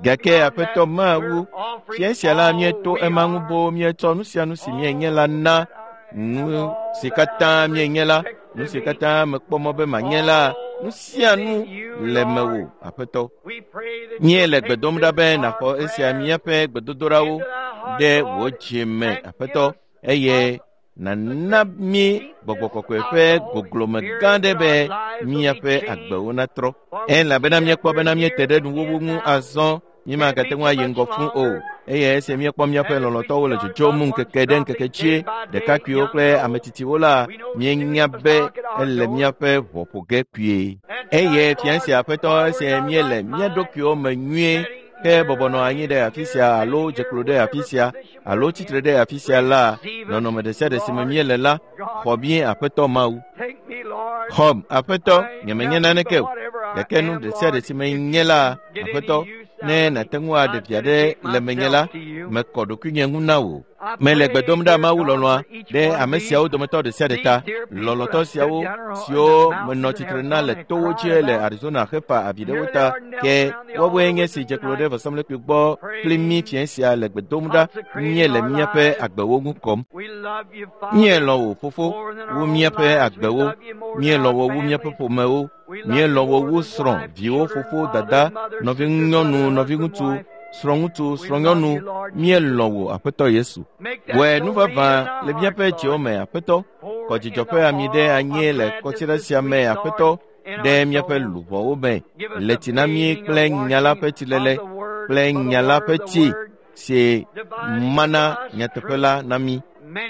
Gake Aƒetɔ Mawu, fiẽ sia la míeto ema ŋu boo míetsɔ nu sia nu si míenye la na nu si katã míenye la, nu si katã mekpɔ mɔ be manye la, nu sia nu le mewò, Aƒetɔ. Míele gbe dom ɖa be nàxɔ esia míaƒe gbedodoɖawo ɖe wò dzi me, Aƒetɔ, eye nàna mí gbɔgbɔ kɔkɔe ƒe goglome gã aɖe be míaƒe agbewo natrɔ. Elabena míekpɔ bena míete ɖe nuwuwu ŋu azɔ, mímagate ŋu ayi ŋgɔ fũu o. Eye esi míekpɔ míaƒe lɔlɔ̃tɔwo le dzodzom ŋkeke ɖe ŋkeke dzie, ɖekakpuiwo kple ame tsitsiwo la, míenya be ele míaƒe ʋɔ ƒo ge kpuie. Eye fia sia Aƒetɔ esi míele mía ɖokuiwo me nyuie ke bɔbɔ nɔ anyi ɖe afi sia alo dze klo ɖe afi sia alo tsitre ɖe afi sia la, nɔnɔme ɖe sia ɖe si me míele la, xɔ mí Aƒetɔ Mawu. Xɔm, Aƒetɔ, nyemenye naneke o, gake nu ɖe sia ɖe si menye la, Aƒetɔ, ne nàte ŋu aɖe vi aɖe le menye la, mekɔ ɖokuinye ŋu na wò. Mele gbe dom ɖa Mawu lɔlɔ̃a ɖe ame siawo dometɔ ɖe sia ɖe ta, lɔlɔ̃tɔ siawo siwo menɔ tsitre na le towo dzi le Arizona hefa avi ɖe wo ta, ke woawoe nye si dze klo ɖe vɔsamlekpui gbɔ kpli mí fiẽ sia le gbe dom ɖa míele míaƒe agbewo ŋu kɔm. Míelɔ̃ wò, Fofo, wu míaƒe agbewo, míelɔ̃ wò wu míaƒe ƒomewo, míelɔ̃ wò wu srɔ̃, viwo, fofo, dada, nɔvinyɔnu, nɔviŋutsu, srɔ̃ŋutsu, srɔ̃nyɔnu, míelɔ̃ wò, Aƒetɔ Yesu. Wɔe nu vavã le míaƒe dziwo me, Aƒetɔ. Kɔ dzidzɔ ƒe ami ɖe anyi le kɔsiɖa sia me, Aƒetɔ, ɖe míaƒe luʋɔwo me. Le tsi na mí kple nya la ƒe tsilele kple nya la ƒe tsi si mana nyateƒe la na mí.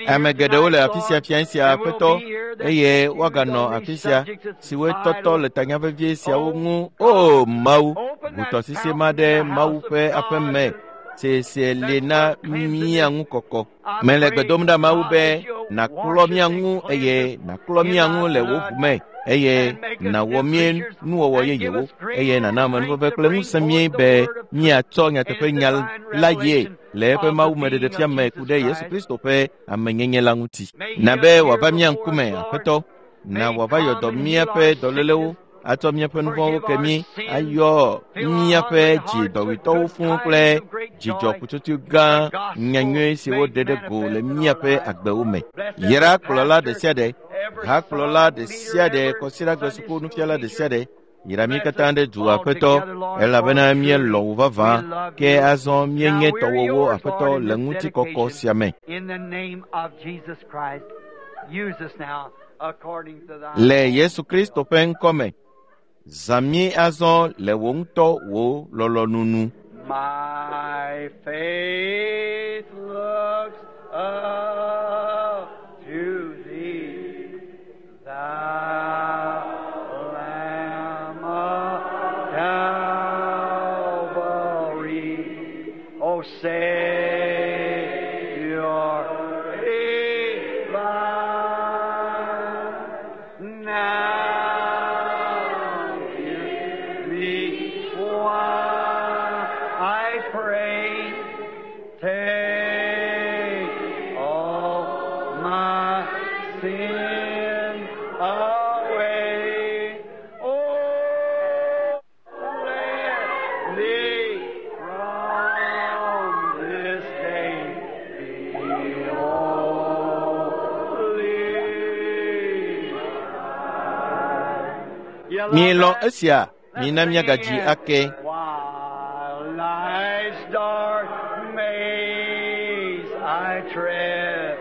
Ame geɖewo le afi sia fiẽ sia, Aƒetɔ, eye woaganɔ afi sia siwoe tɔtɔ le tanya vevie siawo ŋu. O Mawu, ʋu tɔsisi ma ɖe Mawu ƒe aƒe me si si li na mía ŋu kɔkɔ. Mele gbe dom ɖa Mawu be nàklɔ mía ŋu eye nàklɔ mía ŋu le wò ʋu me eye nàwɔ mí nuwɔwɔ yeyewo eye nàna amenuveve kple ŋusẽ mí be míatsɔ nyateƒe nya la yie le eƒe mawumeɖeɖefia me ku ɖe Yesu Kristo ƒe amenyenye la ŋuti. Na be wòava mía ŋkume, Aƒetɔ, na wòava yɔ dɔ míaƒe dɔlélewo, atsɔ míaƒe nuvɔ̃wo ke mí, ayɔ míaƒe dzi dɔwuitɔwo fũu kple dzidzɔ kutsotso gã nyanyui si woɖe ɖe go le míaƒe agbewo me. Yra kplɔla ɖe sia ɖe, hakplɔla ɖe sia ɖe, kɔsiɖagbe suku nufiala ɖe sia ɖe, yra mí katã ɖe du, Aƒetɔ, elabena míelɔ̃ wò vavã, ke azɔ míenye tɔwòwo, Aƒetɔ, le ŋutikɔkɔ sia me. Le Yesu Kristo ƒe ŋkɔ me, zã mí azɔ le wò ŋutɔ wò lɔlɔ̃nu nu. My faith looks up to thee, thou Lamb of Calvary, O Savior divine, now hear me while I pray. Take all my sin away. Oh, Lamb. Mielɔ̃ esia, mina míagadzi ake. While life's dark maze I tread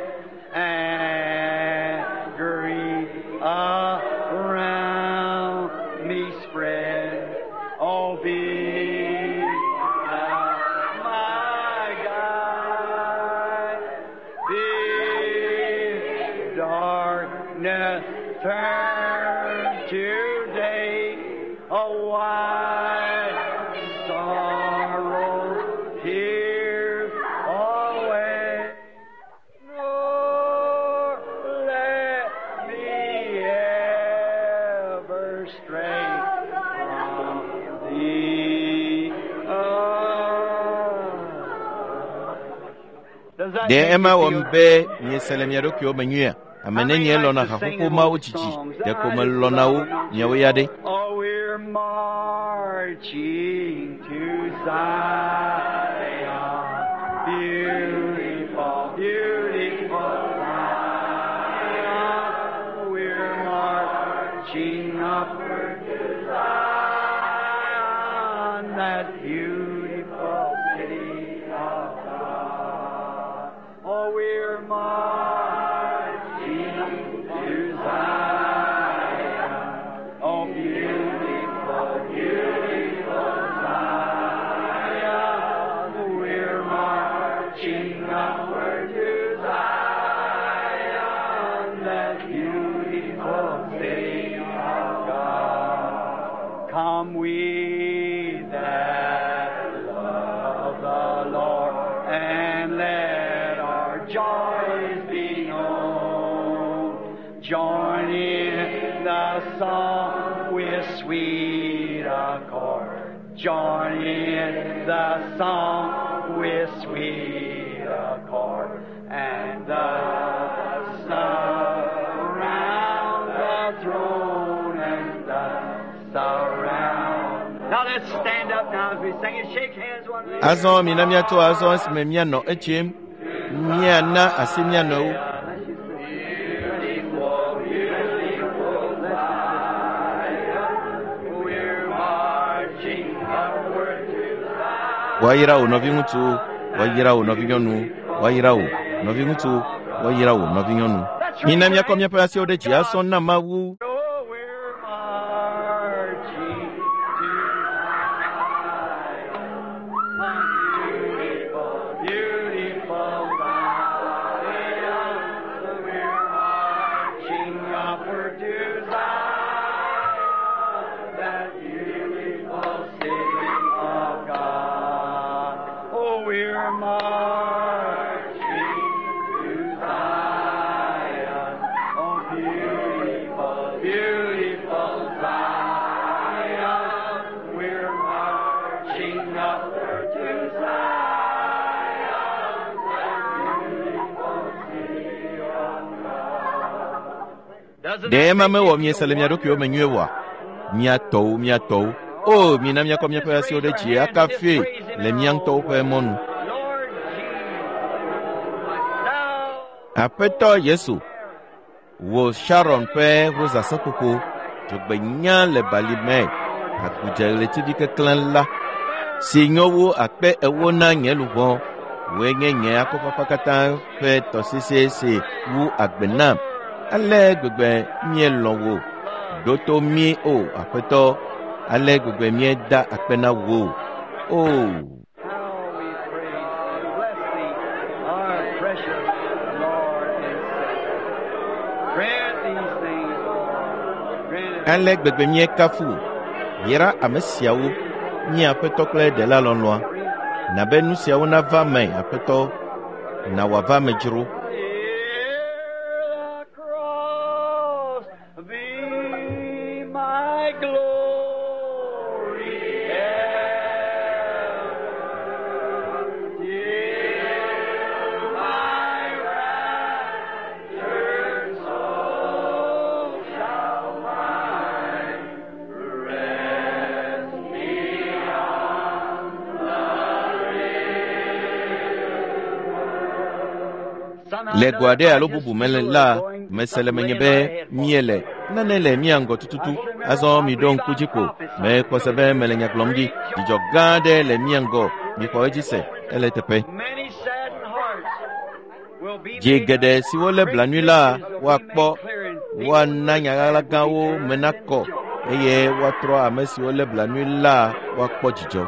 and grief around me spread, oh, be thou my guide. Be darkness turn to day, a wide sorrow here away. Nor let me ever stray from thee. Does that Ɖe make ema you wɔm feel be miese le mia ɖokuiwo me nyuia? Ame nenie lɔ̃na haƒoƒo mawo dzidzi ɖeko melɔ̃na wo miawo ya ɖe. Oh, we're marching to Zion, beautiful, beautiful Zion. We're marching upward to Zion, that beautiful city of God. Oh, we're marching to Zion. Oh, beautiful, beautiful Zion. We're marching upward to Zion, that beautiful city of God. Come we that love the Lord, and let our joys be known. Join in the song with sweet accord. Join in the song with sweet accord. And the surround the throne and the surround. Now let's stand up now as we sing and shake hands one another. Azɔ mina míato azɔ esime míanɔ edzim, míana asi mía nɔewo. Beautiful, beautiful Zion, we're marching upward to Zion. Woayra wò nɔviŋutsu, woayra wò nɔvinyɔnu, woayra wò nɔviŋutsu, woayra wò nɔvinyɔnu. Mina míakɔ míaƒe asiwo ɖe dzi asɔ na Mawu. Oh, we're marching to Zion, beautiful, beautiful Zion. We're marching upward to Zion, that beautiful city of God. Oh, we're marching to Zion. Oh, beautiful, beautiful Zion. We're marching upward to Zion, that beautiful city of God. Doesn't Ɖe that ema make mewɔ you miese feel le mia ɖokuiwo me nyuie oa? Mía tɔwo, mía tɔwo. O, mina míakɔ míaƒe asiwo ɖe dzi akafue le mía ŋutɔwo ƒe mɔnu. Lord Jesus, thou Aƒetɔ Yesu, wò Sharon ƒe rosaseƒoƒo, dzogbenya le bali me, agudze ɣletivi keklẽ la, si nyo wu akpe ewo na nye luʋɔ, wòe nye nye akɔfafa katã ƒe tɔsisi si wu agbe nam. Ale gbegbe míelɔ̃ wò, ɖo to mí o Aƒetɔ, ale gbegbe míeda akpe na wò. O, How we praise thee, bless thee, our precious Lord and Savior. Grant these things, Lord. Grant it. ale gbegbe míekafu wò. Yra ame siawo, mía Aƒetɔ kple Ɖela lɔlɔ̃a. Na be nu siawo nava me, Aƒetɔ, na wòava me dzro. Hear the cross be my glory ever, till my raptured soul shall find rest beyond the Le go aɖe alo bubu me la, mese le menye be míele nane le mía ŋgɔ tututu. Azɔ miɖo ŋku dzi ko. Mekpɔ se be mele nya gblɔm ɖi. Dzidzɔ gã aɖe le mía ŋgɔ. Mixɔ edzi se. Ele teƒe. Dzi geɖe siwo lé blanui la woakpɔ, woana nya ɣaɣla gãwo me nakɔ eye woatrɔ ame siwo lé blanui la woakpɔ dzidzɔ.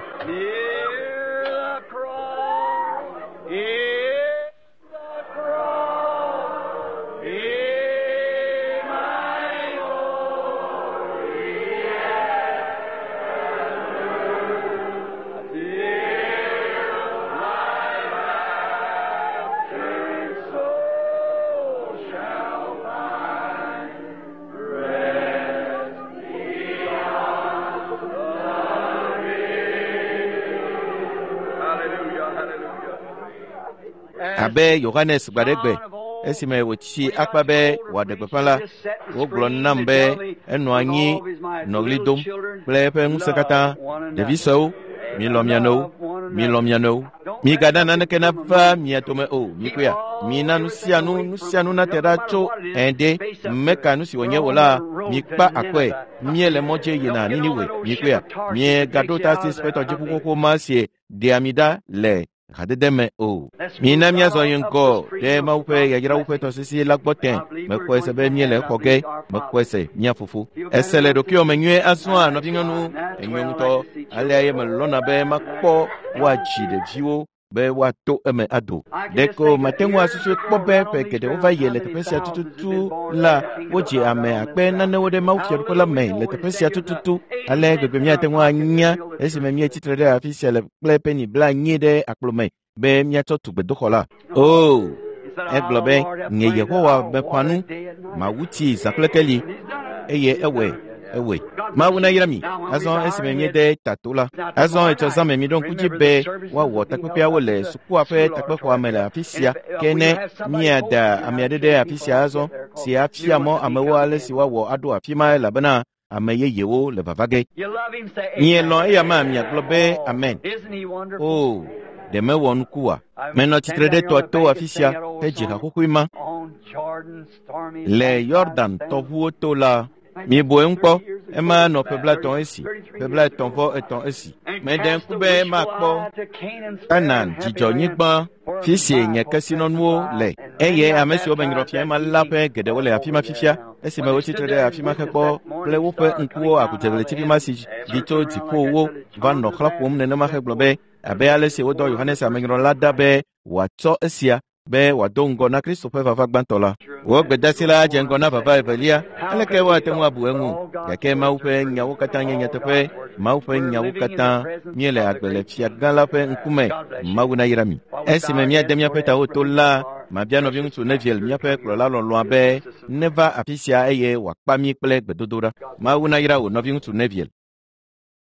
Abe Yohanes gbaɖegbe esime wòtsi akpa be wòaɖe gbeƒã la, wogblɔ nam be enɔ anyi nɔ ɣli dom kple eƒe ŋusẽ katã, ɖevi suewo, milɔ̃ mia nɔewo, milɔ̃ mia nɔewo. Migana naneke nava mia dome o, mikpɔea? Mina nu sia nu, nu sia nu nate ɖa tso ɛ̃ ɖe meka nu si wònye o la, mikpa akɔe. Míele mɔ dzi yina Niniwe, mikpɔea? Miegaɖo Tarsis ƒe tɔdziʋu xoxo ma si ɖea mi ɖa le hadede me o. Mina míazɔ yi ŋgɔ ɖe Mawu ƒe yayrawo ƒe tɔsisi la gbɔ tẽ. Mexɔe se be míele exɔ ge. Mexɔe se, mía fofo. Ese le ɖokuiwò me nyuie azɔa, nɔvinyɔnu? Enyo ŋutɔ. Alea ye melɔ̃na be makpɔ woadzi ɖeviwo be woato eme ado. Ɖeko mate ŋu asusui kpɔ be ƒe geɖewo va yi le teƒe sia tututu la, wodzi ame akpe nanewo ɖe Mawu Fiaɖuƒe la me le teƒe sia tututu. Ale gbegbe míate ŋu anya esime míetsi tre ɖe afi sia le kple peni 80 ɖe akplo me be míatsɔ tu gbedoxɔ la. O, egblɔ be, nye Yehowa meƒã nu, mawu tsi zã kple keli, eye ewɔe, ewɔe. Mawu nayra mi. Azɔ esime míede tato la, azɔ etsɔ zã me miɖo ŋku dzi be woawɔ takpekpeawo le sukua ƒe takpexɔa me le afi sia. Ke ne míada ame aɖe ɖe afi sia azɔ si afia mɔ amewo ale si woawɔ aɖo afi ma elabena ame yeyewo le vava ge. Mielɔ̃ eya ma miagblɔ be amen. O, ɖe mewɔ nuku oa? Menɔ tsitre ɖe tɔa to afi sia hedzi ha xoxoe ma. Le Yordan tɔʋuwo to la, mibu eŋu kpɔ, ema nɔ ƒe 30 esi, ƒe 33 esi. Meɖe ŋku be makpɔ Kanaan dzidzɔnyigba, fi si nye kesinɔnuwo le, eye ame siwo menyrɔ fia ema la ƒe geɖewo le afi ma fifia, esime wotsi tre ɖe afi ma hekpɔ kple woƒe ŋkuwo agudzegbletivi ma si ɖi tso dziƒowo va nɔ xlã ƒom nenema hegblɔ be, abe ale si wodɔ Yohanes amenyrɔla ɖa be wòatsɔ esia be wòado ŋgɔ na Kristo ƒe vava gbãtɔ la. Wò gbedeasi la dze ŋgɔ na vava evelia. Aleke woate ŋu abu eŋu? Gake Mawu ƒe nyawo katã nye nyateƒe. Mawu ƒe nyawo katã. Míele agbe le fia gã la ƒe ŋkume. Mawu nayra mi. Esime míade míaƒe tawo to la, mabia nɔviŋutsu Neville, míaƒe kplɔla lɔlɔ̃a be neva afi sia eye wòakpa mí kple gbedodoɖa. Mawu nayra wò nɔviŋutsu Neville.